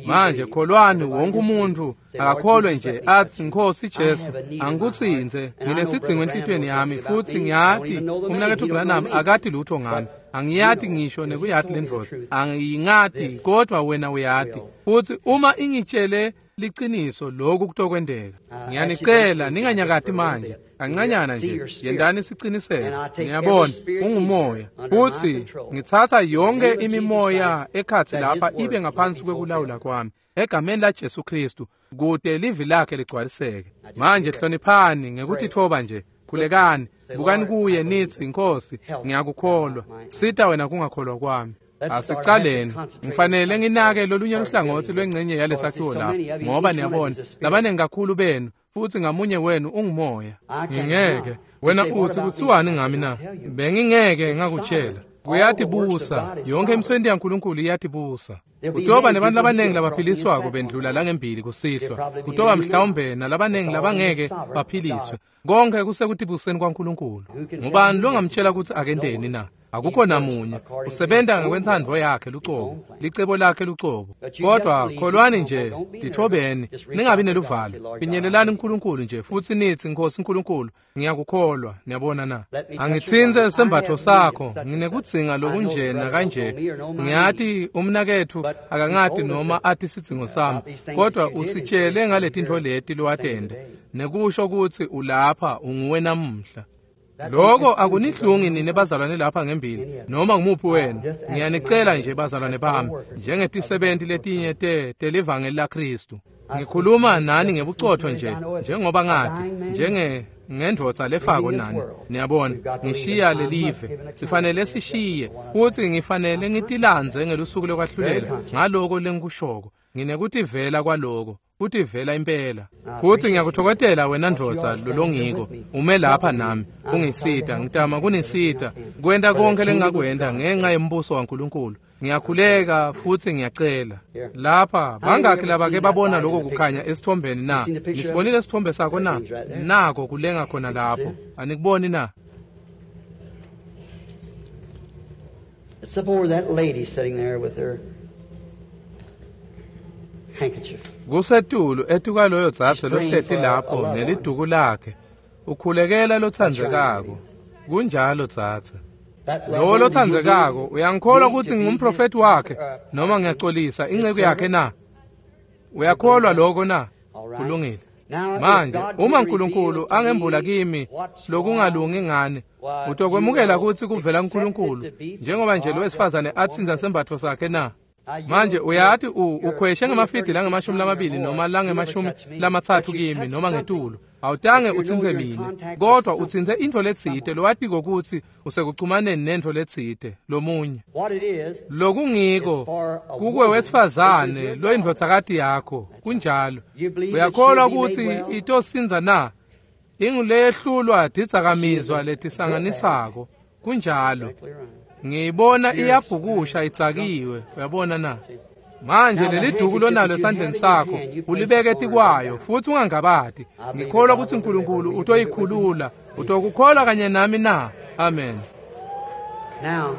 Manje kholwani, wonke umuntu akakholwe nje athi Nkosi Jesu, angikutsintse, nginesidzingo enhlitiyweni yami, futsi ngiyati umnaketfu Branham akati lutho ngami. Angiyati ngisho nekuyati lendvodza, angiyingati, kodwa wena uyati. Futsi uma ingitshele liciniso, loku kutokwenteka. Ngiyanicela ninganyakati manje, kancanyana nje, yentani siciniseko. Niyabona, ungumoya. Futsi ngitsatsa yonke imimoya ekhatsi lapha ibe ngaphansi kwekulawula kwami, egameni la Jesu Kristu, kute livi lakhe ligcwaliseke. Manje hloniphani ngekutitfoba nje, khulekani, bukani kuye nithi Nkosi, ngiyakukholwa, sita wena kungakholwa kwami. Asicaleni, ngifanele nginake lolunye luhlangothi lwengcenye yalesakhiwo lapha, ngoba niyabona labanengi kakhulu benu, futsi ngamunye wenu ungumoya. Ngingeke wena uthi kuthiwani ngami na? Bengingeke ngakutshela. Kuyatibusa, yonke imisebenti yaNkulunkulu iyatibusa. Kutoba nebantu labanengi labaphiliswako bendlula langembili kusihlwa. Kutoba mhlawumbe nalabanengi labangeke baphiliswe. Konke kusekutibuseni kwaNkulunkulu. Ngubani longamtshela kutsi akenteni na? Akukho namunye. Usebenta ngekwentsandvo yakhe lucobo, licebo lakhe lucobo. Kodwa kholwani nje, tithobeni, ningabi neluvalo. Finyelelani uNkulunkulu nje futsi nitsi, Nkosi Nkulunkulu, ngiyakukholwa. Niyabona na? Angitsintse sembatfo sakho, nginekudzinga lokunje nakanje. Ngiyati umnaketfu akangati noma ati sidzingo sami, kodwa usitshele ngaletintfo leti lowatente, nekusho kutsi ulapha unguwe namuhla. Loko akunihlungi nine bazalwane lapha ngembili noma ngumuphi wenu. Ngiyanicela nje bazalwane bami, njengetisebenti letinye te telivangeli laKhristu. Ngikhuluma nani ngebucotho nje, njengoba ngati, njenge ngendvodza lefako nani. Niyabona, ngishiya lelive, sifanele sishiye, futsi ngifanele ngitilandze ngelusuku lokwahlulela ngaloko lengikushoko. Nginekutivela kwaloko, kutivela impela. Futsi ngiyakuthokozela wena ndvodza lolongiko, ume lapha nami, ungisita, ngitama kunisita, kwenta konke lengingakwenta ngenxa yembuso waNkulunkulu. Ngiyakhuleka futsi ngiyacela. Lapha bangakhi labake babona lokho kukhanya esithombeni na? Nisibonile isithombe sakho na? Nako kulenga khona lapho. Anikuboni na? It's up over that lady sitting there with her handkerchief. Kusetulu etukaloyo dzadze lohleti lapho neliduku lakhe. Ukhulekela lotsandzekako. Kunjalo dzadze. Lowo lotsandzekako uyangikholwa kutsi ngingumprofeti wakhe noma ngiyacolisa inceku yakhe na? Uyakholwa lokho na? Kulungile. Manje uma uNkulunkulu angembula kimi lokungalungi ngani, utokwemukela kutsi kuvela kuNkulunkulu njengoba nje lo wesifazane atsintsa sembatfo sakhe na? Manje uyati ukhweshe ngemafidi langemashumi lamabili noma langemashumi lamatsatfu kimi noma ngetulu. Awutange utsintse mine, kodwa utsintse intfo letsite lowatiko kutsi usekuchumaneni nentfo letsite lomunye. Lokungiko kukwe wesifazane loyindvodzakati yakho, kunjalo. Uyakholwa kutsi itosindza na? Inguleyehlulwa tidzakamizwa letisanganisako, kunjalo. Ngiyibona iyabhukusha itsakiwe, uyabona na? Manje leliduku lonalo esandleni sakho ulibeke etikwayo futsi ungangabati. Ngikholwa kutsi uNkulunkulu utoyikhulula. Utokukholwa kanye nami na? Amen. Now,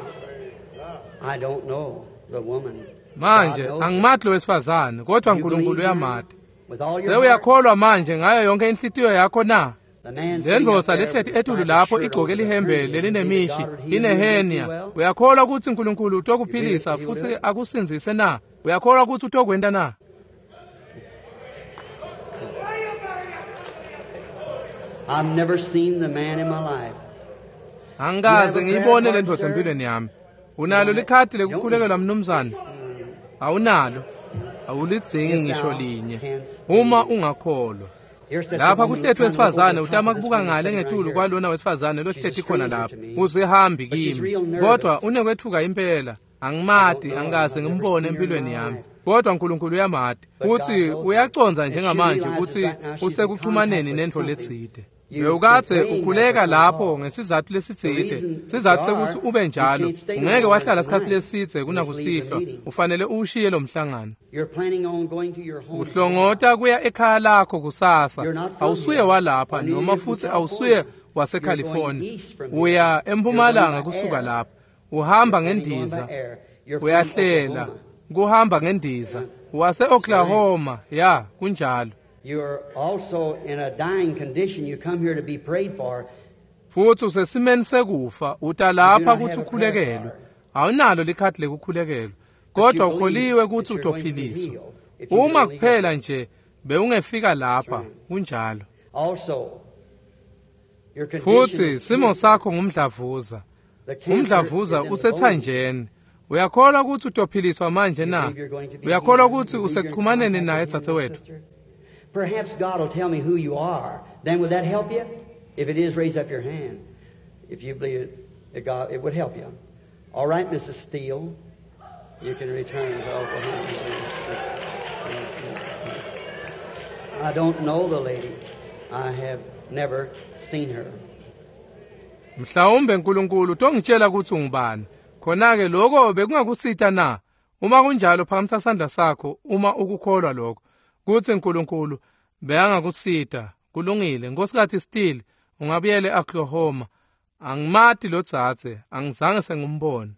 I don't know the woman. Manje angimati lo wesifazane, kodwa uNkulunkulu uyamati. Sewuyakholwa manje ngayo yonke inhlitiyo yakho na? Lendvodza lehleti etulu lapho igcoke lihembe lelinemishi inehenia. Uyakholwa kutsi uNkulunkulu utokuphilisa futsi akusindzise na? Uyakholwa kutsi utokwenta na? I've never seen the man in my life. Angikaze ngiyibone le ndvodza empilweni yami. Unalo likhadi lekukhulekelwa mnumzane? Awunalo. Awulidzingi ngisho linye. Uma ungakholwa. Lapha kuhleti wesifazane utama kubuka ngale ngetulu kwalona wesifazane lohleti khona lapha. Uzihambi kimi, kodwa unekwethuka impela. Angimati, angikaze ngimbone empilweni yami. Kodwa uNkulunkulu uyamati. Futsi uyacondza njengamanje kutsi usekuchumaneni nentfo letsite. Bewukadze ukhuleka lapho ngesizatfu lesitsite, sizatfu sekutsi ube njalo. Ungeke wahlala sikhatsi lesidze kunakusihlwa, ufanele uwushiye lo mhlangano. Uhlongota kuya ekhaya lakho kusasa. Awusuye walapha noma futsi awusuye waseCalifornia. Uya empumalanga kusuka lapha. Uhamba ngendiza. Uyahlela kuhamba ngendiza. Wase-Oklahoma, ya kunjalo. You're also in a dying condition. You come here to be prayed for. Futsi usesimeni sekufa, uta lapha kutsi ukhulekelwe. Awunalo likhadi lekukhulekelwa, kodwa ukholiwe kutsi utophiliswa. Uma kuphela nje bewungefika lapha, kunjalo. Futsi simo sakho ngumdlavuza. Umdlavuza usethanjeni. Uyakholwa kutsi utophiliswa manje na? Uyakholwa kutsi usekuchumaneni naye dzadzewetfu? Perhaps God will tell me who you are. Then would that help you? If it is, raise up your hand. If you believe it, it, God, it would help you. All right, Missus Steele, you can return to Oklahoma. I don't know the lady. I have never seen her. Mhlawumbe uNkulunkulu utongitshela kutsi ungubani. Khona-ke lokho bekungakusita na? Uma kunjalo phakamisa sandla sakho uma ukukholwa lokho. Kutsi uNkulunkulu beyangakusita. Kulungile. Nkosikazi Steele, ungabuyele eOklahoma. Angimati lo dzadze, angizange sengimbone.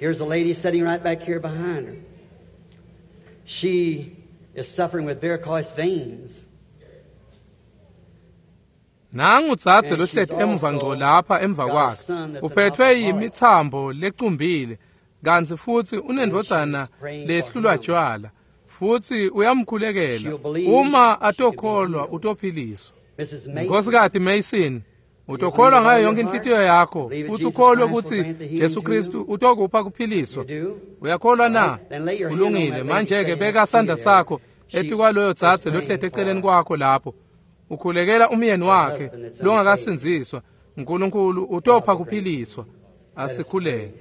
Here's a lady sitting right back here behind her. She is suffering with varicose veins. Nangu dzadze lohleti emuva ngco lapha emva kwakhe. Uphethwe yimitsambo lecumbile, kantsi futsi unendvodzana lehlulwa tjwala. Futsi uyamkhulekela. Uma atokholwa utophiliswa. Nkosikazi Mason, utokholwa ngayo yonke inhlitiyo yakho futsi ukholwe kutsi Jesu Kristu utokupha kuphiliswa. Uyakholwa na? Kulungile. Manje-ke beka sandla sakho etikwaloyo dzadze lohleti eceleni kwakho lapho. Ukhulekela umyeni wakhe longakasindziswa. Nkulunkulu utopha kuphiliswa. Asikhuleke.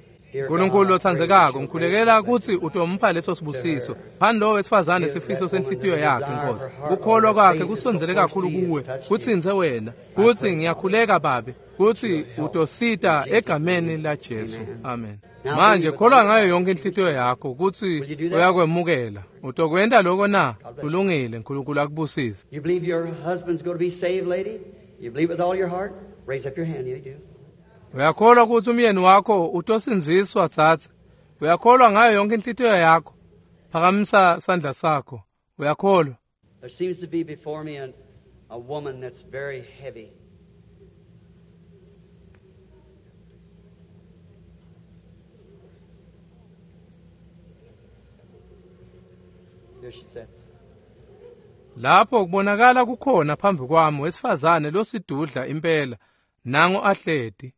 Nkulunkulu lotsandzekako, ngikhulekela kutsi utompha leso sibusiso. Phani lowo wesifazane sifiso senhlitiyo yakhe, Nkosi. Kukholwa kwakhe kusondzele kakhulu kuwe, kutsintse wena. Kutsi ngiyakhuleka Babe, kutsi utosita egameni la Jesu. Amen. Manje kholwa ngayo yonke inhlitiyo yakho kutsi uyakwemukela. Utokwenta lokho na? Kulungile, Nkulunkulu akubusise. You believe your husband's going to be saved, lady? You believe with all your heart? Raise up your hand, you do. Uyakholwa kutsi umyeni wakho utosindziswa dzadze? Uyakholwa ngayo yonke inhlitiyo yakho? Phakamisa sandla sakho. Uyakholwa? There seems to be before me a, a woman that's very heavy. There she sits. Lapho kubonakala kukhona phambi kwami wesifazane losidudla impela, nangu ahleti.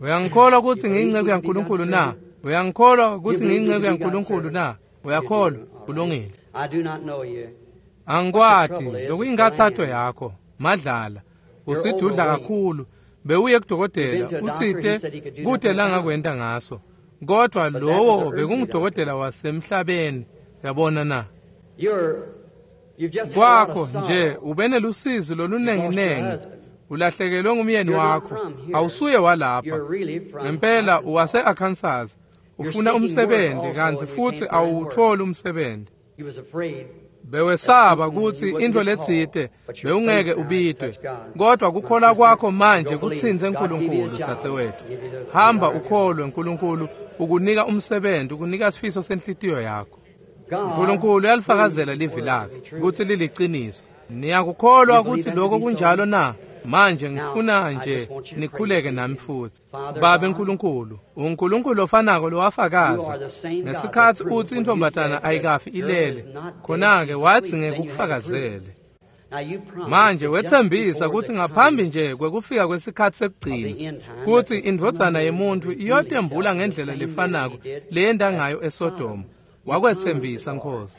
Uyangikholwa kutsi ngiyinceku yaNkulunkulu na? Uyangikholwa kutsi ngiyinceku yaNkulunkulu na? Uyakholwa? Kulungile. I do not know you. Angikwati lokuyinkathato yakho, madlala. Usidudla kakhulu. Bewuye kudokotela utsite kute langakwenta ngaso. Kodwa lowo bekungudokotela wasemhlabeni, uyabona na? You're you've just had a lot Kwakho of sorrow. nje ube nelusizi olunenginengi. Ulahlekelwe ngumyeni wakho. Awusuye walapha. You're really from Ngempela uwase-Arkansas. Ufuna umsebenzi kantsi futsi awuwutholi umsebenzi. He was afraid. Bewesaba kutsi intfo letsite bewungeke ubitwe, kodwa kukholwa kwakho manje kutsintse Nkulunkulu. Dzadzewethu, hamba ukholwe. Nkulunkulu ukunika umsebenzi, ukunika sifiso senhlitiyo yakho. God Nkulunkulu uyalifakazela livi lakhe kutsi liliciniso. Niyakukholwa kutsi lokho kunjalo na? Manje ngifuna nje nikhuleke nami futsi. Babe Nkulunkulu, uNkulunkulu ofanako lowafakaza ngesikhatsi utsi intfombatana ayikafi ilele, khona-ke watsi ngekukufakazele. Now you promised Manje that just wetsembisa before kutsi the ngaphambi coming nje kwekufika kwesikhatsi sekugcina kutsi indvodzana yemuntfu iyotembula ngendlela lefanako leyenta ngayo eSodoma. Wakwetsembisa, Nkosi.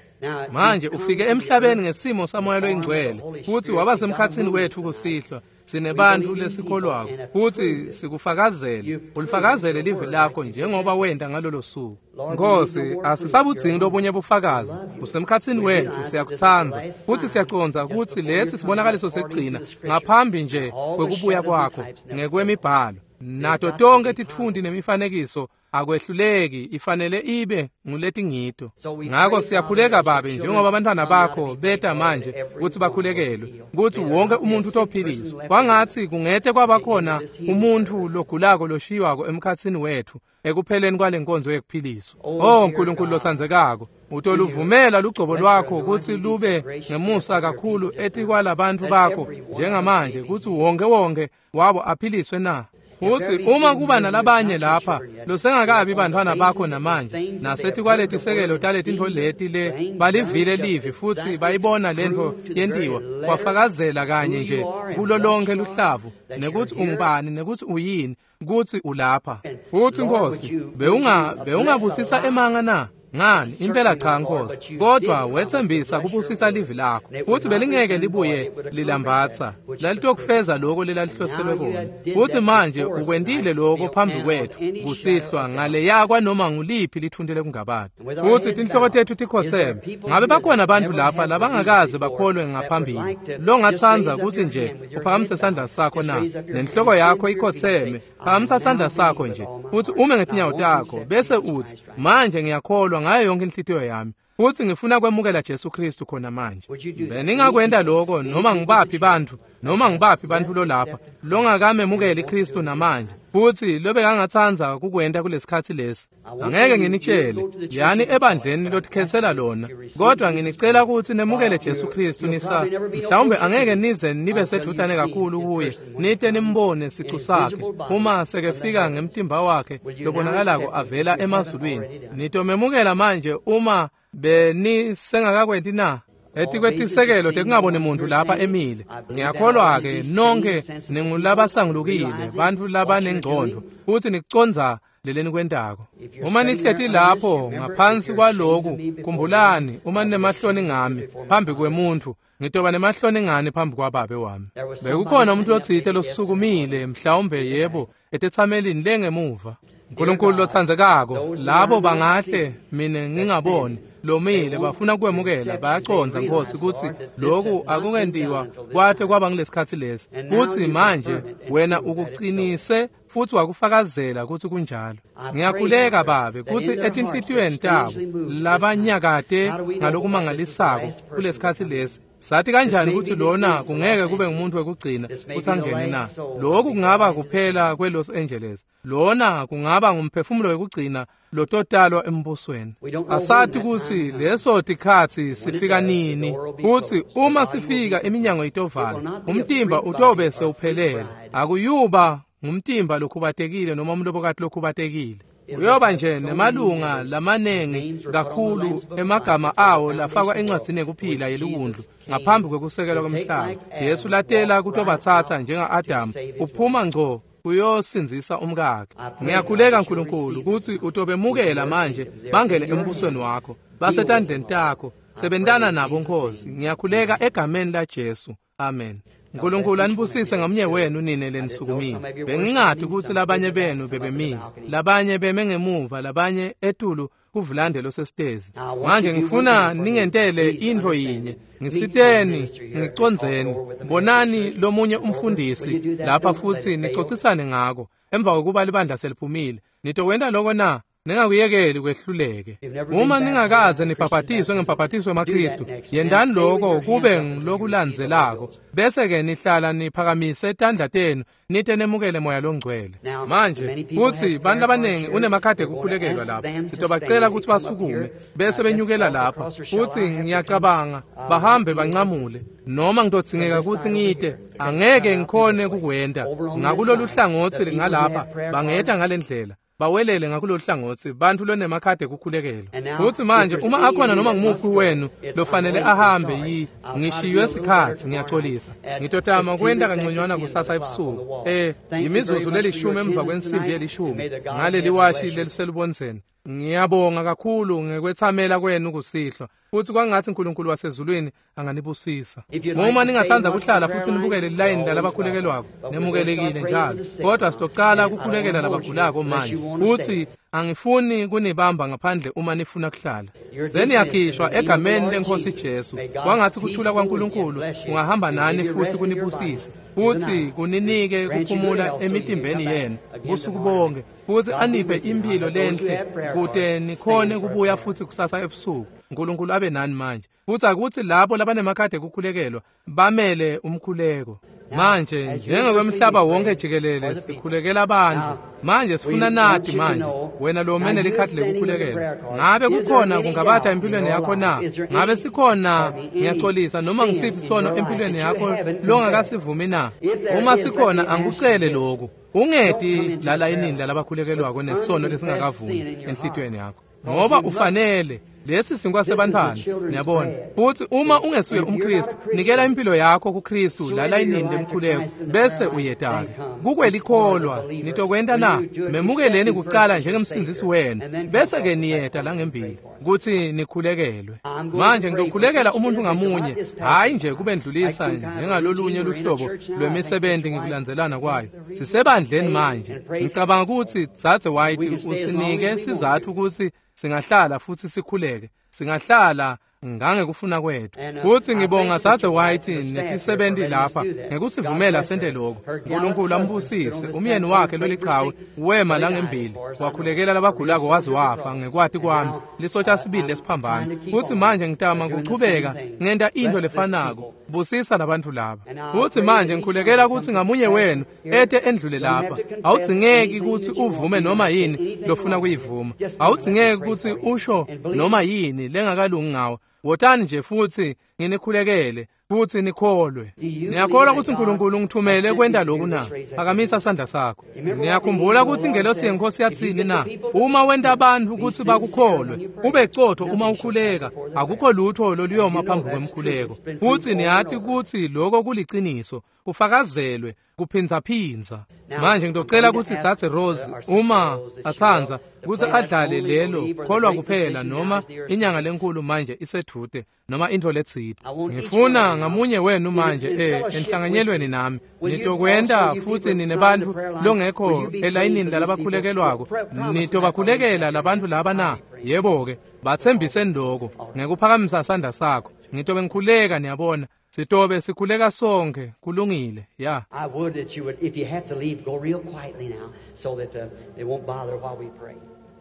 Manje ufike emhlabeni ngesimo saMoya loyiNgcwele futsi waba semkhatsini wetfu kusihlwa. Sinebantfu lesikholwako futsi sikufakazele, ulifakazele livi lakho njengoba wenta ngalolo suku. Nkosi, asisabudzingi lobunye bufakazi. Usemkhatsini wetfu, siyakutsandza futsi siyacondza kutsi lesi sibonakaliso sekugcina ngaphambi nje kwekubuya kwakho ngekwemibhalo. Nato tonke titfunti nemifanekiso akwehluleki, ifanele ibe nguletingito. Ngako siyakhuleka Babe, njengoba abantwana bakho beta manje kutsi bakhulekelwe, kutsi wonke umuntu utophiliswa. Kwangatsi kungete kwaba khona umuntfu logulako loshiywako emkhatsini wetfu ekupheleni kwale nkonzo yekuphiliswa. Oh Nkulunkulu lotsandzekako, utoluvumela lugcobo lwakho kutsi lube ngemusa kakhulu etikwalabantfu bakho njengamanje, kutsi wonke wonke wabo aphiliswe na? Futsi uma kuba nalabanye lapha losengakabi bantfwana bakho namanje, nasetikwaletisekelo taletintfo leti le balivile livi futsi bayibona lentfo yentiwa, kwafakazela kanye nje kulo lonke luhlavu nekutsi ungubani nekutsi uyini, kutsi ulapha. Futsi Nkosi, bewunga bewungabusisa emanga na? Ngani, impela cha Nkosi, kodwa wetsembisa kubusisa livi lakho futsi belingeke libuye lilambatsa, lalitokufeza lokho lelalihloselwe kona. Futsi manje ukwentile lokho phambi kwetfu kusihlwa ngaleya kwanoma nguliphi lithunti lekungabata. Futsi tinhloko tetfu tikhotseme. Ngabe bakhona bantfu lapha labangakaze bakholwe ngaphambili longatsandza kutsi nje uphakamise sandla sakho na? Nenhloko yakho ikhotseme, phakamisa sandla sakho nje futsi ume ngetinyawo takho bese utsi, manje ngiyakholwa ngayo yonke inhlitiyo yami. Futsi ngifuna kwemukela Jesu Kristu khona manje. Beningakwenta lokho noma ngibaphi bantfu, noma ngibaphi bantfu lolapha longakamemukeli Kristu namanje, futsi lobekangatsandza kukwenta kulesikhatsi lesi. Angeke nginitshele, yani ebandleni lotikhetsela lona, kodwa nginicela kutsi nemukele Jesu Kristu nisa. Mhlawumbe angeke nize nibe sedvutane kakhulu kuye, nite nimbone sicu sakhe uma sekefika ngemtimba wakhe lobonakalako avela emazulwini. Nitomemukela manje uma benisengakakwenti na? Etikwetisekelo tekungaboni muntfu lapha emile. Ngiyakholwa-ke nonke ningulabasangulukile, bantfu labanengcondvo, futsi nikucondza lelenikwentako. Uma nihleti lapho ngaphansi kwaloku, khumbulani, uma ninemahloni ngami phambi kwemuntfu, ngitoba nemahloni ngani phambi kwababe wami. Bekukhona umuntu lotsite losukumile, mhlawumbe yebo, etetsamelini lengemuva. Nkulunkulu lotsandzekako, labo bangahle mine ngingaboni lomile bafuna kwemukela, bayacondza Nkosi kutsi lokhu akungentiwa kwate kwaba ngilesikhatsi lesi. Futsi manje wena ukucinise futsi wakufakazela kutsi kunjalo. Ngiyakhuleka Babe kutsi etinhlitiyweni tabo labanyakate ngalokumangalisako kulesikhatsi lesi, sathi kanjani kutsi lona kungeke kube ngumuntu wekugcina kutsi angene na? Lokhu kungaba kuphela kweLos Angeles. Lona kungaba ngumphefumulo wekugcina lototalwa embusweni. Asathi kutsi leso tikhatsi sifika nini, kutsi uma sifika iminyango itovala, umtimba utobe sewuphelele. Akuyuba ngumtimba lokhubatekile noma umlobokati lokhubatekile. Uyoba nje nemalunga lamanengi kakhulu emagama awo lafakwa encwadzini yekuphila yeliwundlu ngaphambi kwekusekelwa kwemhlaba. Yesu latela kutobatsatsa njenga-Adamu, uphuma ngco uyosindzisa umkakhe. Ngiyakhuleka Nkulunkulu kutsi utobemukela manje bangene embusweni wakho, basetandleni takho, sebentana nabo Nkosi. Ngiyakhuleka egameni laJesu. Amen. Nkulunkulu anibusise ngamunye wenu nine lenisukumile. Bengingati kutsi labanye benu bebemile, labanye beme ngemuva, labanye etulu kuvulande losesitezi. Manje ngifuna ningentele intfo yinye. Ngisiteni, ngicondzeni. Bonani lomunye umfundisi lapha futsi nicocisane ngako. Emva kokuba libandla seliphumile, nitokwenta loko na? Ningakuyekeli kwehluleke. Uma ningakaze nibhabhatiswe ngembhabhatiso wemaKristu, yendani lokho kube ngilokulandzelako, bese-ke nihlala niphakamise tandla tenu nite nemukele Moya Longcwele. Manje kutsi bantfu labanengi unemakhadi ekukhulekelwa lapha, sitobacela kutsi basukume bese benyukela lapha, futsi ngiyacabanga bahambe bancamule, noma ngitodzingeka kutsi ngite, angeke ngikhone kukwenta. Ngakulolu hlangotsi ngalapha bangeta ngalendlela, bawelele ngakulolu hlangotsi bantfu lonemakhadi ekukhulekelwa. Futsi manje uma akhona noma ngumuphi wenu lofanele ahambe, yi ngishiywe sikhatsi, ngiyaxolisa. Ngitotama kwenta kanconywana kusasa ebusuku, eh imizuzu lelishumi emva kwensimbi yelishumi ngaleliwashi leliselubondzeni. Ngiyabonga kakhulu ngekwethamela kwenu kusihlwa, futsi kwangatsi Nkulunkulu wasezulwini anganibusisa. Uma ningatsandza kuhlala futsi nibukele lilayini lalabakhulekelwako, nemukelekile njalo. Kodwa sitocala kukhulekela labagulako manje, futsi angifuni kunibamba ngaphandle uma nifuna kuhlala. Seniyakhishwa egameni leNkosi Jesu. Kwangatsi kuthula kwaNkulunkulu kungahamba nani futsi kunibusise, futsi kuninike kuphumula emitimbeni yenu busuku bonke, futsi aniphe imphilo lenhle kute nikhone kubuya futsi kusasa ebusuku. Nkulunkulu abe nani manje. Futsi akutsi labo labanemakhadi ekukhulekelwa bamele umkhuleko. Manje njengokwemhlaba wonke jikelele sikhulekela abantu. Manje sifuna nati manje, wena lo mene likhadi lekukhulekelwa, ngabe kukhona kungabatha empilweni yakho na? Ngabe sikhona, ngiyaxolisa, noma ngisiphi sono empilweni yakho longakasivumi na? Uma sikhona, angikucele lokhu, ungeti lalayinini lalabakhulekelwako nesono lesingakavumi enhlitiyweni yakho, ngoba ufanele. Lesi sinkwa sebantfwana, niyabona. Futsi uma ungesuye umKristu, nikela impilo yakho kuKristu lalayinini lemkhuleko, bese uyetake kukwelikholwa. Nitokwenta na? Memukeleni kucala njengemsindzisi wenu, bese-ke niyeta langembili kutsi nikhulekelwe. Manje ngitokhulekela umuntu ngamunye, hhayi nje kubendlulisa njengalolunye luhlobo lwemisebenti ngikulandzelana kwayo. Sisebandleni manje. Ngicabanga kutsi Dzadze White usinike sizatfu kutsi singahlala futsi sikhuleke. Singahlala Ngangekufuna kwethu. Futsi ngibonga Dzadze White netisebenti lapha ngekusivumela sente lokho. Nkulunkulu ambusise. Umyeni wakhe lolichawe wema langembili wakhulekela labagulako waze wafa ngekwati kwami lisotsha sibili lesiphambano. Futsi manje ngitama kuchubeka ngenta into lefanako. Busisa labantfu laba. Futsi manje ngikhulekela kutsi ngamunye wenu ete endlule lapha. Awudzingeki kutsi uvume noma yini lofuna kuyivuma. Awudzingeki kutsi usho noma yini lengakalungi ngawe. Wotani nje futsi nginikhulekele futsi nikholwe. Niyakholwa kutsi Nkulunkulu ngithumele kwenta lokhu na? Phakamisa sandla sakho. Niyakhumbula kutsi ingelosi yeNkosi yatsini na? Uma wenta bantfu kutsi bakukholwe, ube cotho uma ukhuleka, akukho lutho loluyoma phambi kwemkhuleko. Futsi niyati kutsi lokho kuliciniso, kufakazelwe kuphindzaphindza. Manje ngitocela kutsi Dzadze Rose uma atsandza kutsi adlale lelo kholwa kuphela noma inyanga lenkulu manje isedvute noma intfo letsite. Ngifuna ngamunye wenu manje eh enhlanganyelweni nami nitokwenta futsi ninebantfu longekho elayinini lalabakhulekelwako nitobakhulekela labantfu laba na? Yebo-ke, batsembiseni loko ngekuphakamisa sandla sakho. Ngitobe ngikhuleka, niyabona. Sitobe sikhuleka sonke. Kulungile. Ya. I would that you would, if you have to leave, go real quietly now so that uh, they won't bother while we pray.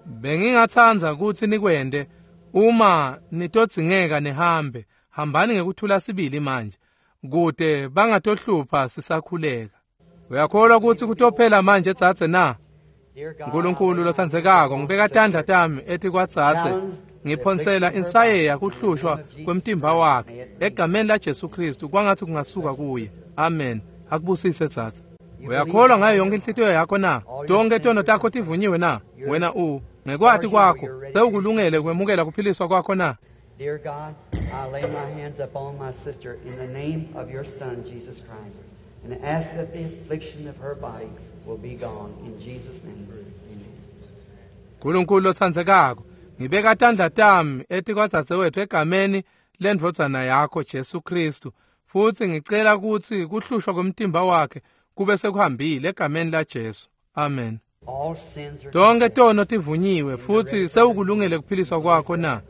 Bengingatsandza kutsi nikwente uma nitodzingeka nihambe. Hambani ngekuthula sibili manje kute bangatohlupha sisakhuleka. Uyakholwa kutsi kutophela manje dzadze na? Nkulunkulu lotsandzekako, ngibeka tandla tami etikwadzadze, ngiphonsela insayeya kuhlushwa kwemtimba wakhe egameni la Jesu Kristu, kwangatsi kungasuka kuye. Amen. Akubusise dzadze. Uyakholwa ngayo yonke inhlitiyo yakho na? Tonke tono takho tivunyiwe na? Wena u ngekwati kwakho sewukulungele kwemukela kuphiliswa kwakho na? Dear God, I lay my hands upon my sister in the name of your Son, Jesus Christ, and ask that the affliction of her body will be gone. In Jesus' name, amen. Nkulunkulu lotsandzekako, ngibeka tandla tami etikwadzadzewethu egameni lendvodzana yakho Jesu Kristu, futsi ngicela kutsi kuhlushwa kwemtimba wakhe kube sekuhambile egameni la Jesu. Amen. All sins are Tonke tono tivunyiwe futsi sewukulungele kuphiliswa kwakho na?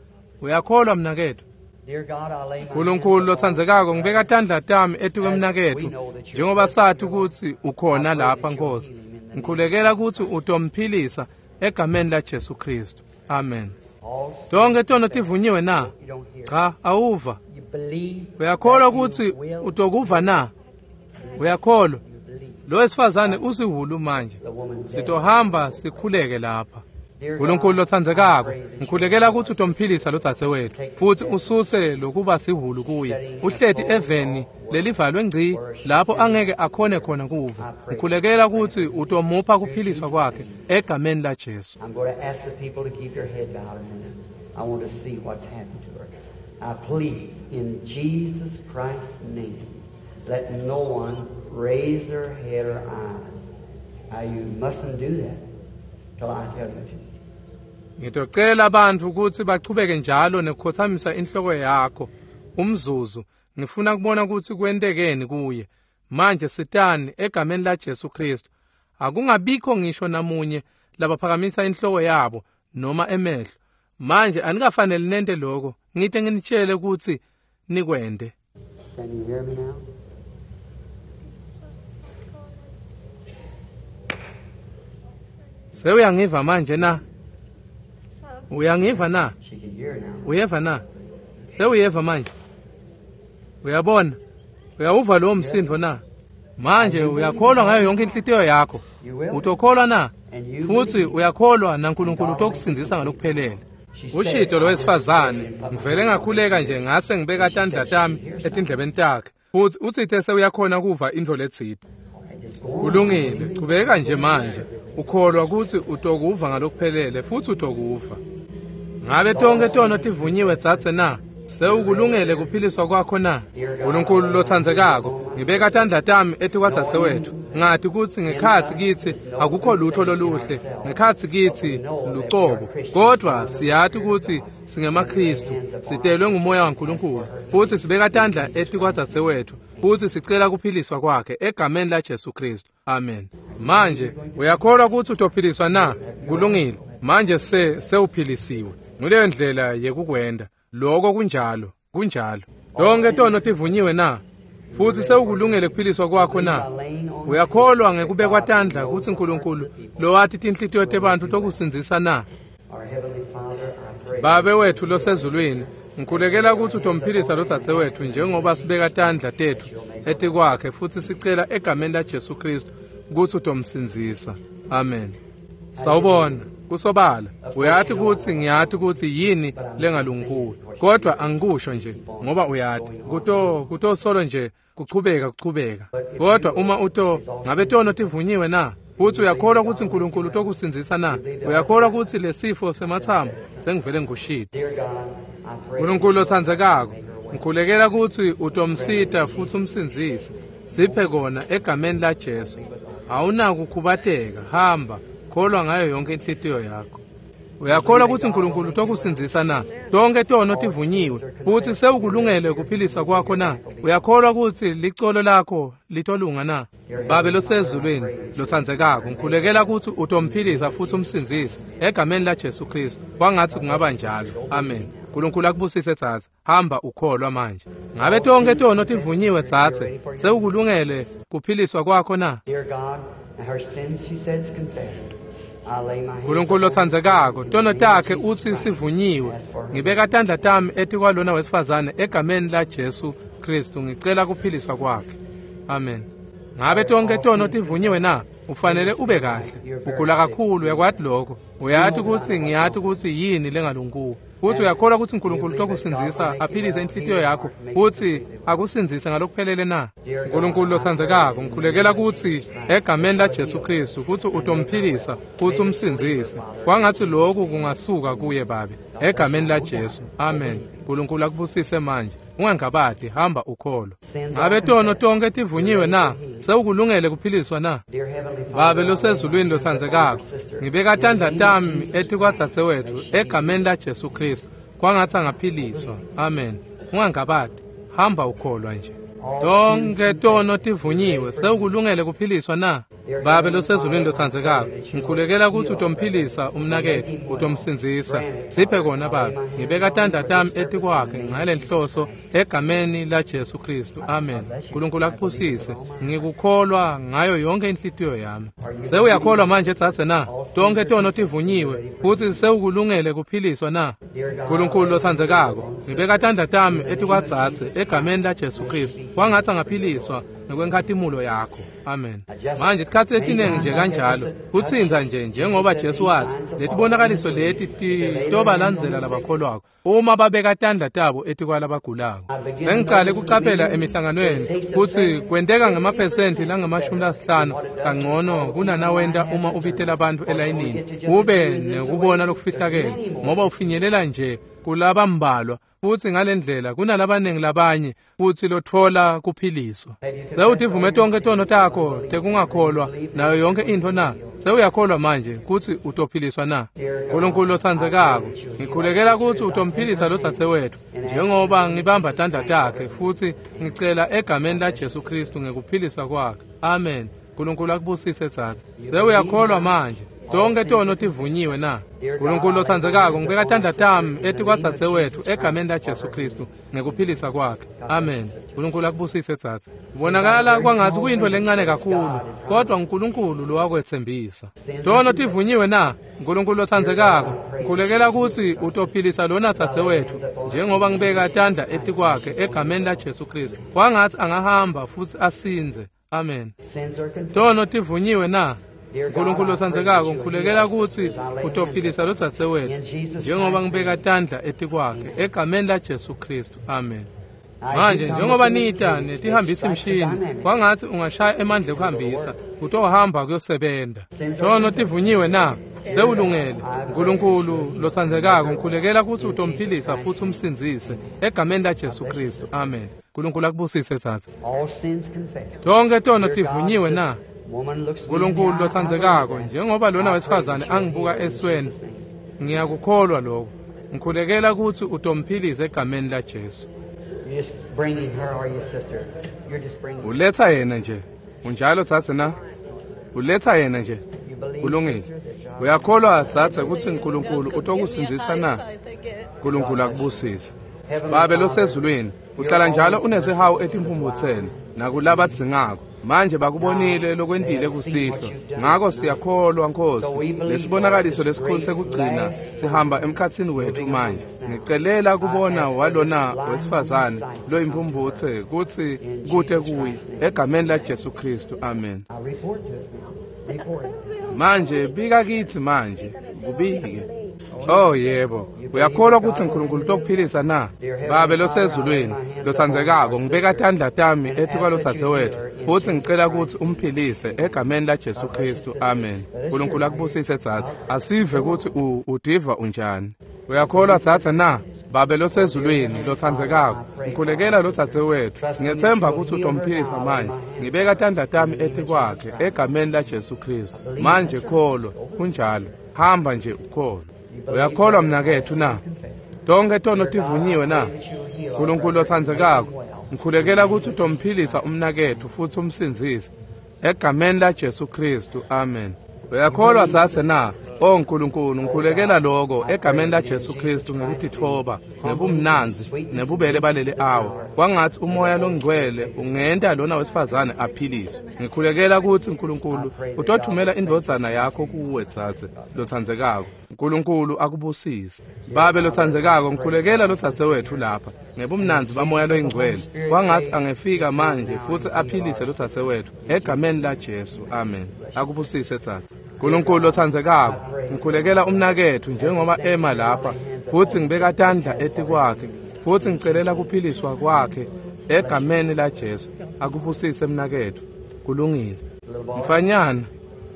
Uyakholwa mnaketfu? Dear God, I lay my Nkulunkulu hands upon lotsandzekako, ngibeka tandla tami etikwemnaketfu njengoba sathi kutsi ukhona lapha Nkosi. Ngikhulekela kutsi utomphilisa egameni la Jesu Kristu. Amen. all sins. Tonke tono tivunyiwe na? You don't hear. Cha, awuva. You believe Uyakholwa that you kutsi will utokuva na? Uyakholwa? You believe. Lo wesifazane usihulu manje. The woman's dead. Sitohamba sikhuleke lapha. Dear Nkulunkulu God, lotsandzekako, I pray that you ngikhulekela kutsi utomphilisa lodzadzewetfu futsi ususe lokuba sihulu kuye. Uhleti eveni lelivalwe ngci lapho angeke akhone khona kuva. Ngikhulekela kutsi utomupha kuphiliswa kwakhe egameni la Jesu. I'm going to ask the people to keep their head bowed a minute. I want to see what's happened to her. I please, in Jesus Christ's name, let no one raise their head or eyes. Now, you mustn't do that till I tell you to. Ngitocela abantu kutsi bachubeke njalo nekukhothamisa inhloko yakho umzuzu. Ngifuna kubona kutsi kwentekeni kuye. Manje sitani egameni la Jesu Kristu. Akungabikho ngisho namunye labaphakamisa inhloko yabo noma emehlo. Manje anikafanele nente lokho. Ngite nginitshele kutsi nikwente. Can you hear me now? Sewuyangiva manje na? Uyangiva na? She can hear now. Uyeva na? Sewuyeva manje. Uyabona? Uyawuva lowo msindo na? Manje uyakholwa ngayo yonke inhlitiyo yakho. You will? Utokholwa na? And you Futhi believe. uyakholwa naNkulunkulu utokusindzisa ngalokuphelele. Ushito lo wesifazane, ngivele ngakhuleka nje ngase ngibeka tandla tami etindlebeni takhe. Futhi utsite sewuyakhona kuva intfo letsite. All right, just go on. Kulungile, chubeka nje manje. Ukholwa kutsi utokuva ngalokuphelele futhi utokuva. Ngabe tonke tono tivunyiwe dzadze na? Sewukulungele kuphiliswa kwakho na? Nkulunkulu lotsandzekako, ngibeka tandla tami etikwadzadzewetfu. Ngati kutsi ngekhatsi kitsi akukho lutho loluhle, ngekhatsi kitsi lucobo. Kodvwa siyati kutsi singemaKhristu, sitelwe ngumoya waNkulunkulu, futsi sibeka tandla etikwadzadzewetfu futsi sicela kuphiliswa kwakhe egameni la Jesu Kristu. Amen. Manje uyakholwa kutsi utophiliswa na? Kulungile. Manje se sewuphilisiwe. Nguleyo ndlela yekukwenta. Loko kunjalo, kunjalo. Tonke tono tivunyiwe na? Futhi sewukulungele kuphiliswa kwakho na? Uyakholwa ngekubekwa tandla kutsi uNkulunkulu lowathi tinhlitiyo tebantfu tokusindzisa na? Babe wethu losezulwini, ngikhulekela kutsi utomphilisa lodzadze wetfu njengoba sibeka tandla tetfu etikwakhe futsi sicela egameni laJesu Kristu kutsi utomsindzisa. Amen. Sawubona, kusobala. Uyati kutsi ngiyati kutsi yini lengalungi kuwe, kodwa angikusho nje ngoba uyati. Kuto kutosolo nje kuchubeka kuchubeka. Kodwa uma uto ngabe tono tivunyiwe na? Futhi uyakholwa kutsi uNkulunkulu utokusindzisa na? Uyakholwa kutsi lesifo sematsambo sengivele ngikushilo? uNkulunkulu otsandzekako, ngikhulekela kutsi utomsita futhi umsindzise. Siphe kona egameni laJesu. Awunakukhubateka, hamba, kholwa ngayo yonke inhlitiyo yakho. Uyakholwa kutsi uNkulunkulu utokusindzisa na? Tonke tono tivunyiwe futhi sewukulungele kuphiliswa kwakho na? Uyakholwa kutsi licolo lakho litolunga na? Babe losezulwini lotsandzekako, ngikhulekela kutsi utomphilisa futhi umsindzise egameni laJesu Kristu. Kwangatsi kungaba njalo. Amen. uNkulunkulu akubusise dzadze. Hamba ukholwa manje. Ngabe tonke tono tivunyiwe dzadze? Sewukulungele kuphiliswa kwakho na? uNkulunkulu lotsandzekako, tono takhe utsi sivunyiwe. Ngibeka tandla tami etikwalona wesifazane egameni laJesu Kristu, ngicela kuphiliswa kwakhe. Amen. Ngabe tonke tono tivunyiwe na? Ufanele ube kahle. Ugula kakhulu, uyakwati lokho. Uyati kutsi ngiyati kutsi yini lengalungi kuwe. Futhi uyakholwa kutsi uNkulunkulu utokusindzisa aphilise inhlitiyo yakho futsi akusindzise ngalokuphelele na? uNkulunkulu lotsandzekako, ngikhulekela kutsi egameni laJesu Kristu kutsi utomphilisa futsi umsindzise. Kwangatsi lokhu kungasuka kuye Babe egameni laJesu. Amen. uNkulunkulu akubusise manje. Ungangabati, hamba ukholwa. Ngabe tono tonke tivunyiwe na? Sewukulungele kuphiliswa na? Babe losezulwini lotsandzekako, ngibeka tandla tami etikwadzadze wetfu egameni laJesu Kristu. Kwangatsi angaphiliswa. Amen. Ungangabati, hamba ukholwa nje. Tonke tono tivunyiwe, sewukulungele kuphiliswa na? Babe losezulwini lotsandzekako, ngikhulekela kutsi utomphilisa umnaketfu, utomsindzisa. Siphe kona Babe. Ngibeka tandla tami etikwakhe ngalenhloso egameni laJesu Kristu. Amen. uNkulunkulu akubusise. Ngikukholwa ngayo yonke inhlitiyo yami. Sewuyakholwa manje dzadze na? Tonke tono tivunyiwe futsi sewukulungele kuphiliswa na? uNkulunkulu lotsandzekako, ngibeka tandla tami etikwadzadze egameni laJesu Kristu. Kwangatsi angaphiliswa ngekwenkhatimulo yakho. Amen. Manje tikhatsi letiningi nje kanjalo kutsintsa nje njengoba Jesu watsi letibonakaliso leti titobalandzela labakholwako uma babeka tandla tabo etikwalabagulako. Sengicale kucaphela emihlanganweni kutsi kwenteka ngemaphesenti langamashumi lasihlanu kangcono kunanawenta uma ubitela bantfu elayinini ube nekubona lokufihlakele, ngoba ufinyelela nje kulabambalwa futsi ngalendlela kunalabaningi labanye futsi lotfola kuphiliswa. Sewutivume tonke tono takho tekungakholwa nayo yonke intfo na? Sewuyakholwa manje kutsi utophiliswa na? uNkulunkulu lotsandzekako, ngikhulekela kutsi utomphilisa lodzadze wetfu njengoba ngibamba tandla takhe futsi ngicela egameni laJesu Kristu ngekuphiliswa kwakhe. Amen. uNkulunkulu akubusise dzadze. Sewuyakholwa manje. Tonke tono tivunyiwe na? uNkulunkulu lotsandzekako, ngibeka tandla tami etikwadzadze wetfu egameni laJesu Kristu ngekuphilisa kwakhe. Amen. uNkulunkulu akubusise dzadze. Kubonakala kwangatsi kuyintfo lencane kakhulu, kodwa uNkulunkulu lowakwetsembisa. Tono tivunyiwe na? uNkulunkulu lotsandzekako, ngikhulekela kutsi utophilisa lona dzadze wetfu njengoba ngibeka tandla etikwakhe egameni laJesu Kristu. Kwangatsi angahamba futsi asindze. Amen. Tono tivunyiwe na? uNkulunkulu lotsandzekako, ngikhulekela kutsi utophilisa lodzadze wetfu njengoba ngibeka tandla etikwakhe egameni laJesu Kristu. Amen. Manje njengoba nita netihambisa imshini, kwangatsi ungashaya emandla ekuhambisa, utohamba kuyosebenta. Tono tivunyiwe na? Sewulungele. uNkulunkulu lotsandzekako, ngikhulekela kutsi utomphilisa futsi umsindzise egameni laJesu Kristu. Amen. uNkulunkulu akubusise dzadze. Tonke tono tivunyiwe na? uNkulunkulu lotsandzekako, njengoba lona wesifazane angibuka esweni, ngiyakukholwa lokho. Ngikhulekela kutsi utomphilisa egameni laJesu. Uletha yena nje. Unjalo dzadze na? Uletha yena nje. Kulungile. Uyakholwa dzadze kutsi uNkulunkulu utokusindzisa na? Nkulunkulu akubusise. Babe losezulwini, uhlala njalo unesihawu etimphumbutseni nakulabadzingako. Manje bakubonile lokwentile kusihlwa, ngako siyakholwa Nkosi lesibonakaliso lesikhulu sekugcina sihamba emkhatsini wethu manje. Ngicelela kubona walona wesifazane loyimphumbutse kutsi kute kuye egameni la Jesu Kristu, amen. Manje bika kitsi manje, kubike. Oh yebo, uyakholwa kutsi uNkulunkulu utokuphilisa na? Babe losezulwini, lotsandzekako, ngibeka tandla tami etikwalodzadzewethu futsi ngicela kutsi umphilise egameni la Jesu Kristu, amen. uNkulunkulu akubusise dzadze. Asive kutsi udiva unjani. Uyakholwa dzadze na? Babe losezulwini, lotsandzekako, ngikhulekela lodzadzewethu. Ngiyetsemba kutsi utomphilisa manje. Ngibeka tandla tami etikwakhe egameni la Jesu Kristu. Manje kholwa, kunjalo. Hamba nje ukholwa. Uyakholwa mnaketfu na? Tonkhe tono tivunyiwe na? uNkulunkulu lotsandzekako, ngikhulekela kutsi utomphilisa umnaketfu futsi umsindzise egameni la Jesu Kristu, amen. Uyakholwa dzadze na? O Nkulunkulu, ngikhulekela lokho egameni la Jesu Kristu ngekutitfoba, ngebumnandzi, nebubele baleli awa. Kwangatsi umoya longcwele ungenta lona wesifazane aphiliswe. Ngikhulekela kutsi uNkulunkulu utothumela indvodzana yakho kuwe dzadze lotsandzekako. uNkulunkulu akubusise. Babe lotsandzekako, ngikhulekela lodzadzewetfu lapha ngebumnandzi bamoya loyingcwele. Kwangatsi angefika manje futsi aphilise lodzadzewetfu egameni la Jesu, amen. Akubusise dzadze. uNkulunkulu lotsandzekako, ngikhulekela umnaketfu njengoba ema lapha futsi ngibeka tandla etikwakhe futsi ngicelela kuphiliswa kwakhe egameni la Jesu. Akubusise mnaketfu. Kulungile. Mfanyana,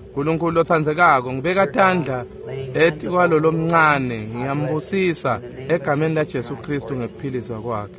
uNkulunkulu lotsandzekako, ngibeka tandla etikwalo lomncane, ngiyambusisa egameni la Jesu Kristu ngekuphiliswa kwakhe.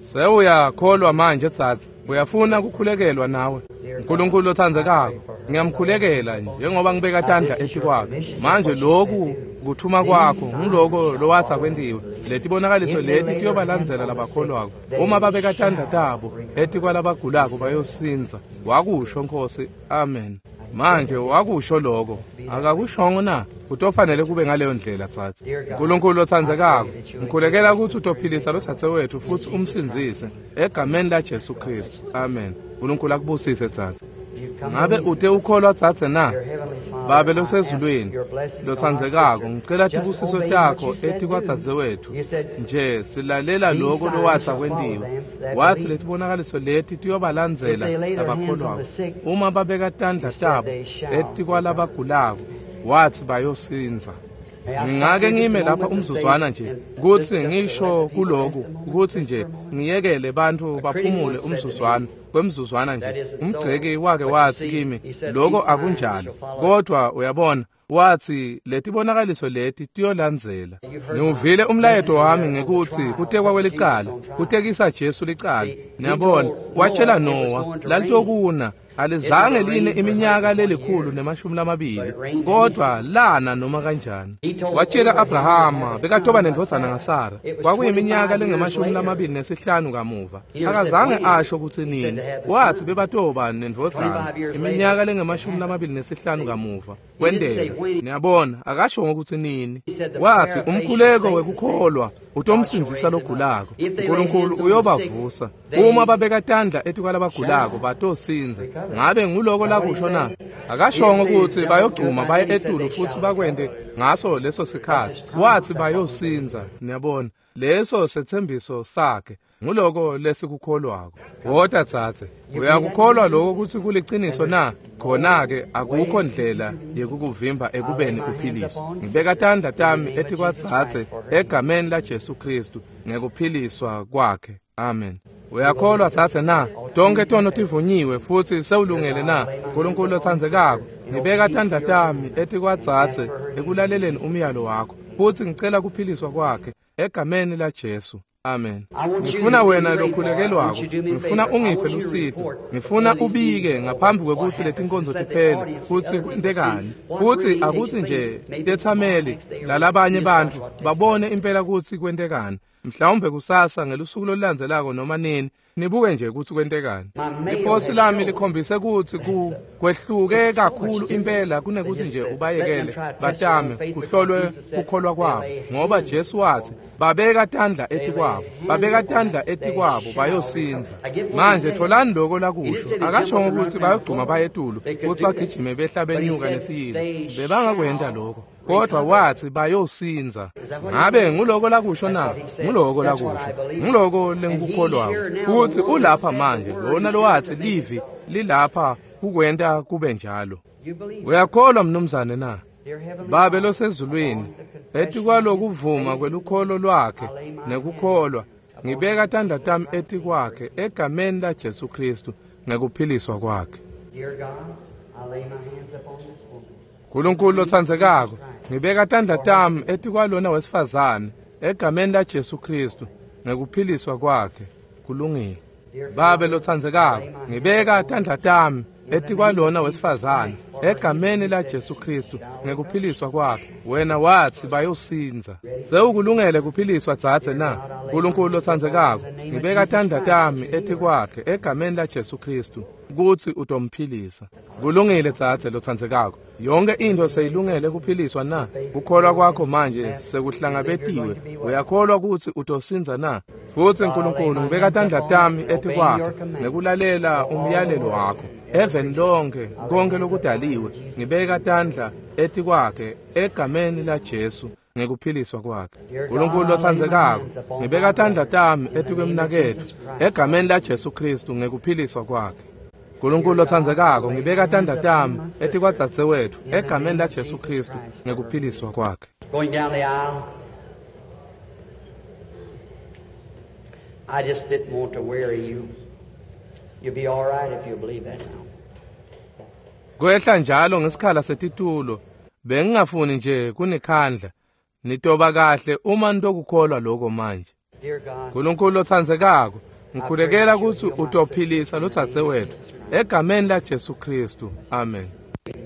Sewuyakholwa manje dzadze, uyafuna kukhulekelwa nawe? uNkulunkulu lotsandzekako, ngiyamkhulekela njengoba ngibeka tandla etikwakhe. Manje lokhu kuthuma kwakho nguloko lowatsa kwentiwe. Letibonakaliso leti tiyobalandzela labakholwako. Uma babeka tandla tabo etikwalabagulako bayosindza. Wakusho Nkosi, amen. Manje wakusho lokho, akakushongo na? Kutofanele kube ngaleyo ndlela dzadze. uNkulunkulu lotsandzekako, ngikhulekela kutsi utophilisa lodzadzewetfu futsi umsindzise egameni la Jesu Kristu, amen. uNkulunkulu akubusise dzadze. Ngabe ute ukholwa dzadze na? Babe losezulwini, lotsandzekako, ngicela tibusiso takho etikwadzadzewetfu. Nje silalela lokho lowatsa kwentiwe. Watsi letibonakaliso leti tiyobalandzela labakholwako. Uma babeka tandla tabo etikwalabagulako, watsi bayosindza. Ngingake ngime lapha umzuzwana nje kutsi ngisho kuloku kutsi nje ngiyekele bantfu baphumule umzuzwana kwemzuzwana nje. Umgceki wake watsi kimi lokho akunjalo, kodwa uyabona watsi letibonakaliso leti tiyolandzela. Ngiwuvile umlayeto wami ngekutsi kutekwa kwelicala, kutekisa Jesu licala. Niyabona, watshela Noah lalitokuna alizange line iminyaka lelikhulu nemashumi lamabili, kodwa lana noma kanjani. Watshela Abrahama bekatoba nendvodzana ngaSara, kwakuyiminyaka lengemashumi lamabili nesihlanu kamuva. Akazange asho kutsi nini, watsi bebatoba nendvodzana iminyaka lengemashumi lamabili nesihlanu kamuva. Kwenteka. Niyabona, akasho ngokutsi nini. Watsi umkhuleko wekukholwa utomsindzisa logulako. uNkulunkulu uyobavusa. Uma babeka tandla etikwalabagulako batosindza. Ngabe nguloko lakusho na? Akashongo kutsi bayogcuma baye etulu futsi bakwente ngaso leso sikhatsi. Watsi bayosindza. Niyabona, leso setsembiso sakhe. Nguloko lesikukholwako. Wota dzadze, uyakukholwa lokho kutsi kuliciniso na? Khona-ke akukho ndlela yekukuvimba ekubeni uphiliswe. Ngibeka tandla tami etikwadzadze egameni la Jesu Kristu ngekuphiliswa kwakhe, amen. Uyakholwa dzadze na? Tonkhe tono tivunyiwe futsi sewulungele na? uNkulunkulu lotsandzekako, ngibeka tandla tami etikwadzadze ekulaleleni umyalo wakho futsi ngicela kuphiliswa kwakhe egameni la Jesu, amen. Ngifuna wena lokhulekelwako, ngifuna ungiphe lusito, ngifuna ubike ngaphambi kwekutsi letinkonzo tiphele kutsi kwentekani, futsi akutsi nje tetsameli lalabanye bantfu babone impela kutsi kwentekani. Mhlawumbe kusasa ngelusuku lolulandzelako noma nini, Nibuke nje kutsi kwentekani. Liposi lami likhombise kutsi ku kwehluke kakhulu impela kunekuthi nje ubayekele batame kuhlolwe kukholwa kwabo, ngoba Jesu wathi babeka tandla etikwabo, babeka tandla etikwabo bayosindza. Manje tholani lokho lakusho. Akasho ukuthi bayogcuma bayetulu ukuthi bagijime behla benyuka nesiyilo, bebangakwenta lokho, kodwa wathi bayosindza. Ngabe nguloko lakusho na? Nguloko lakusho, nguloko lengikukholwako, ukuthi ulapha manje lona lowathi livi lilapha kukwenta kube njalo. Uyakholwa mnumzane na? Babe losezulwini, etikwalokuvuma kwelukholo lwakhe nekukholwa, ngibeka tandla tami etikwakhe egameni la Jesu Kristu ngekuphiliswa kwakhe. Nkulunkulu lotsandzekako, ngibeka tandla tami etikwalona wesifazane egameni la Jesu Kristu ngekuphiliswa kwakhe. Kulungile. Babe lotsandzekako, ngibeka tandla tami etikwalona wesifazane egameni la Jesu Kristu ngekuphiliswa kwakhe. Wena wathi bayosindza. Sewukulungele kuphiliswa dzadze na? Nkulunkulu lotsandzekako, ngibeka tandla tami etikwakhe egameni la Jesu Kristu kutsi utomphilisa. Kulungile dzadze lotsandzekako. Yonke into seyilungele kuphiliswa na? Kukholwa kwakho manje sekuhlangabetiwe. Uyakholwa kutsi utosindza na? Futsi Nkulunkulu, ngibeka tandla tami etikwakhe ngekulalela umyalelo wakho. Even lonke konke lokudaliwe, ngibeka tandla etikwakhe egameni la Jesu ngekuphiliswa kwakhe. Nkulunkulu lotsandzekako, ngibeka tandla tami etikwemnaketfu egameni la Jesu Kristu ngekuphiliswa kwakhe. Nkulunkulu lotsandzekako, ngibeka tandla tami etikwadzadzewetfu egameni la Jesu Kristu ngekuphiliswa kwakhe. Going down the aisle, I just didn't want to weary you. You'll be all right if you believe that now. Kwehla njalo ngesikhala setitulo, bengingafuni nje kunikhandla. Nitoba kahle uma nitokukholwa lokho manje. Nkulunkulu lotsandzekako, ngikhulekela kutsi utophilisa lodzadzewetfu egameni la Jesu Kristu. Amen.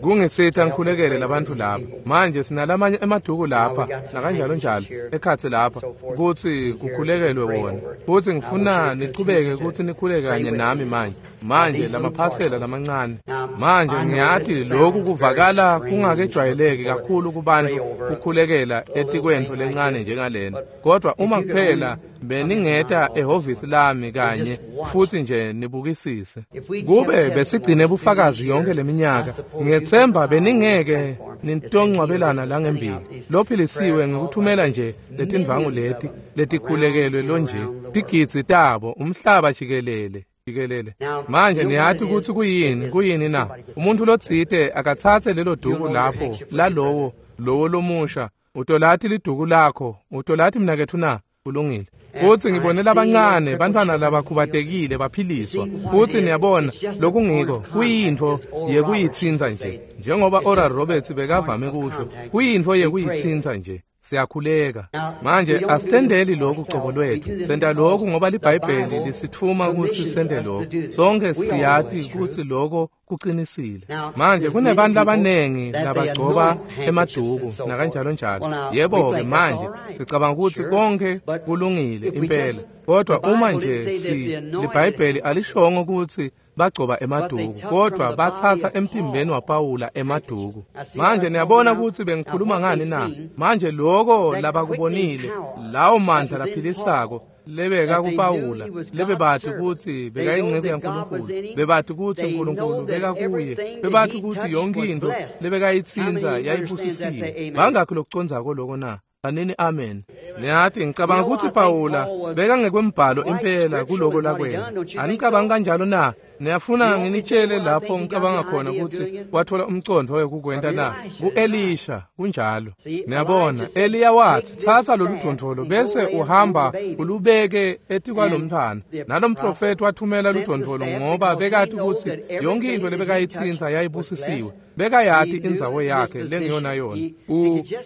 Kungisita ngikhulekele labantfu lapha. Manje sinalamanye emaduku lapha nakanjalo njalo ekhatsi lapha kutsi kukhulekelwe wona. Futsi ngifuna nichubeke kutsi nikhuleke kanye nami manje. Manje lamaphasela lamancane. Manje ngiyati lokhu kuvakala kungakejwayeleki kakhulu kubantu kukhulekela etikwentfo lencane njengalena. Kodwa uma kuphela beningeta ehhovisi lami kanye futhi nje nibukisise. Kube besigcine bufakazi yonke leminyaka, ngiyethemba beningeke nintongcwabelana la ngembili. Lophilisiwe ngikuthumela nje letindvangu leti letikhulekelwe lonje tigidzi tabo umhlaba jikelele jikelele. Manje niyati kutsi kuyini kuyini na? Umuntu lotsite akatsatse lelo duku lapho lalowo lowo lomusha. Utolati liduku lakho, utolati mnaketfu na? Kulungile. Futsi ngibone labancane bantfwana labakhubatekile baphiliswa. Futsi niyabona lokungiko kuyintfo yekuyitsintsa nje, njengoba Oral Roberts bekavame kusho, kuyintfo yekuyitsintsa nje. Siyakhuleka manje. Asitendeli lokhu cobo lwethu, senta lokhu ngoba liBhayibheli lisitfuma kutsi sente lokhu. Sonke siyati kutsi lokho kuqinisile. Manje kunebantu labanengi labagcoba emaduku nakanjalo njalo. Yebo-ke manje sicabanga ukuthi konke kulungile impela, kodwa uma nje si liBhayibheli alishongo ukuthi bagcoba emaduku, kodwa batsatsa emtimbeni waPawula emaduku. Manje niyabona ukuthi bengikhuluma ngani na? Manje lokho labakubonile, lawo mandla laphilisako lebeka kuPawula, lebebati ukuthi bekayinceku yaNkulunkulu, bebati ukuthi uNkulunkulu bekakuye, bebati ukuthi yonke into lebekayitsintsa yayibusisiwe. Bangakhi lokucondzako lokho na? Anini amen. Niyathi ngicabanga ukuthi Pawula bekangekwembhalo impela kuloko lakwena. Anicabangi kanjalo na? Niyafuna nginitshele lapho ngicabanga khona ukuthi wathola umcondvo wekukwenta na? Ku-Elisha kunjalo. Niyabona, Eliya wathi thatha lolu dvondvolo bese uhamba ulubeke etikwalomntfwana. Nalomprofeti wathumela ludvondvolo ngoba bekati ukuthi yonke into lebekayitsintsa yayibusisiwe. Bekayati indzawo yakhe lengiyona yona.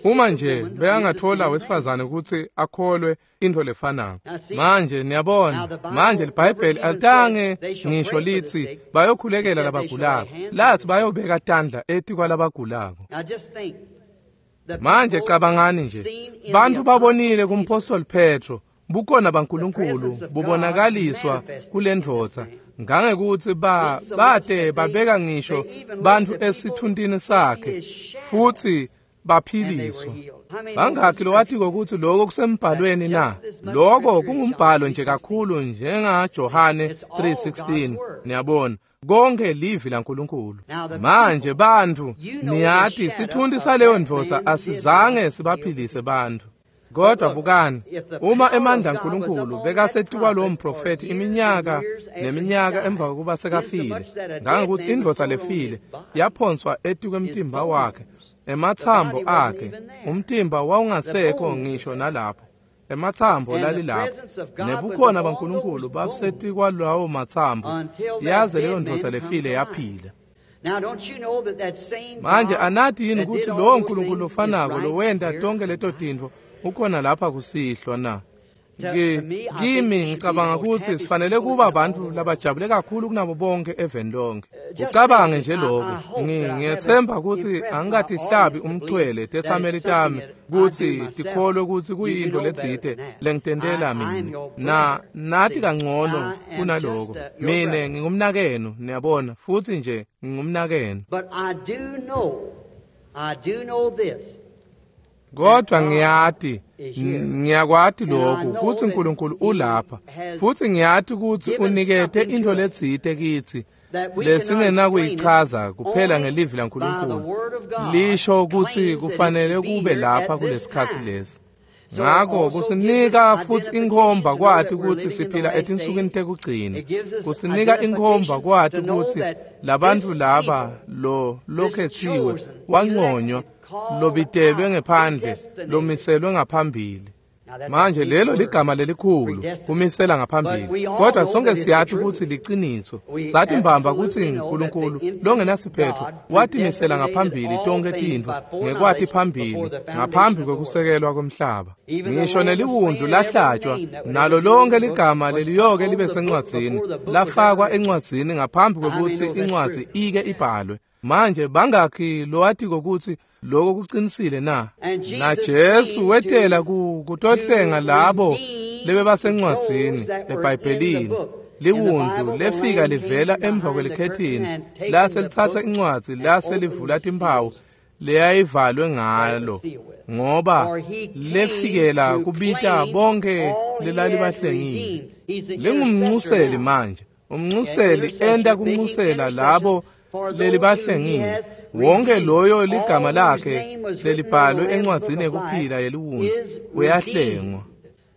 Uma nje bekangathola wesifazane ukuthi akholwe into lefanako. Manje niyabona, manje liBhayibheli alitange ngisho lithi bayokhulekela labagulako, lathi bayobeka tandla etikwalabagulako. Manje cabangani nje, bantu babonile kumpostoli Petro Bukhona baNkulunkulu bubonakaliswa kulendvodza ngangekuthi ba bate babeka ngisho bantfu esithuntini sakhe futhi baphiliswa. Bangakhi lowatiko kutsi lokho kusembhalweni na? Lokho kungumbhalo nje kakhulu njenga Johane three sixteen. Niyabona, konke livi laNkulunkulu. Manje bantfu, niyati sithunti saleyo ndvodza asizange sibaphilise bantfu. Kodwa bukani, uma emandla aNkulunkulu bekasetikwa lowo mprofethi iminyaka neminyaka emva kokuba sekafile, ngangokuthi indvodza lefile yaphonswa etikwemtimba wakhe, emathambo akhe, umtimba wawungasekho ngisho nalapho, emathambo lalilapho, nebukhona baNkulunkulu babusetikwa lawo mathambo, yaze leyo ndvodza lefile yaphila. Manje anati yini kutsi lowo Nkulunkulu lofanako lowenta tonke leto tintfo ukhona lapha kusihlwa na? Kimi ngicabanga kutsi sifanele kuba bantfu labajabule kakhulu kunabo bonke eveni lonke. Ucabange nje lokho. Ngiyethemba kutsi angikatihlabi umchwele tetsameli tami kutsi tikholwe kutsi kuyintfo letsite lengitentela mina. Na nati kangcono kunaloko. Mine ngingumnakenu, niyabona, futsi nje ngingumnakenu. But I do know, I do know this. Kodwa ngiyati, ngiyakwati lokhu kutsi uNkulunkulu ulapha, futsi ngiyati kutsi unikete intfo letsite kitsi lesingenakuyichaza kuphela ngelivi laNkulunkulu lisho kutsi kufanele kube lapha kulesikhatsi lesi. Ngako kusinika futsi inkhomba kwati kutsi siphila etinsukwini tekugcina. Kusinika inkhomba kwati kutsi labantfu laba lo lokhetsiwe wanconywa, lobitelwe ngephandle, lomiselwe ngaphambili. Manje lelo ligama lelikhulu, kumisela ngaphambili. Kodwa sonke siyati kutsi liciniso. Sathi mbamba kutsi uNkulunkulu longenasiphetho watimisela ngaphambili tonke tintfo ngekwati phambili ngaphambi kwekusekelwa kwemhlaba. Ngisho neliwundlu lahlatshwa, nalo lonke ligama leliyoke libe sencwadzini lafakwa encwadzini ngaphambi kwekutsi incwadzi ike ibhalwe. Manje bangakhi lowatiko kutsi lokho kuqinisile na? Na Jesu wetela kutohlenga labo lebebasencwadzini eBhayibhelini. Liwundlu lefika livela emva kwelikhethini lase lithatha incwadzi lase livula timphawu leyayivalwe ngalo, ngoba lefikela kubita bonke lelalibahlengile. Lingumncuseli manje, umncuseli enda kuncusela labo lelibahlengile. Wonke loyo ligama lakhe lelibhalwe encwadzini yekuphila yeliwundlu uyahlengwa.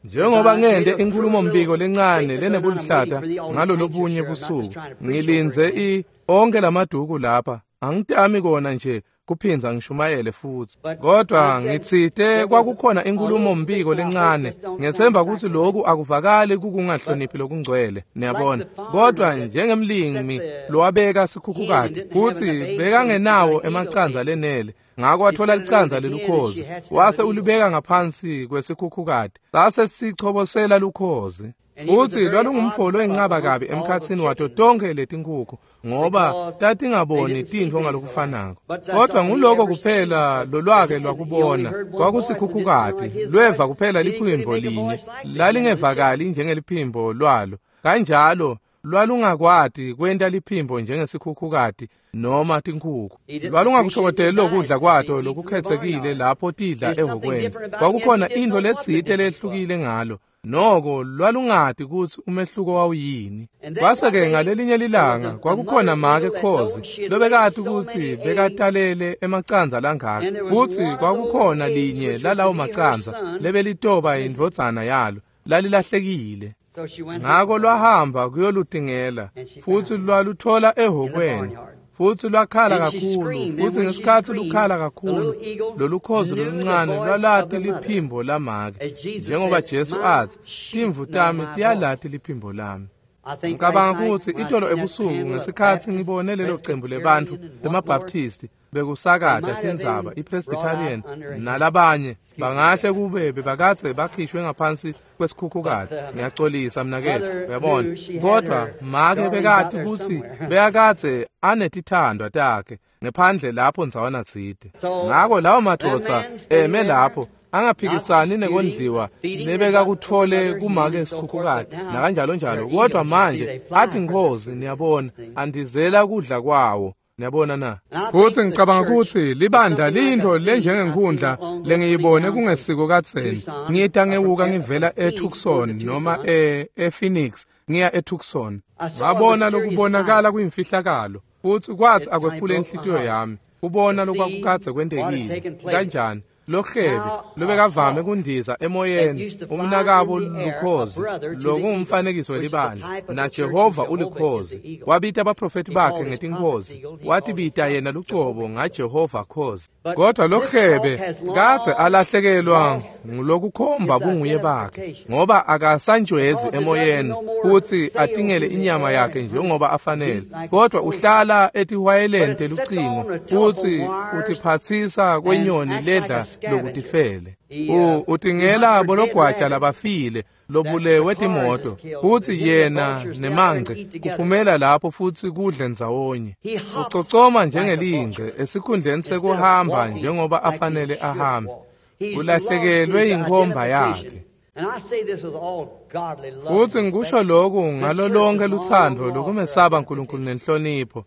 Njengoba ngente inkhulumombiko lencane lenebuluhlata ngalolobunye busuku, ngilindze i onke lamaduku lapha, angitami kona nje kuphinza ngishumayele futsi. Kodwa ngitsite kwakukhona inkhulumombiko lencane, ngethemba kutsi lokhu akuvakali kukungahloniphi lokungcwele, niyabona. Kodwa njengemlimi lowabeka sikhukhukati kutsi bekangenawo emacandza lenele, ngako wathola licandza lelukhozi wase ulibeka ngaphansi kwesikhukhukati, sase sichobosela lukhozi. Utsi lwalungumfo loyincaba kabi emkhatsini wato tonke letinkhukhu, ngoba tatingaboni tintfo ngalokufanako. Kodwa nguloko kuphela lolwake lwakubona kwakusikhukhukati, lweva kuphela liphimbo linye lalingevakali njengeliphimbo lwalo. Kanjalo lwalungakwati kwenta liphimbo njengesikhukhukati noma tinkhukhu. Lwalungakuthokodeli lokudla kwato lokukhetsekile lapho tidla ehhokweni. Kwakukhona intfo letsite lehlukile ngalo. Noko lwalungati kutsi umehluko wawuyini. Kwase-ke ngalelinye lilanga kwakukhona make khozi lobekati kutsi bekatalele emacandza langaka, kutsi kwakukhona linye lalawo macandza lebelitoba indvodzana yalo lalilahlekile. Ngako lwahamba kuyolutingela futsi lwaluthola ehhokweni, futsi lwakhala kakhulu, futsi ngesikhatsi lukhala kakhulu lolukhozi loluncane lwalati liphimbo lamake, njengoba Jesu atsi, timvu tami tiyalati liphimbo lami. Ngicabanga kutsi itolo ebusuku ngesikhatsi ngibone lelo cembu lebantfu bemaBaptisti bekusakata tindzaba, iPresbyterian nalabanye, bangahle kube bebakadze bakhishwe ngaphansi kwesikhukhukati. Ngiyacolisa mnaketfu, uyabona. Kodwa make bekati kutsi bekakadze anetithandwa takhe ngephandle lapho ndzawana tsite. Ngako lawo madvodza eme lapho Angaphikisani nekondliwa lebekakutfole kumake sikhukhukati nakanjalo njalo, kodwa manje athi nkhozi, niyabona, andizela kudla kwawo. Niyabona na? Futsi ngicabanga kutsi libandla liyintfo lenjengenkhundla lengiyibone kungesiko kadzeni. Ngita ngewuka ngivela eTucson noma e ePhoenix ngiya eTucson. Ngabona lokubonakala kuyimfihlakalo, futsi kwatsi akwephule inhlitiyo yami kubona lokwakukadze kwentekile. Kanjani lohlebe lobekavame kundiza emoyeni umnakabo lukhozi, lokungumfanekiso welibandla, naJehova ulikhozi. Wabita abaprofeti bakhe ngetinkhozi, watibita yena lucobo ngaJehova khozi. Kodwa lohlebe kadze alahlekelwa ngulokukhomba bunguye bakhe, ngoba akasanjwezi emoyeni kutsi atingele inyama yakhe njengoba afanele, kodwa uhlala etihwayeleni telucingo kutsi utiphatsisa kwenyoni ledla lokutifele. Utingela bologwaja labafile lobulewe timoto, futsi yena nemangce kuphumela lapho futsi kudle ndzawonye. Ucocoma njengelingce esikhundleni sekuhamba njengoba afanele ahambe. Ulahlekelwe yinkhomba yakhe. Futsi ngikusho loku ngalo lonke lutsandvo lokumesaba Nkulunkulu nenhlonipho.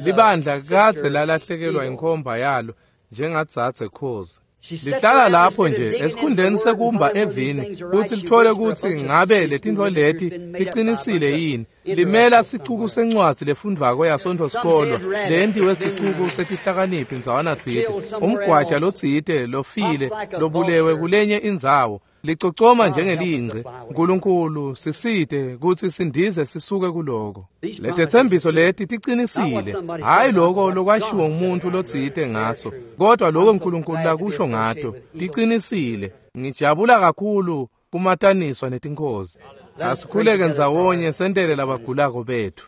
Libandla kadze lalahlekelwa inkhomba yalo njengadzadze khozi. Lihlala lapho nje esikhundleni sekumba evini kutsi lithole kutsi ngabe letintfo leti tiqinisile yini. Limela sicuku sencwadzi lefundvwako yasontfo sikolwa lentiwe sicuku setihlakaniphi ndzawana tsite, umgwaja lotsite lofile lobulewe kulenye indzawo. Licocoma njengelingce. Nkulunkulu sisite kutsi sindize sisuke kuloko. Letetsembiso leti tiqinisile, hayi loko lokwashiwo umuntu lotsite ngaso, kodwa loko Nkulunkulu lakusho ngato tiqinisile. Ngijabula kakhulu kumataniswa netinkhozi. Asikhuleke ndzawonye sentele labagulako bethu.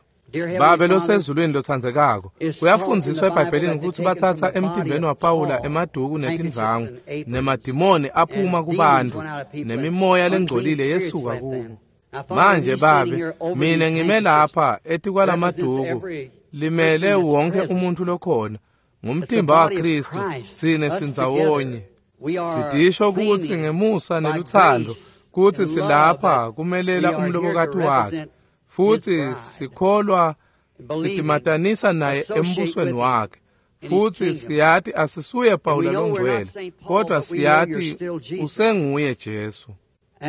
Babe losezulwini lotsandzekako, kuyafundziswa eBhayibhelini kutsi batsatsa emtimbeni waPawula emaduku netindvangu, nemadimoni aphuma kubantfu, nemimoya lengcolile yesuka kubo. Manje Babe, mina ngime lapha etikwalamaduku limele wonke umuntu lokhona ngumtimba waKristu, tsine sindzawonye. Sidisho kutsi ngemusa nelutsandvo kutsi silapha kumelela umlobokati wakhe, futsi sikholwa sitimatanisa naye embusweni wakhe. Futsi siyati asisuye Pawula longcwele, kodwa siyati usenguye Jesu.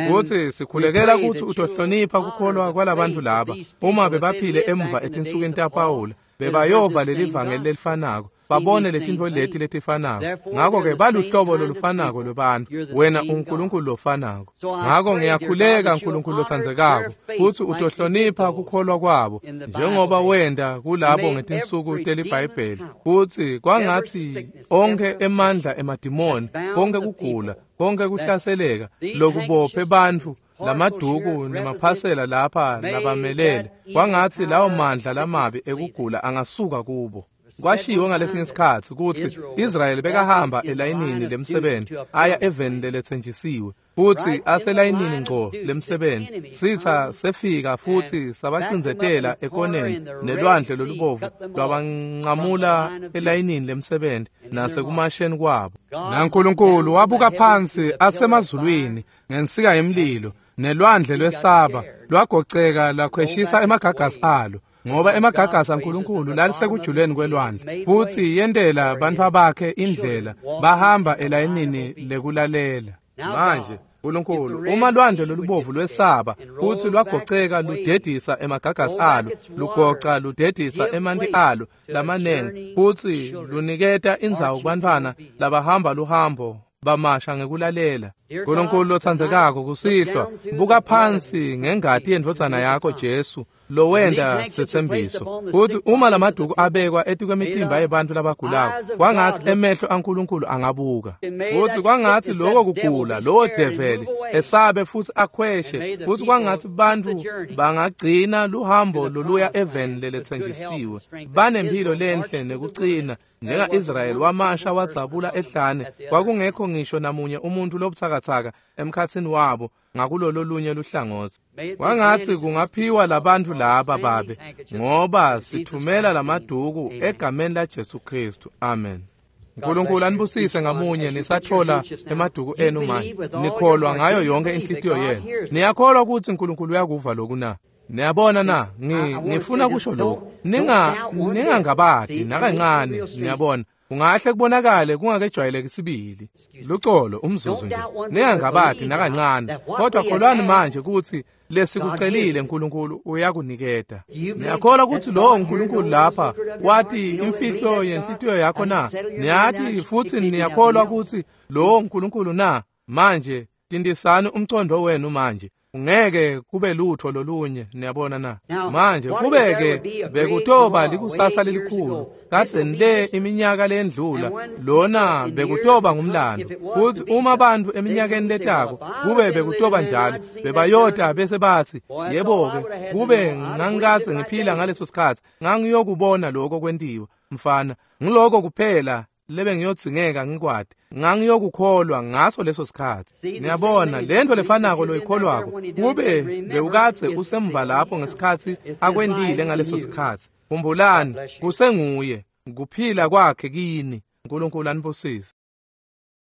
Futsi sikhulekela kutsi utohlonipha kukholwa kwalabantu laba. Uma bebaphile emva etinsukwini taPawula, bebayova lelivangeli lelifanako, babone letintfo leti letifanako. Ngakho-ke baluhlobo lolufanako lwebantfu, wena uNkulunkulu lofanako. Ngakho ngiyakhuleka Nkulunkulu lotsandzekako kutsi utohlonipha kukholwa kwabo njengoba wenda kulabo ngetinsuku teliBhayibheli, kutsi kwangatsi onkhe emandla emadimoni, konke kugula, konke kuhlaseleka lokubophe bantfu, lamaduku nemaphasela lapha labamelele, kwangatsi lawo mandla lamabi ekugula angasuka kubo. Kwashiwo ngalesinye sikhatsi kutsi Israyeli bekahamba elayinini lemsebenti aya eveni leletsenjisiwe, futsi aselayinini ngco lemsebenti. Sitha sefika futsi sabacindzetela ekoneni nelwandle lolubovu lwabancamula elayinini lemsebenti nasekumasheni kwabo. NaNkulunkulu wabuka phansi asemazulwini ngensika yemlilo, nelwandle lwesaba lwagoceka lakhweshisa emagagasi alo, ngoba emagagasi aNkulunkulu lalisekujuleni kwelwandle. Futsi yentela bantfu bakhe indlela, bahamba elayinini lekulalela. Manje Nkulunkulu, uma lwandle lolubovu lwesaba futsi lwagoceka ludedisa emagagasi alo, lugoca ludedisa emanti alo lamanengi, futsi luniketa indzawo kubantfwana labahamba luhambo bamasha ngekulalela. Nkulunkulu lotsandzekako, kusihlwa buka phansi ngengati yendvodzana yakho Jesu lowenta setsembiso, kutsi uma lamaduku abekwa etikwemitimba yebantfu labagulako, kwangatsi emehlo aNkulunkulu angabuka, kutsi kwangatsi loko kugula lowo develi esabe futsi akhweshe, futsi kwangatsi bantfu bangagcina luhambo loluya eveni leletsenjisiwe banemphilo lenhle nekucina. Njenga-Israyeli wamasha wadzabula ehlane, kwakungekho ngisho namunye umuntu lobutsakatsaka emkhatsini wabo ngakulolo lunye luhlangotsi. Kwangatsi kungaphiwa labantfu laba Babe, ngoba sithumela lamaduku egameni laJesu Kristu. Amen. Nkulunkulu anibusise ngamunye nisatfola emaduku enu manje. Nikholwa ngayo yonke inhlitiyo yenu. Niyakholwa kutsi Nkulunkulu uyakuva loku na? Niyabona na? Ngi, ngifuna kusho lokhu. Ninga ningangabadi nakancane, niyabona. Kungahle kubonakale kungakejwayeleki sibili. Lucolo umzuzu nje. Ningangabadi nakancane. Kodwa kholwani manje kutsi lesikucelile Nkulunkulu uyakuniketa. Niyakholwa kutsi lowo Nkulunkulu lapha wati imfihlo yenhlitiyo yakho na? Niyati futsi niyakholwa kutsi lowo Nkulunkulu na? Manje tindisani umcondo wenu manje. Ungeke kube lutho lolunye, niyabona na? Manje kube-ke bekutoba likusasa lelikhulu kadzeni le iminyaka lendlula, lona bekutoba ngumlando. Kutsi uma bantfu eminyakeni letako kube bekutoba njalo, bebayota bese batsi, yebo-ke, kube ngangikadze ngiphila ngaleso sikhatsi, ngangiyokubona lokho kwentiwa. Mfana, ngiloko kuphela lebengiyodzingeka ngikwati, ngangiyokukholwa ngaso leso sikhatsi. Niyabona, lento lefanako loyikholwako kube bewukadze usemva lapho ngesikhatsi akwentile ngaleso sikhatsi. Khumbulani, kusenguye, kuphila kwakhe kini. Nkulunkulu anibusise.